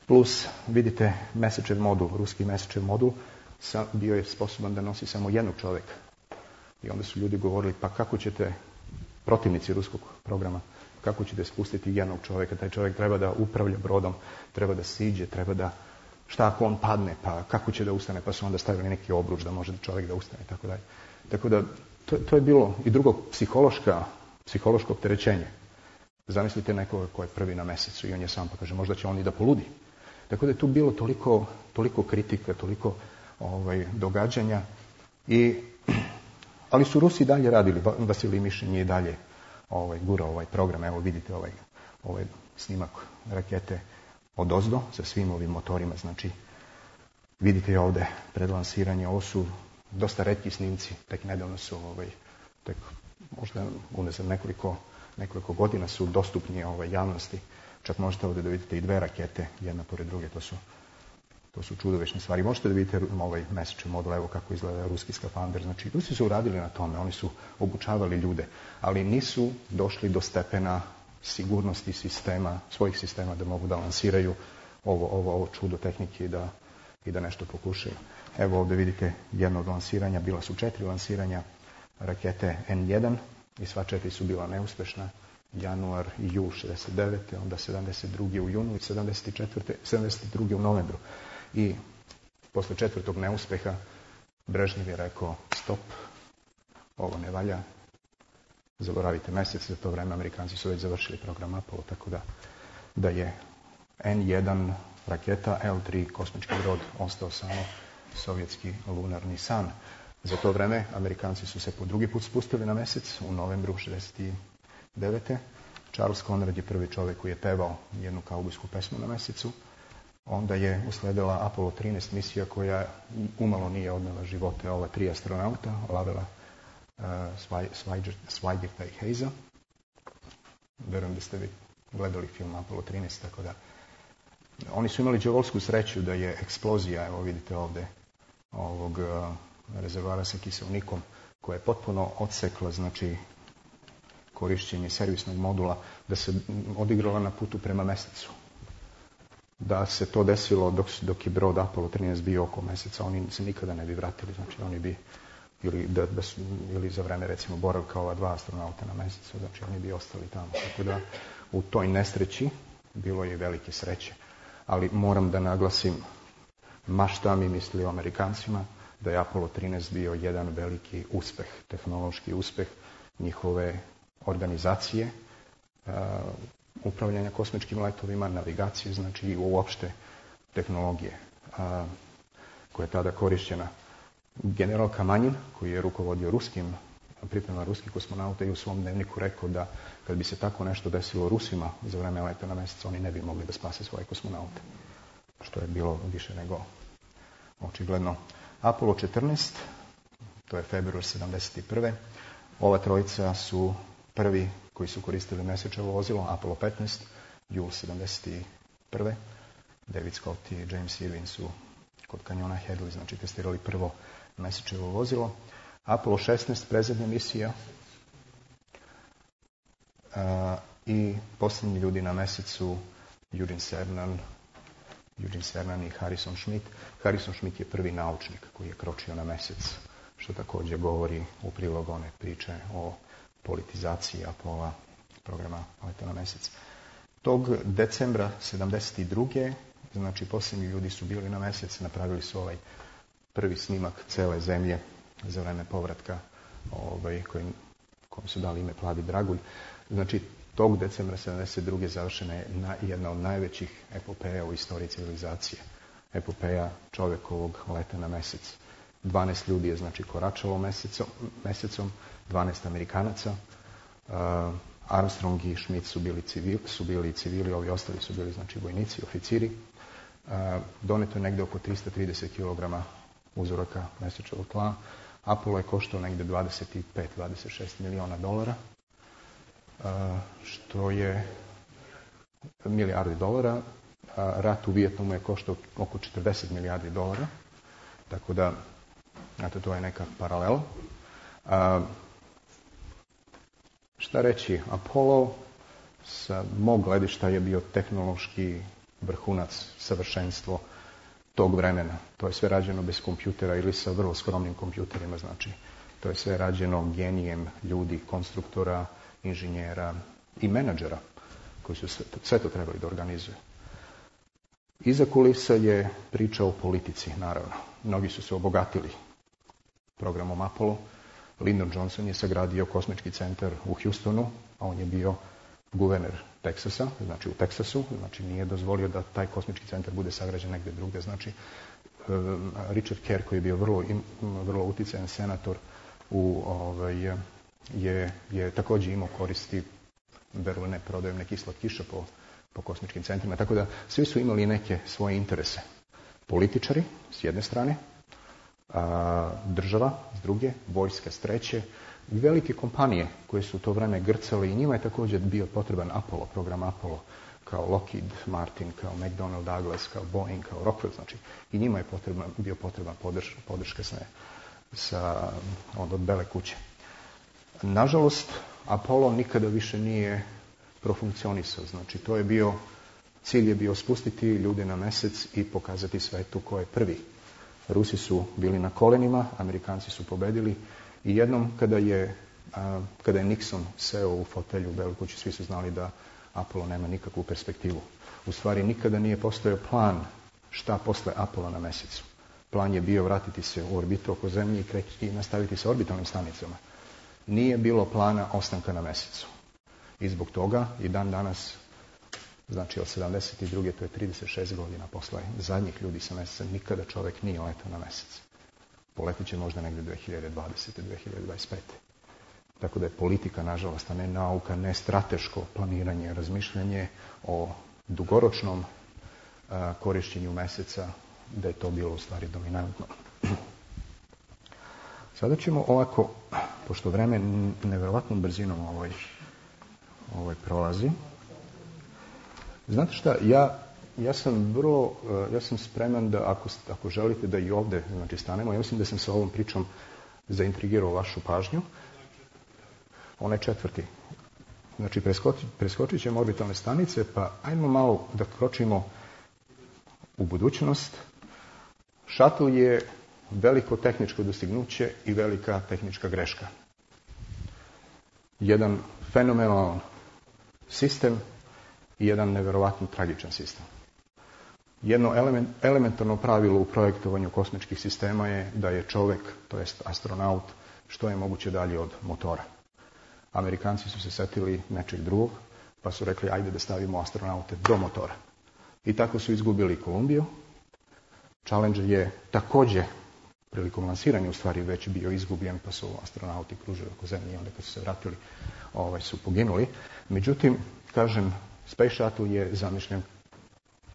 Plus, vidite, Mesečev modul, ruski Mesečev modul, sa, bio je sposoban da nosi samo jednog čovjeka. I onda su ljudi govorili, pa kako ćete, protivnici ruskog programa, kako ćete spustiti jednog čovjeka? Taj čovjek treba da upravlja brodom, treba da siđe, treba da, šta ako on padne, pa kako će da ustane? Pa su onda stavili neki obruč da može čovjek da ustane, tako dalje. Tako da, to, to je bilo i drugo psihološka, psihološko opterećenje. Zamislite nekoga ko je prvi na mjesecu i on je sam, pa kaže, možda će on i da poludi. Tako da je tu bilo toliko, toliko kritika, toliko ovaj, događanja. I, ali su Rusi dalje radili, Vasilij Mišin je i dalje ovaj, gurao ovaj program. Evo vidite ovaj, ovaj snimak rakete odozdo sa svim ovim motorima. Znači, vidite ovdje pred lansiranje, ovo su dosta retki snimci, tek nedavno su, ovaj, tek možda unazad nekoliko, nekoliko godina su dostupni ovaj, javnosti. Čak možete ovdje da vidite i dve rakete, jedna pored druge, to su, to su čudovečne stvari. Možete da vidite ovaj Mesečev modul, evo kako izgleda ruski skafander. Znači, Rusi su uradili na tome, oni su obučavali ljude, ali nisu došli do stepena sigurnosti sistema, svojih sistema da mogu da lansiraju ovo, ovo, ovo čudo tehnike i da, i da nešto pokušaju. Evo ovdje vidite jedno od lansiranja, bila su četiri lansiranja rakete en jedan i sva četiri su bila neuspešna. Januar i jul šezdeset devete. Onda sedamdeset druge u junu i sedamdeset četvrte. sedamdeset druge u novembru. I posle četvrtog neuspeha Brežnjev je rekao stop, ovo ne valja, zaboravite mjesec, za to vreme Amerikanci su već završili program Apollo, tako da, da je en jedan raketa, el tri kosmički brod ostao samo sovjetski lunarni san. Za to vreme Amerikanci su se po drugi put spustili na mjesec u novembru šezdeset devete. Charles Conrad je prvi čovjek koji je pevao jednu kaubojsku pesmu na mjesecu. Onda je usledila Apollo trinaest misija koja umalo nije odnela živote ova tri astronauta, Lavela, uh, Swigert i Hayesa. Verujem da ste vi gledali film Apollo trinaest, tako da oni su imali đavolsku sreću da je eksplozija, evo vidite ovdje, ovog uh, rezervoara sa kiselnikom, koja je potpuno odsekla, znači, korišćenje servisnog modula, da se odigrala na putu prema mjesecu. Da se to desilo dok, dok je brod Apollo trinaest bio oko mjeseca, oni se nikada ne bi vratili, znači oni bi, ili, da, da su, ili za vreme recimo boravka ova dva astronauta na mjesecu, znači oni bi ostali tamo. Tako da u toj nesreći bilo je velike sreće. Ali moram da naglasim, ma šta mi misli o Amerikancima, da je Apollo trinaest bio jedan veliki uspeh, tehnološki uspeh njihove organizacije, uh, upravljanja kosmičkim letovima, navigacije, znači i uopšte tehnologije uh, koja je tada korišćena. General Kamanjin, koji je rukovodio ruskim, priprema ruskih kosmonauta, i u svom dnevniku rekao da kad bi se tako nešto desilo Rusima za vreme leta na mjesec, oni ne bi mogli da spase svoje kosmonaute. Što je bilo više nego očigledno. Apollo četrnaest, to je februar sedamdeset prve. Ova trojica su prvi koji su koristili Mesečevo vozilo, Apollo petnaest, jul sedamdeset prve. David Scott i James Irwin su kod kanjona Hadley, znači testirali prvo Mesečevo vozilo. Apollo šesnaest, predzadnja misija. A, I posljednji ljudi na mjesecu, Eugene Cernan, Eugene Cernan i Harrison Schmitt. Harrison Schmitt je prvi naučnik koji je kročio na mjesec, što također govori u prilog one priče o politizaciji Apollo programa leta na mjesec. Tog decembra sedamdeset druge znači posljednji ljudi su bili na mjesec, napravili su ovaj prvi snimak cele zemlje za vreme povratka, ovaj, kojim, kojim su dali ime Plavi dragulj. Znači, tog decembra sedamdeset druge završena je na, jedna od najvećih epopeja u istoriji civilizacije. Epopeja čovjekovog leta na mjesec. dvanaest ljudi je znači koračalo mesecom, mesecom dvanaest Amerikanaca. Uh, Armstrong i Schmitt su bili civili, su bili civili, ovi ostali su bili znači vojnici, oficiri. Uh, doneto je negdje oko tristo trideset kilograma uzoraka mesečevog tla. Apollo je koštao negdje dvadeset pet do dvadeset šest miliona dolara, uh, što je milijardi dolara. Uh, rat u Vijetnamu je koštao oko četrdeset milijardi dolara, tako da eto, to je neka paralela. Uh, šta reći, Apollo sa mog gledišta je bio tehnološki vrhunac, savršenstvo tog vremena. To je sve rađeno bez kompjutera ili sa vrlo skromnim kompjuterima, znači to je sve rađeno genijem ljudi, konstruktora, inženjera i menadžera koji su sve to, sve to trebali da organizuju. Iza kulisa je priča o politici, naravno. Mnogi su se obogatili programom Apollo. Lyndon Johnson je sagradio kosmički centar u Houstonu, a on je bio guverner Teksasa, znači u Teksasu, znači nije dozvolio da taj kosmički centar bude sagrađen negdje drugdje. Znači, Richard Kerr, koji je bio vrlo, vrlo utjecajan senator, u, ovaj, je, je također imao koristi berline prodajom nekih slatkiša po, po kosmičkim centrima. Tako da svi su imali neke svoje interese. Političari s jedne strane, a, država s druge, vojska s treće, velike kompanije koje su u to vreme grcale i njima je također bio potreban Apollo, program Apollo, kao Lockheed Martin, kao McDonnell Douglas, kao Boeing, kao Rockwell, znači i njima je potreban, bio potreban podrž, podrška sa, sa od, od bele kuće. Nažalost, Apollo nikada više nije profunkcionisao, znači to je bio, cilj je bio spustiti ljude na mjesec i pokazati svetu ko je prvi. Rusi su bili na kolenima, Amerikanci su pobedili i jednom kada je, a, kada je Nixon seo u fotelju u Beloj kući, svi su znali da Apollo nema nikakvu perspektivu. U stvari nikada nije postojao plan šta posle Apollo na mjesecu. Plan je bio vratiti se u orbitu oko Zemlje i, kreći, i nastaviti sa orbitalnim stanicama. Nije bilo plana ostanka na mjesecu. I zbog toga i dan danas, znači od sedamdeset druge to je trideset šest godina posle zadnjih ljudi sa mjeseca, nikada čovjek nije letao na mjesec. Poletit će možda negdje dve hiljade dvadesete. dve hiljade dvadeset pete. Tako da je politika, nažalost, a ne nauka, ne strateško planiranje, razmišljanje o dugoročnom a, korištenju mjeseca, da je to bilo u stvari dominantno. Sada ćemo ovako, pošto vreme nevjerovatnom brzinom ovaj, ovaj prolazi. Znate šta, ja, ja sam vrlo, ja sam spreman da ako, ako želite da i ovdje znači, stanemo, ja mislim da sam sa ovom pričom zaintrigirao vašu pažnju. Onaj četvrti. Znači, preskoči, preskočit ćemo orbitalne stanice, pa ajmo malo da kročimo u budućnost. Shuttle je veliko tehničko dostignuće i velika tehnička greška. Jedan fenomenalan sistem i jedan nevjerovatno tragičan sistem. Jedno element, elementarno pravilo u projektovanju kosmičkih sistema je da je čovjek, to jest astronaut, što je moguće dalje od motora. Amerikanci su se setili nečeg drugog, pa su rekli ajde da stavimo astronaute do motora. I tako su izgubili Kolumbiju. Challenger je također prilikom lansiranja u stvari već bio izgubljen, pa su astronauti kružili oko Zemlje i onda kad su se vratili ovaj, su poginuli. Međutim, kažem, Space Shuttle je zamišljen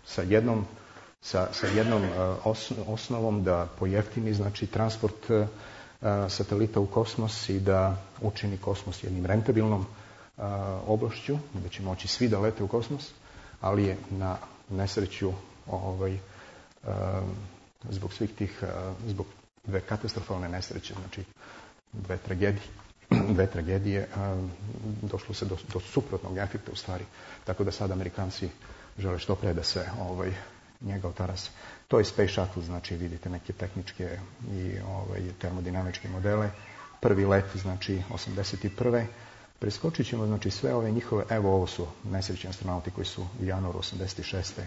sa jednom, sa, sa jednom uh, os, osnovom da pojeftini znači, transport uh, satelita u kosmos i da učini kosmos jednim rentabilnom uh, oblašću, da će moći svi da lete u kosmos, ali je na nesreću ovaj, uh, zbog svih tih, uh, zbog dve katastrofalne nesreće, znači dve tragedije, dve tragedije došlo se do, do suprotnog efekta u stvari. Tako da sad Amerikanci žele što pre da se ovaj, njega otarase. To je Space Shuttle, znači vidite neke tehničke i ovaj, termodinamičke modele. Prvi let, znači osamdeset prve Preskočit ćemo znači sve ove njihove, evo ovo su nesrećni astronauti koji su u januaru osamdeset šeste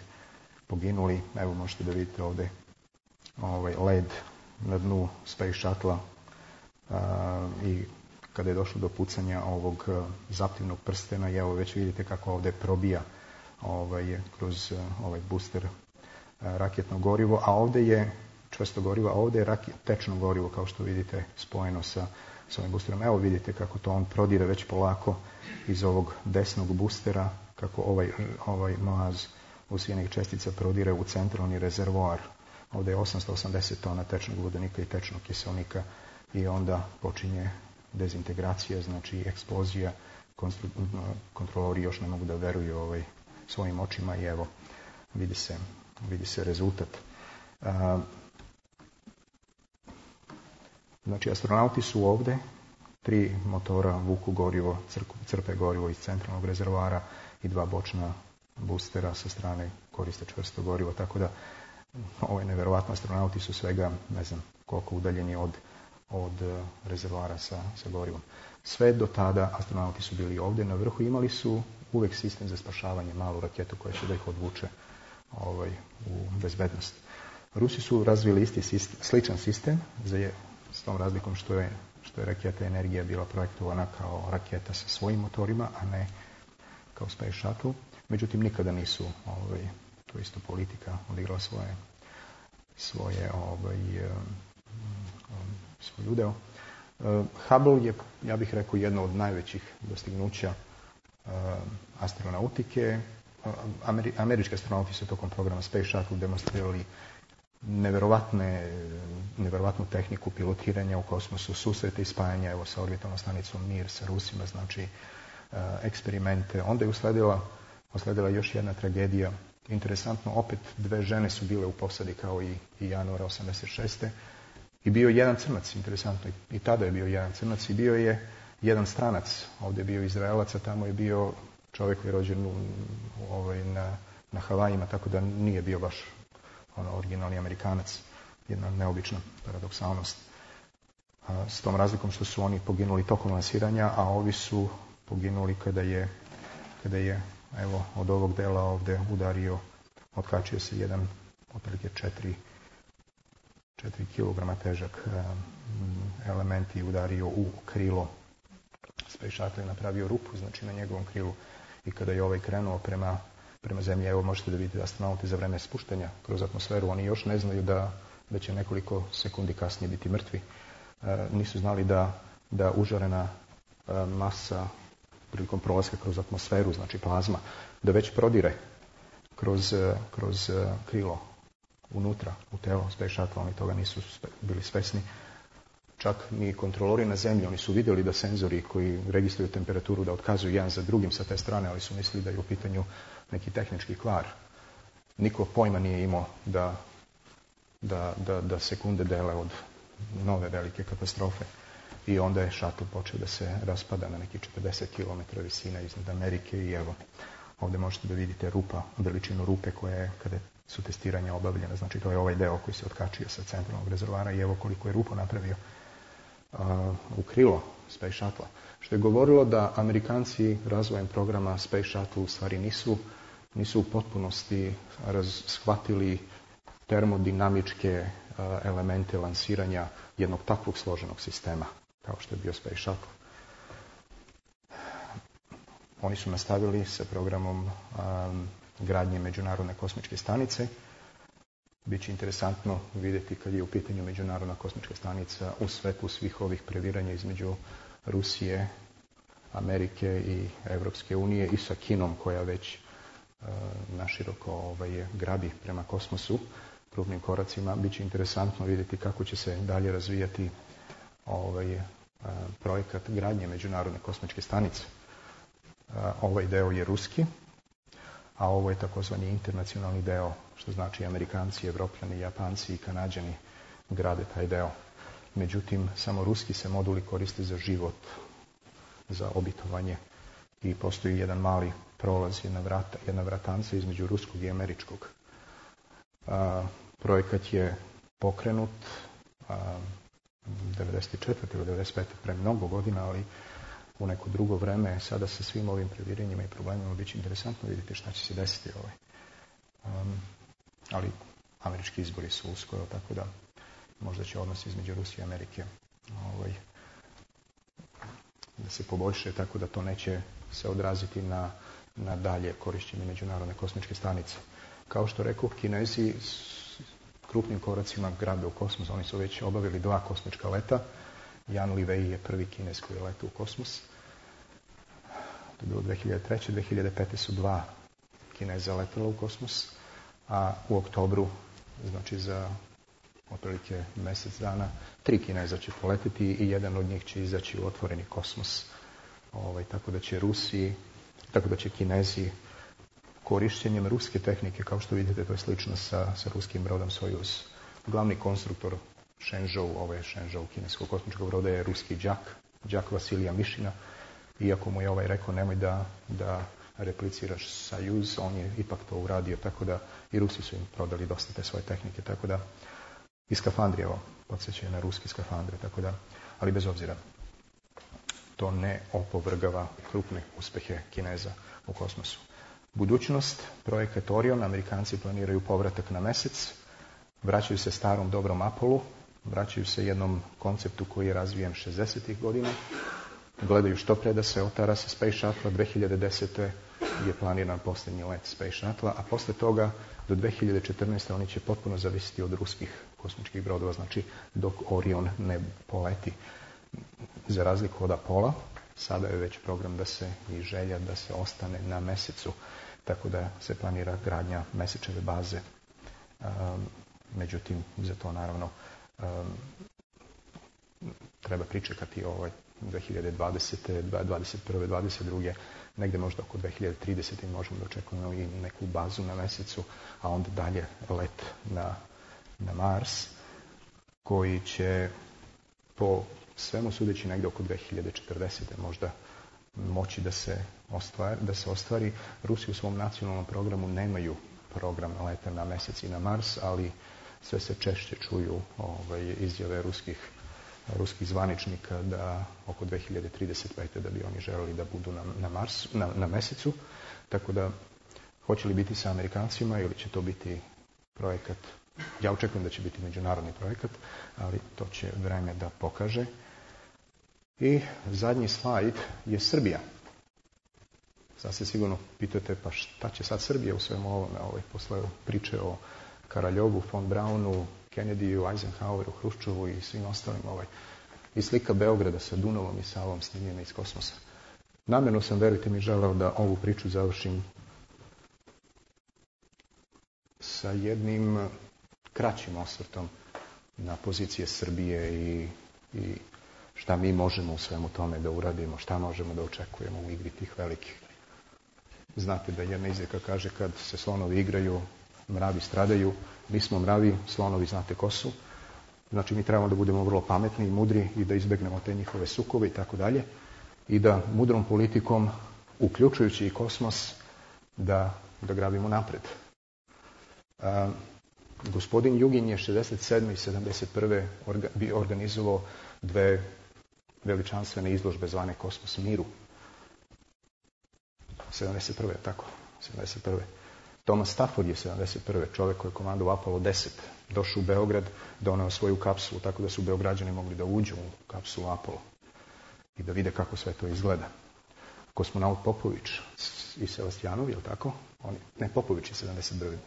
poginuli. Evo možete da vidite ovdje ovaj led na dnu Space Shuttle i kada je došlo do pucanja ovog zaptivnog prstena, i evo već vidite kako ovdje probija ovaj, kroz ovaj booster raketno gorivo, a ovdje je čvrsto gorivo, a ovdje je raket, tečno gorivo, kao što vidite, spojeno sa, sa ovim boosterom. Evo vidite kako to on prodire već polako iz ovog desnog boostera, kako ovaj, ovaj maz usijenih čestica prodire u centralni rezervoar. Ovdje je osamsto osamdeset tona tečnog vodonika i tečnog kiselnika i onda počinje dezintegracija, znači eksplozija. Kontrolori još ne mogu da veruju ovaj, svojim očima i evo vidi se, vidi se rezultat. A, znači astronauti su ovdje, tri motora vuku gorivo, crpe gorivo iz centralnog rezervoara i dva bočna boostera sa strane koriste čvrsto gorivo, tako da ovo je nevjerovatno, astronauti su svega ne znam koliko udaljeni od, od rezervoara sa, sa gorivom. Sve do tada astronauti su bili ovdje na vrhu, imali su uvijek sistem za spašavanje, malu raketu koja će da ih odvuče ovaj, u bezbednost. Rusi su razvili isti sistem, sličan sistem, za, s tom razlikom što je, što je raketa Energija bila projektovana kao raketa sa svojim motorima, a ne kao Space Shuttle. Međutim, nikada nisu, ovaj, to isto politika, odigrala svoje, svoje ovaj, svoj udeo. Hubble je, ja bih rekao, jedno od najvećih dostignuća astronautike. Ameri, američki astronauti su tokom programa Space Shuttle demonstrirali neverovatne, neverovatnu tehniku pilotiranja u kosmosu, susrete i spajanja, evo sa orbitalnom stanicom Mir, sa Rusima, znači eksperimente. Onda je usledila, usledila još jedna tragedija. Interesantno, opet dve žene su bile u posadi kao i, i januara osamdeset šeste I bio jedan crnac, interesantno. I tada je bio jedan crnac i bio je jedan stranac. Ovdje je bio Izraelac, a tamo je bio čovjek koji je rođen u, ovaj, na, na Havajima, tako da nije bio baš ono, originalni Amerikanac. Jedna neobična paradoksalnost. A, s tom razlikom što su oni poginuli tokom lansiranja, a ovi su poginuli kada je, kada je evo, od ovog dela ovdje udario, otkačio se jedan otprilike četiri četiri kilograma težak element i udario u krilo. Space Shuttle je napravio rupu, znači na njegovom krilu, i kada je ovaj krenuo prema, prema zemlji, evo možete da vidite astronauti za vreme spuštanja kroz atmosferu, oni još ne znaju da, da će nekoliko sekundi kasnije biti mrtvi. E, nisu znali da, da užarena e, masa prilikom prolaska kroz atmosferu, znači plazma, da već prodire kroz, kroz krilo unutra, u telo Space Shuttle, oni toga nisu bili svesni. Čak ni kontrolori na zemlji, oni su vidjeli da senzori koji registruju temperaturu da otkazuju jedan za drugim sa te strane, ali su mislili da je u pitanju neki tehnički kvar. Niko pojma nije imao da, da, da, da sekunde dele od nove velike katastrofe. I onda je shuttle počeo da se raspada na neki četrdeset kilometara visine iznad Amerike i evo, ovdje možete da vidite rupa, veličinu rupe koja je, kada su testiranja obavljena, znači to je ovaj deo koji se otkačio sa centralnog rezervoara i evo koliko je rupu napravio uh, u krilo Space Shuttle. Što je govorilo da Amerikanci razvojem programa Space Shuttle u stvari nisu, nisu u potpunosti raz, shvatili termodinamičke uh, elemente lansiranja jednog takvog složenog sistema kao što je bio Space Shuttle. Oni su nastavili sa programom um, gradnje Međunarodne kosmičke stanice. Biće interesantno vidjeti kad je u pitanju Međunarodna kosmička stanica u svetlu svih ovih previranja između Rusije, Amerike i Evropske unije i sa Kinom koja već uh, naširoko ovaj, grabi prema kosmosu krupnim koracima. Biće interesantno vidjeti kako će se dalje razvijati ovaj, uh, projekat gradnje Međunarodne kosmičke stanice. Uh, ovaj deo je ruski, a ovo je takozvani internacionalni deo, što znači Amerikanci, Evropljani, Japanci i Kanađani grade taj deo. međutim samo ruski se moduli koriste za život, za obitovanje i postoji jedan mali prolaz, jedna, vrata, jedna vratanca između ruskog i američkog. A, projekat je pokrenut a, devedeset četvrte ili devedeset pete pre mnogo godina, ali u neko drugo vreme, sada sa svim ovim previranjima i problemima biće interesantno vidjeti šta će se desiti. Ovaj. Um, ali američki izbori su uskoro, tako da možda će odnos između Rusije i Amerike ovaj, da se poboljše, tako da to neće se odraziti na, na dalje korišćenje međunarodne kosmičke stanice. Kao što rekao, Kinezi s krupnim koracima grabe u kosmos. Oni su već obavili dva kosmička leta. Jan Livej je prvi Kinez koji je letao u kosmos. To je bilo dve hiljade treće. dve hiljade pete su dva Kineza letala u kosmos, a u oktobru, znači za otprilike mjesec dana, tri Kineza će poletiti i jedan od njih će izaći u otvoreni kosmos. Ovaj, tako da će Rusi, tako da će Kinezi korištenjem ruske tehnike, kao što vidite, to je slično sa, sa ruskim brodom Sojuz. Glavni konstruktor Shenzhou, ovaj Shenzhou kineskog kosmičkog broda je ruski đak, đak Vasilija Mišina. Iako mu je ovaj rekao nemoj da, da repliciraš Sojuz, on je ipak to uradio, tako da i Rusi su im prodali dosta te svoje tehnike, tako da i skafandri, evo, podsjećaju na ruski skafandre, tako da, ali bez obzira, to ne opovrgava krupne uspehe Kineza u kosmosu. Budućnost, projekat Orion, Amerikanci planiraju povratak na mesec, vraćaju se starom dobrom Apollu, vraćaju se jednom konceptu koji je razvijen šezdesetih godina, gledaju što pre da se otara sa Space Shuttle. dve hiljade desete je planiran posljednji let Space Shuttle, a posle toga do dve hiljade četrnaeste oni će potpuno zavisiti od ruskih kosmičkih brodova, znači dok Orion ne poleti. Za razliku od Apola, sada je već program da se i želja da se ostane na mesecu, tako da se planira gradnja mesečeve baze. Um, međutim, za to naravno um, treba pričekati ovaj dve hiljade dvadesete, dvadeset prve, dvadeset druge negde možda oko dve hiljade tridesete možemo da očekujemo i neku bazu na mesecu, a onda dalje let na, na Mars, koji će po svemu sudeći negde oko dve hiljade četrdesete možda moći da se ostvari, da se ostvari. Rusi u svom nacionalnom programu nemaju program leta na mesec i na Mars, ali sve se češće čuju ovaj, izjave ruskih, ruskih zvaničnika da oko dve hiljade trideset pete da bi oni želeli da budu na, na, Mars, na, na mesecu. Tako da, hoće li biti sa Amerikancima ili će to biti projekat, ja očekujem da će biti međunarodni projekat, ali to će vreme da pokaže. I zadnji slajd je Srbija. Sad se sigurno pitate, pa šta će sad Srbija u svemu ovome, ovaj, posle priče o Karaljovu, von Braunu, Kennedyu, Eisenhoweru, Hruščovu i svim ostalim, ovaj, i slika Beograda sa Dunavom i Savom snimljena iz kosmosa. Namjerno sam, verujte mi, želeo da ovu priču završim sa jednim kraćim osvrtom na pozicije Srbije i, i šta mi možemo u svemu tome da uradimo, šta možemo da očekujemo u igri tih velikih. Znate da jedna izreka kaže kad se slonovi igraju, mravi stradaju. Mi smo mravi, slonovi znate ko su. Znači mi trebamo da budemo vrlo pametni i mudri i da izbegnemo te njihove sukove i tako dalje. I da mudrom politikom, uključujući i kosmos, da, da grabimo napred. A, gospodin Jugin je šezdeset sedme i sedamdeset prve orga, bi organizovao dve veličanstvene izložbe zvane Kosmos miru. sedamdeset prve, tako, sedamdeset prve. Thomas Stafford je sedamdeset prve čovjek koji je komandovao Apollo deset. Došao u Beograd, doneo svoju kapsulu, tako da su Beograđani mogli da uđu u kapsulu Apollo i da vide kako sve to izgleda. Kosmonaut Popović i Sevastijanovi, je li tako? Oni, ne, Popović je sedamdeset prve.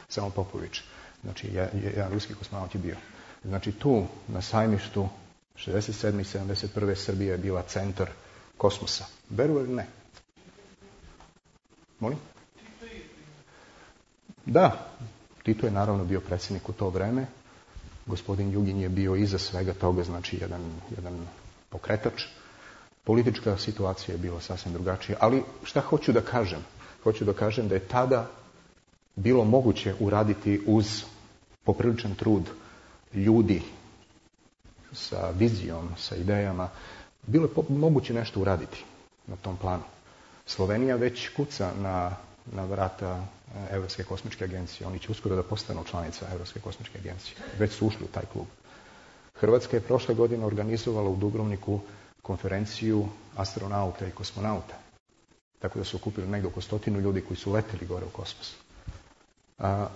Samo Popović. Znači, jedan ruski kosmonaut je bio. Znači, tu, na sajmištu, šezdeset sedme i sedamdeset prve Srbija je bila centar kosmosa. Veruju ili ne? Molim? Da, Tito je naravno bio predsjednik u to vreme. Gospodin Jugin je bio iza svega toga, znači jedan, jedan pokretač. Politička situacija je bila sasvim drugačija. Ali šta hoću da kažem? Hoću da kažem da je tada bilo moguće uraditi uz popriličan trud ljudi sa vizijom, sa idejama, bilo je moguće nešto uraditi na tom planu. Slovenija već kuca na, na vrata Evropske kosmičke agencije. Oni će uskoro da postanu članica Evropske kosmičke agencije. Već su ušli u taj klub. Hrvatska je prošle godine organizovala u Dubrovniku konferenciju astronauta i kosmonauta. Tako da su okupili negdje oko stotinu ljudi koji su leteli gore u kosmos. A,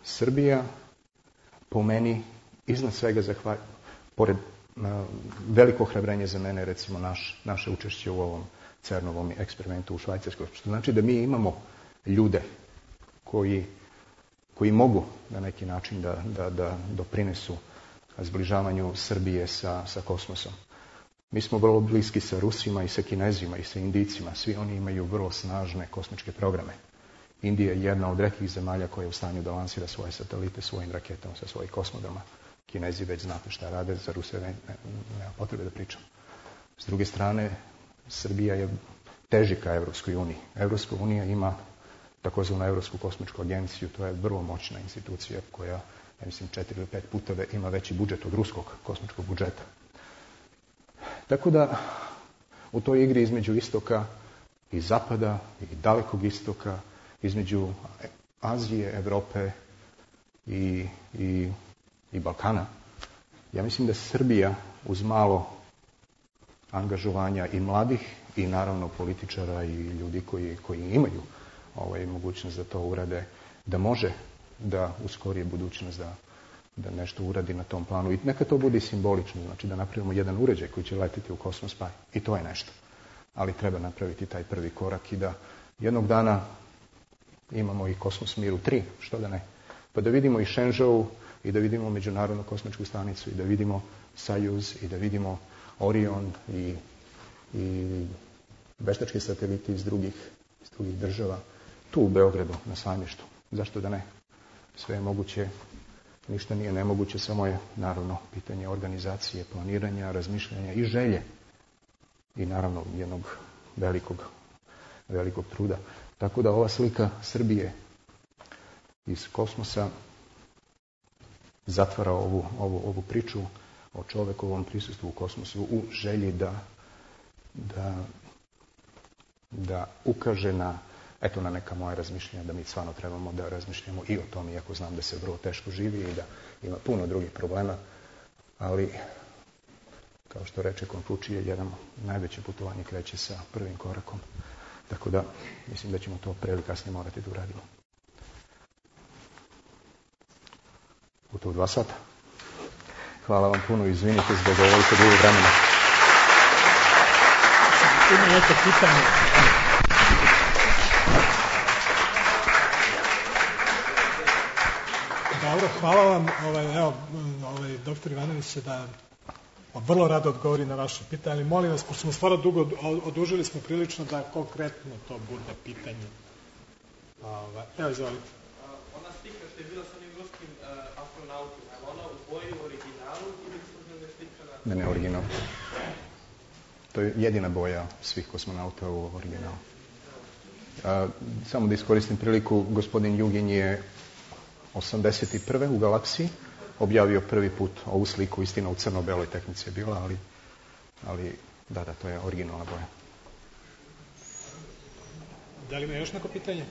Srbija, po meni, iznad svega zahvalj... pored a, veliko ohrabrenje za mene, recimo naš, naše učešće u ovom CERN-ovom eksperimentu u Švajcarskoj. Što znači da mi imamo ljude koji, koji mogu na neki način da, da, da doprinesu zbližavanju Srbije sa, sa kosmosom. Mi smo vrlo bliski sa Rusima i sa Kinezima i sa Indijcima. Svi oni imaju vrlo snažne kosmičke programe. Indija je jedna od retkih zemalja koja je u stanju da lansira svoje satelite svojim raketama sa svojih kosmodroma. Kinezi već znate šta rade, za Ruse ne, ne, nema potrebe da pričam. S druge strane, Srbija je teži ka Evropskoj uniji. Evropska unija ima takozvanu Evropsku kosmičku agenciju, to je vrlo moćna institucija koja, ja mislim, četiri ili pet puta ima veći budžet od ruskog kosmičkog budžeta. Tako da, u toj igri između istoka i zapada i dalekog istoka, između Azije, Evrope i, i, i Balkana, ja mislim da Srbija uz malo angažovanja i mladih i naravno političara i ljudi koji, koji imaju ovaj, mogućnost da to urade, da može da u skorije budućnost da, da nešto uradi na tom planu. I neka to bude simbolično, znači da napravimo jedan uređaj koji će letiti u kosmos, pa i to je nešto. Ali treba napraviti taj prvi korak i da jednog dana imamo i Kosmos Miru tri, što da ne. Pa da vidimo i Shenzhou i da vidimo Međunarodnu kosmičku stanicu i da vidimo Sajuz i da vidimo Orion i, i veštački sateliti iz drugih, iz drugih država. Tu u Beogradu, na Sajmištu. Zašto da ne? Sve je moguće, ništa nije nemoguće, samo je naravno pitanje organizacije, planiranja, razmišljanja i želje. I naravno jednog velikog, velikog truda. Tako da ova slika Srbije iz kosmosa zatvara ovu, ovu, ovu priču o čovekovom prisustvu u kosmosu u želji da, da, da ukaže na, eto, na neka moja razmišljanja, da mi stvarno trebamo da razmišljamo i o tome, iako znam da se vrlo teško živi i da ima puno drugih problema, ali kao što reče Konfučije, jedan najveće putovanje kreće sa prvim korakom. Tako da, mislim da ćemo to pre ili kasnije morati da uradimo. U to dva sata. Hvala vam puno, izvinite zbog ovoliko dugo vremena. Ima neko pitanje. Dobro, hvala vam. Ovaj, evo, ovaj, doktor Ivanović će da vrlo rado odgovori na vaše pitanje, ali molim vas, pošto smo stvarno dugo odužili smo prilično da konkretno to bude pitanje. Ova, evo, izvolite. Ona slika što je bila sa onim ruskim astronautima, je ona u boji u originalu ili službena slika na... Ne, ne, original. To je jedina boja svih kosmonauta u originalu. A, samo da iskoristim priliku, gospodin Jugin je osamdeset prve u galaksiji objavio prvi put ovu sliku, istina u crno-beloj tehnici je bila, ali, ali da, da, to je originalna boja. Da li ima još neko pitanje?